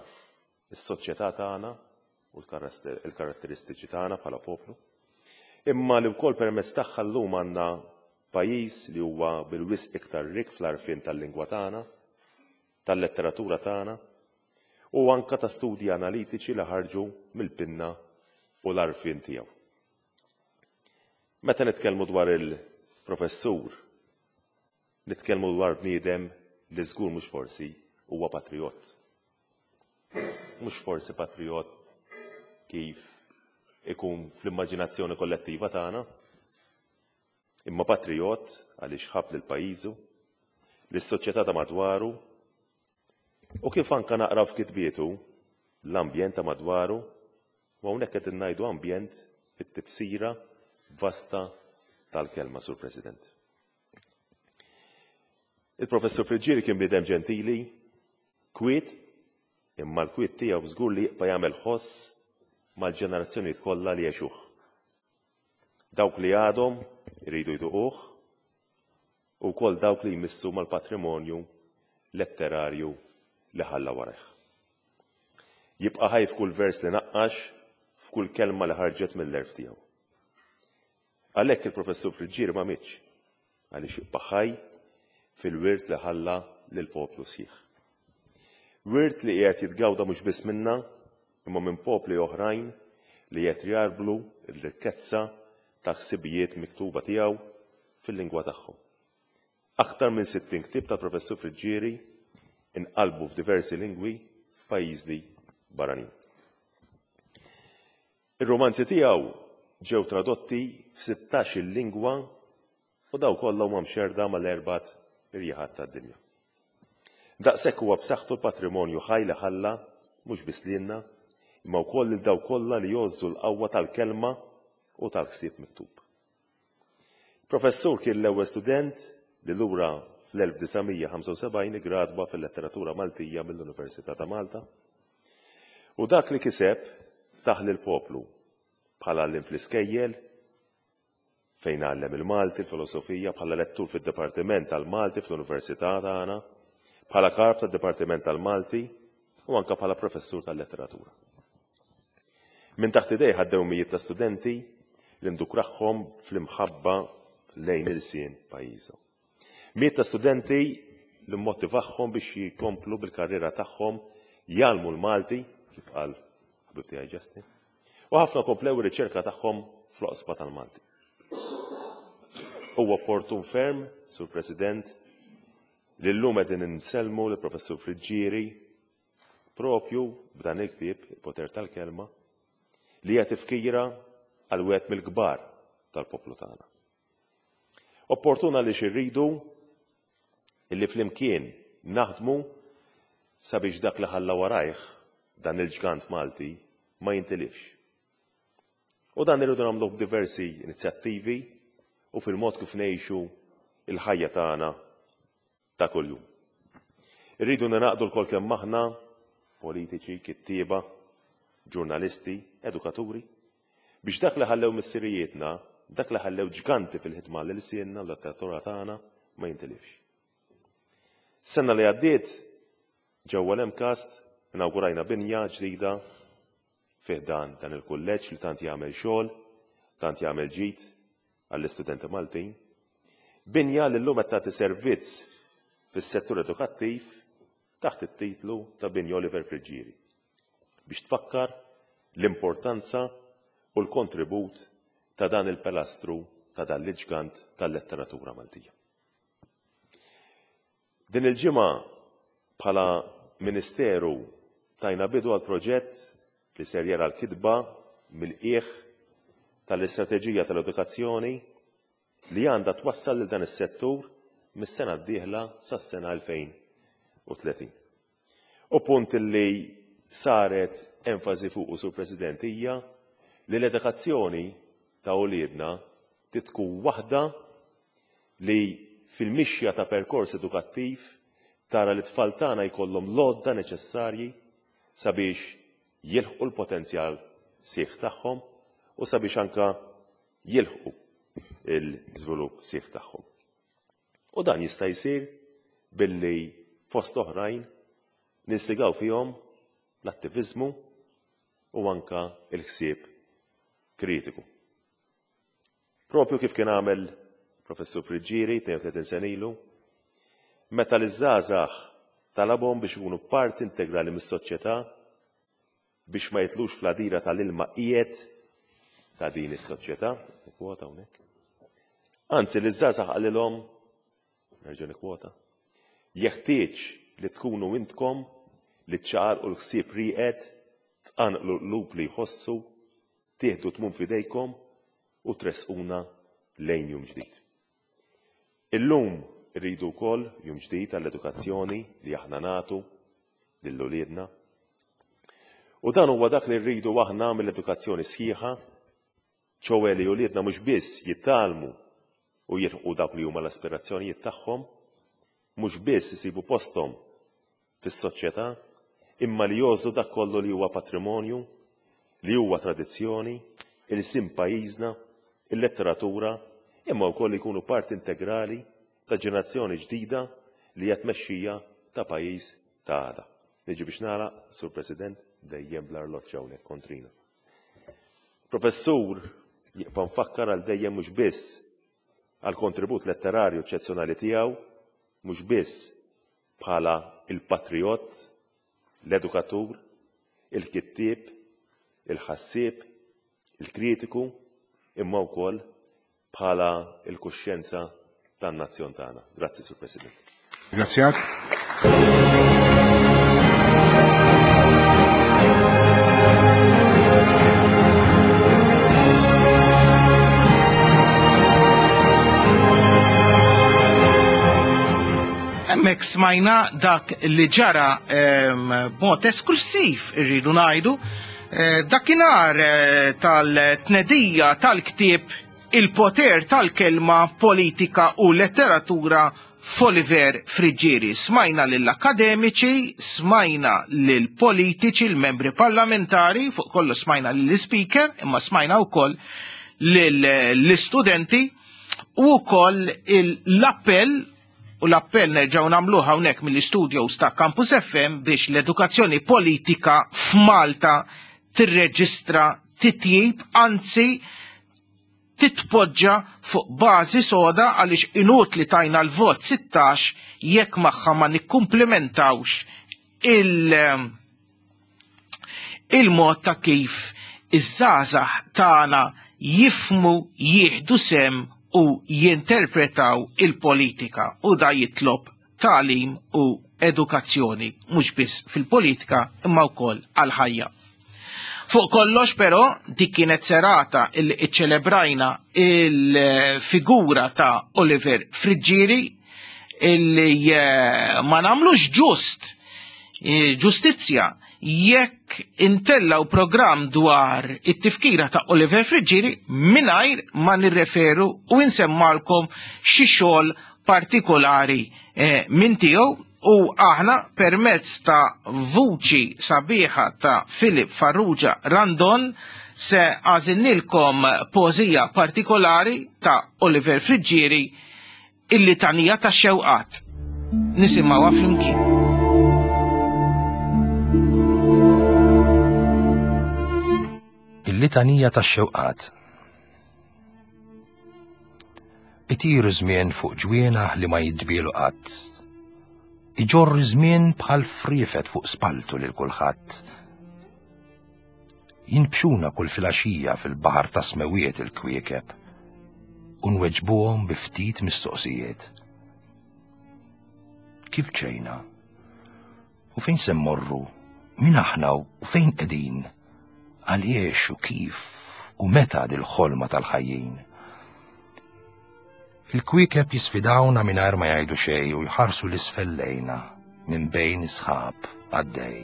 s-soċjetà tagħna u l-karatteristiċi tagħna bħala poplu, imma li wkoll permezz tagħha llum għandna pajjiż li huwa bil-wisq iktar rik fl-għarfien tal-lingwa tagħna, tal-letteratura tagħna, u anka ta' studji analitiċi li ħarġu mill-pinna u l-għarfien tiegħu. Meta nitkellmu dwar il-professur, nitkellmu dwar bniedem li żgur mhux forsi huwa patriot. Mhux forsi patriot kif ikun fl-immaġinazzjoni kollettiva tagħna, imma patriot għaliex ħabb lil pajjiżu, lis-soċjetà ta' madwaru, u kif anka naqraw f'kitbietu l-ambjent ta' madwaru, u hawnhekk qed ngħidu ambjent fit-tifsira vasta tal-kelma, Sur President. Il-Professur Friggieri kien bniedem ġentili, kwiet, imma l-kwiet tiegħu żgur li jibqa' jagħmel ħoss mal-ġenerazzjonijiet kollha li għexuh. Dawk li għadhom iridu jduquh u wkoll dawk li jmissu mal-patrimonju letterarju li ħalla warajh. Jibqa' ħaj f'kull vers li naqqax, f'kull kelma li ħarġet mill-għerf tiegħu. Għalhekk il-Professur Friggieri ma mietx, għaliex jibqa' ħaj fil-wirt li ħalla lill-poplu sħiħ. Wirt li qiegħed jitgawda mhux biss minna, imma minn popli oħrajn li qed jarblu l-rikkezza ta' ħsibijiet miktuba tiegħu fil-lingwa tagħhom. Aktar minn sittin ktieb tal-Professur Friggieri inqalbu f'diversi lingwi f'pajjiżi barranin. Ir-romanzi tiegħu ġew tradotti f'sittax-il lingwa u daw kollha huma mxerda mal-erbat irjaħat tad-dinja. Daqshekk huwa b'saħħtu l-patrimonju ħaj li ħalla mhux biss lilna, imma wkoll lil daw kollha li jgħożżu l-qawwa tal-kelma u tal-ħsieb miktub. Professur kien l-ewwel student li lura fl-elf disa' mija ħamsa u sebgħin iggradwa fil-letteratura Maltija mill-Università ta' Malta. U dak li kiseb taħ lill-poplu bħala għalliem fl-iskejjel, fejn għallem il-Malti, il-filosofija, bħala lettur fid-Dipartiment tal-Malti fl-Università tagħna, bħala kap tad-Dipartiment tal-Malti u anka bħala professur tal-letteratura. Minn taħt idejh għaddew mijiet ta' studenti li ndukraħħom fl-imħabba lejn il-sien pajjiżhom. Mijiet ta' studenti li mmotivahom biex jkomplu bil-karriera tagħhom jgħallmu l-Malti, kif qal ħabib tiegħi Justin, u ħafna komplew ir-riċerka tagħhom fl-oqsma tal-Malti. Huwa opportun ferm, Sur President, li llum qegħdin insellmu lill-Professur Friggieri propju b'dan il-ktieb, Il-Poter tal-Kelma, li hija tifkira għal wieħed mill-kbar tal-poplu tagħna. Opportun għaliex irridu illi flimkien naħdmu sabiex dak li ħalla warajh dan il-ġgant Malti ma jintilifx. U dan irridu nagħmluh b'diversi inizjattivi u fil-mod kif ngħixu il-ħajja tagħna ta' kuljum. Irridu ningħaqdu lkoll kemm aħna politiċi, kittieba, ġurnalisti, edukaturi, biex dak li ħallew missirijietna, dak li ħallew ġganti fil-ħidma lil sienna l-letteratura tagħna ma jintilifx. Sena li għaddiet ġewwa l-MCAST inawgurajna binja ġdida fih dan dan il-kulleġġ li tant jagħmel xogħol, tant jagħmel ġid għall-istudenti Maltin. Binja li llum qed tagħti servizz fis-settur edukattiv taħt it-titlu ta' Binja Oliver Friggieri biex tfakkar l-importanza u l-kontribut ta' dan il-pilastru ta' dan l-ġgant tal-letteratura Maltija. Din il-ġimgħa bħala Ministeru tajna bidu għal proġett li ser jara l-kitba mill-qiegħ tal-istrateġija tal-edukazzjoni li għandha twassal lil dan is-settur mis-sena d-dieħla sas-sena elfejn u tletin. U punt li saret enfasi fuqu, Sur President, hija li l-edukazzjoni ta' uliedna titkun waħda li fil-mixja ta' perkors edukattiv Tara li t-tfal tagħna jkollhom l-għodda neċessarji sabiex jilħqu l-potenzjal sħiħ tagħhom u sabiex anka jilħqu l-żvilupp sħiħ tagħhom. U dan jista' jsir billi fost oħrajn ninstigaw fihom l-attiviżmu u anka l-ħsieb kritiku. Propju kif kien għamel Professur Friggieri tnejn u tletin sena ilu, meta l-żgħażagħ talabhom biex ikunu parti integrali mis-soċjetà biex ma jitlux fl-għadira tal-ilma qiegħed ta' din is-soċjetà, kwota hawnhekk. Anzi, l-żgħażagħ qalilhom, nerġa' nikkwota, jeħtieġ li tkunu intkom li ċċaqalqu l-ħsieb rieqed, tqanqlu l-qlub li jħossu, tieħdu tmun f'idejkom u tressquna lejn jum ġdid. Illum irridu wkoll jum ġdid għall-edukazzjoni li aħna nagħtu lil uliedna. U dan huwa dak li rridu aħna mill-edukazzjoni sħiħa, ċowe li uliedna mhux biss jitgħallmu u jilħqu dawk li huma l-aspirazzjonijiet tagħhom, mhux biss isibu posthom fis-soċjetà, imma li jgħożżu dak kollu li huwa patrimonju, li huwa tradizzjoni, il-sim pajjiżna, il-letteratura, imma wkoll jkunu parti integrali ta' ġenerazzjoni ġdida li hija tmexxija ta' pajjiż ta' għada. Niġi biex nagħlaq, Sur President, dejjem bl-arloġġ hawnhekk kontrina. Professur jibqa' nfakkar għal dejjem mhux biss għal kontribut letterarju eċċezzjonali tiegħu, mhux biss bħala il-patriot, l-edukatur, il-kittieb, il-ħassieb, il-kritiku, imma wkoll bħala il-kuxjenza tan-nazzjon tagħna. Grazzi, Sur President. Grazzjak. Hemmhekk smajna dak li ġara b'mod esklusiv irridu ngħidu dakinhar tal-tnedija tal-ktieb Il-poter tal-kelma, politika u letteratura f'Oliver Friggieri. Smajna lill-akademiċi, smajna lill-politiċi, l-membri parlamentari, fuq kollu smajna lill-speaker, imma smajna wkoll lill-istudenti u wkoll l-appell, u l-appell nerġgħu nagħmluh hawnhekk mill-istudios ta' Campus F M biex l-edukazzjoni politika f'Malta tirreġistra titjib, anzi titpoġġa fuq bażi soda għaliex inutli tajna l-vot sittax jekk magħha ma nikkumplimentawx il- il-mod ta' kif iż-żgħażagħ tagħna jifmu, jieħdu sem u jinterpretaw il-politika, u da jitlob tagħlim u edukazzjoni mhux biss fil-politika imma wkoll għall-ħajja. Fuq kollox però dik kienet serata illi iċċelebrajna il-figura ta' Oliver Friggieri illi ma nagħmlux ġust ġustizzja jekk intellaw programm dwar it-tifkira ta' Oliver Friggieri mingħajr ma nirreferu u nsemmalkom xi xogħol partikolari minn tiegħu. U aħna permezz ta' vuċi sabiħa ta' Filip Farrugia Randon se għażilnilkom poeżija partikolari ta' Oliver Friggieri, il-litanija ta' xewqat. Nisimgħuha flimkien. Il-litanija ta' xewqat. Itir żmien fuq ġwienaħ li ma jidbielu qatt. Iġorr żmien bħal friefet fuq spaltu lil kulħadd. Jinbxuna kull filgħaxija fil-baħar ta' smewiet il-kwiekeb u nweġbuhom bi ftit mistoqsijiet. Kif ġejna? U fejn se mmorru? Min aħna u fejn qegħdin? Għaliex u kif u meta dil-ħolma tal-ħajjin? Il-kwiekeb jisfidawna mingħajr ma jgħidu xejn u jħarsu l-isfel lejna minn bejn isħab għaddej.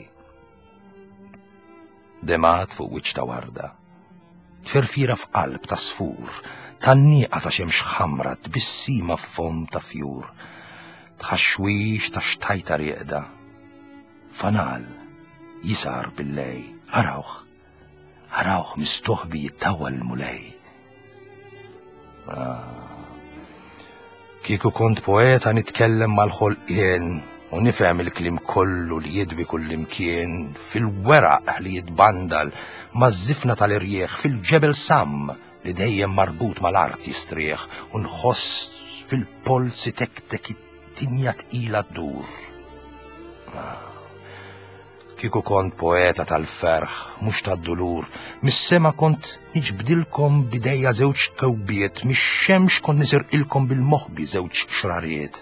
Demat fuq wiċċ ta' warda, tferfira f'qalb ta' sfur, tannieqa ta' xemx ħamra, tbissima f'fom ta' fjur, Tħaxwix ta' xtajta rieqda. Fanal jisar bil-lej, arawh, arawh mistoħbi jittawal l-Mulej. Ah. Kieku kont poeta nitkellem mal-ħolqien u nifhem il-kliem kollu li jidwi kullimkien, fil-weraq li jitbandal, maż-żifna tal-irjieħ, fil-ġebel sam li dejjem marbut mal-art jistrieħ, u nħoss fil-polsi tektek it-tinja tqila ddur. Ah. Kieku kont poeta tal-ferħ, mhux tad-dulur, mis-sema kont niġbdilkom bidejja żewġ kewbiet, mix-xemx kont nisirqilkom bil-moħbi żewġ xrariet.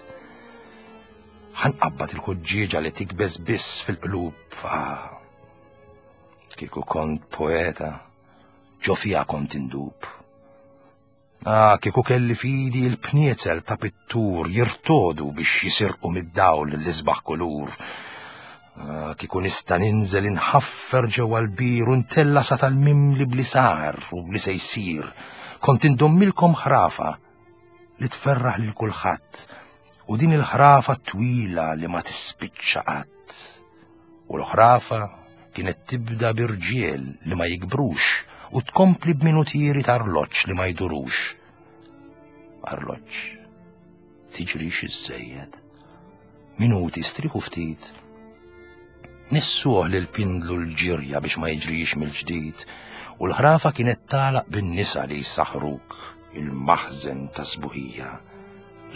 Ħanqabbad il-ħuġġieġa li tikbes biss fil-qlub. Ah. Kieku kont poeta, ġo fija kont indub. Ah, kieku kelli fidi il-pniezel ta' pittur jirtodu biex jisirqu mid-dawl l-isbaħ kulur. Ah, kieku nista' ninżel inħaffer ġewwa l-bir u ntella sa tal-mimli bli sar u bli se jsir. Kont indommilkom ħrafa li tferraħ lil kulħadd, u din il-ħrafa twila li ma tispiċċa qatt. U l-ħrafa kienet tibda b'irġiel li ma jikbrux u tkompli b'minutieri ta' arloġġ li ma jdurux. Arloġġ, tiġrix iżżejjed. Minuti striħu ftit. Nissuh lil pindlu l-ġirja biex ma jiġrix mill-ġdid, u l-ħrafa kienet tagħlaq bin-nisa li jsaħruk il-maħżen ta' sbuħija,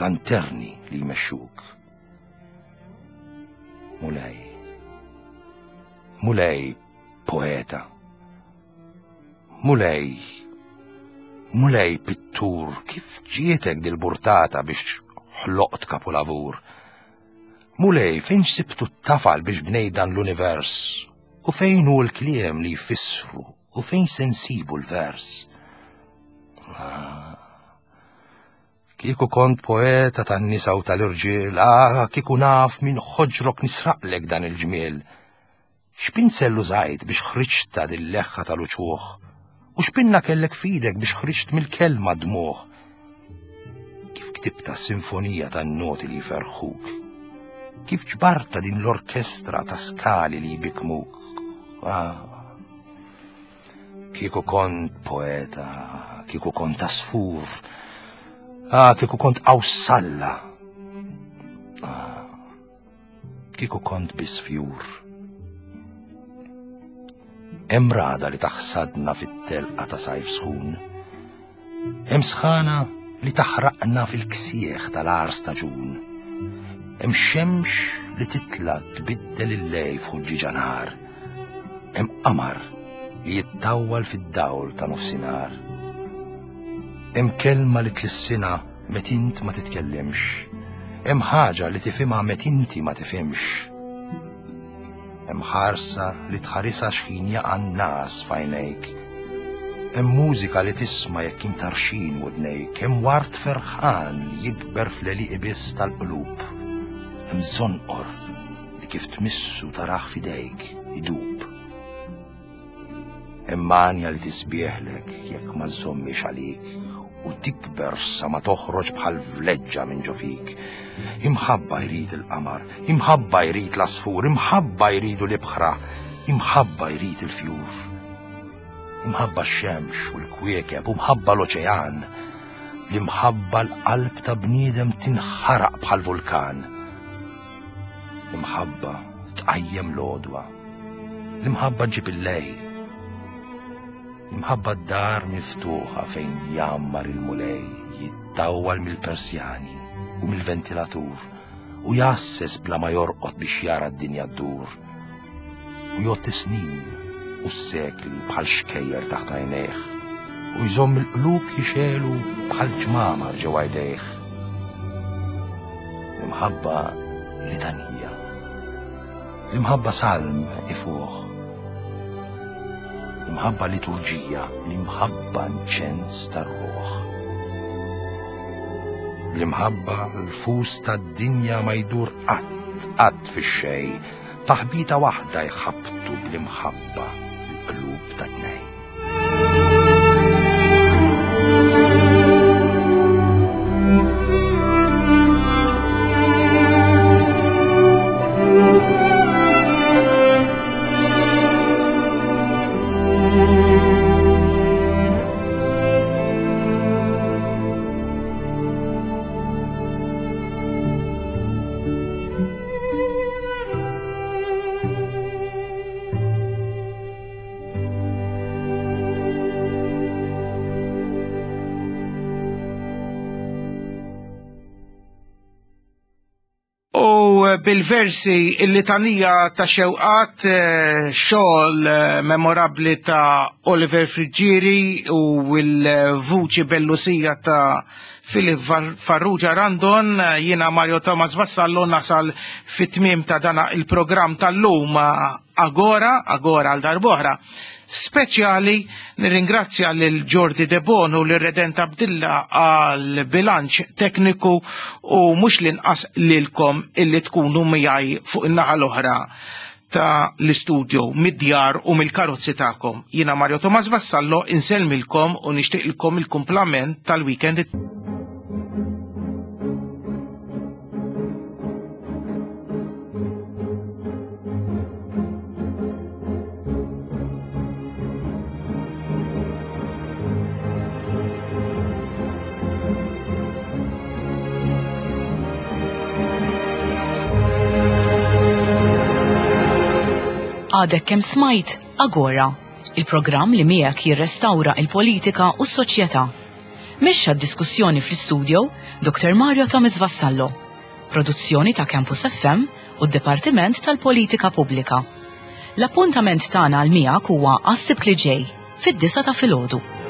lanterni li jmexxuk. Mulej, Mulej poeta, Mulej, Mulej pittur, kif ġietek dil-burtata biex ħloqt kapulavur? Mulej, fejn sibtu t-tafal biex bnej dan l-univers? U fejn hu l-kliem li jfissru? U fejn se nsibu l-vers? Ah. Kieku kont poeta tan-nisa u tal-irġiel, ah, kieku naf minn ħoġrok nisraqlek dan il-ġmiel. X'pinzel użajt biex ħriġta dil-leħħa tal-uċuħ? U x'pinna kellek f'idek biex ħriġt mill-kelma dmuħ? Kif ktibta sinfonija tan-noti li jferħuk? Kif ġbarta din l-orkestra ta' skali li jbikmuk? Ah. Kieku kont poeta, kieku kont asfur, ah, kieku kont awsalla, ah, kieku kont bisfjur. Hemm rada li taħsadna fit-telqa ta' sajf sħun, hemm sħana li taħraqna fil-ksieħ tal-għar staġun, hemm xemx li titla tbiddel il-lej f'ħuġġieġa nhar, hemm qamar li jittawwal fid-dawl ta' nofsinhar. Hemm kelma li tlissinha meta int ma titkellimx, hemm ħaġa li tifhimha meta inti ma tifhimx. Hemm ħarsa li tħarisha x'ħin jaqa' n-nas f'għajnejk. Hemm mużika li tisma' jekk imtarxin widnejk, hemm ward ferħan li jikber fl-għelieqi biss tal-qlub. Hemm żonqor li kif tmissu tarah f'idejk idub. Hemm manja li tisbieħlek jekk ma żżommix għalik u tikber sa ma toħroġ bħal vleġġa minn ġo fik. Imħabba jrid il-qamar, imħabba jrid l-asfur, imħabba jridu l-ibħra, imħabba jrid il-fjur. Imħabba x-xemx u l-kwiekeb, u mħabba l-oċean. L-imħabba l-qalb ta' bniedem tinħaraq bħal vulkan. L-imħabba tqajjem l-għodwa, l-imħabba ġib il-lej. Imħabba d-dar miftuħa fejn jammar il-Mulej, jittawwal mill-Persjani u mill-ventilatur u jasses bla ma jorqod biex jara d-dinja ddur. U jgħodd is-snin u s-sekli bħal xkejjer taħt għajnejh u jżomm il-qlub jixelu bħal ġmamar ġewwa jdejh. L-imħabba litanija, l-imħabba salm ifuħ, l-imħabba liturġija, l-imħabba nċens tar-ruħ. L-imħabba l-fus tad-dinja ma jdur qatt qatt fix-xejn, taħbita waħda jħabtu bl-imħabba l-qlub ta' tnejn. bil-versi il-litanija ta' xewqat, eh, xogħol eh, memorabbli ta' Oliver Friggieri u l-vuċi bellusija ta' Filip Farrugia Randon, eh, jiena Mario Thomas Vassallo nasal fit-tmiem ta' dana il-programm tal-lum Agora, Agora għal darb'oħra. Speċjali nirringrazzja lil Jordi De Bono u lil Redent Abdilla għal bilanċ tekniku u mhux l-inqas lilkom illi tkunu miegħi fuq in-naħa l-oħra ta' l-istudio mid-djar u mill-karozzi tagħkom. Jiena Mario Thomas Vassallo insellmilkom u nixtieqilkom il-kumplament tal-weekend. Għadek kemm smajt Agora, il-programm li miegħek jirrestawra il-politika u s-soċjetà. Mexxa d-diskussjoni fl-istudio Doktor Mario Thomas Vassallo. Produzzjoni ta' Campus F M u d-Dipartiment tal-Politika Pubblika. L-appuntament tagħna għal miegħek huwa għas-Sibt li ġej fid-disgħa ta' filgħodu.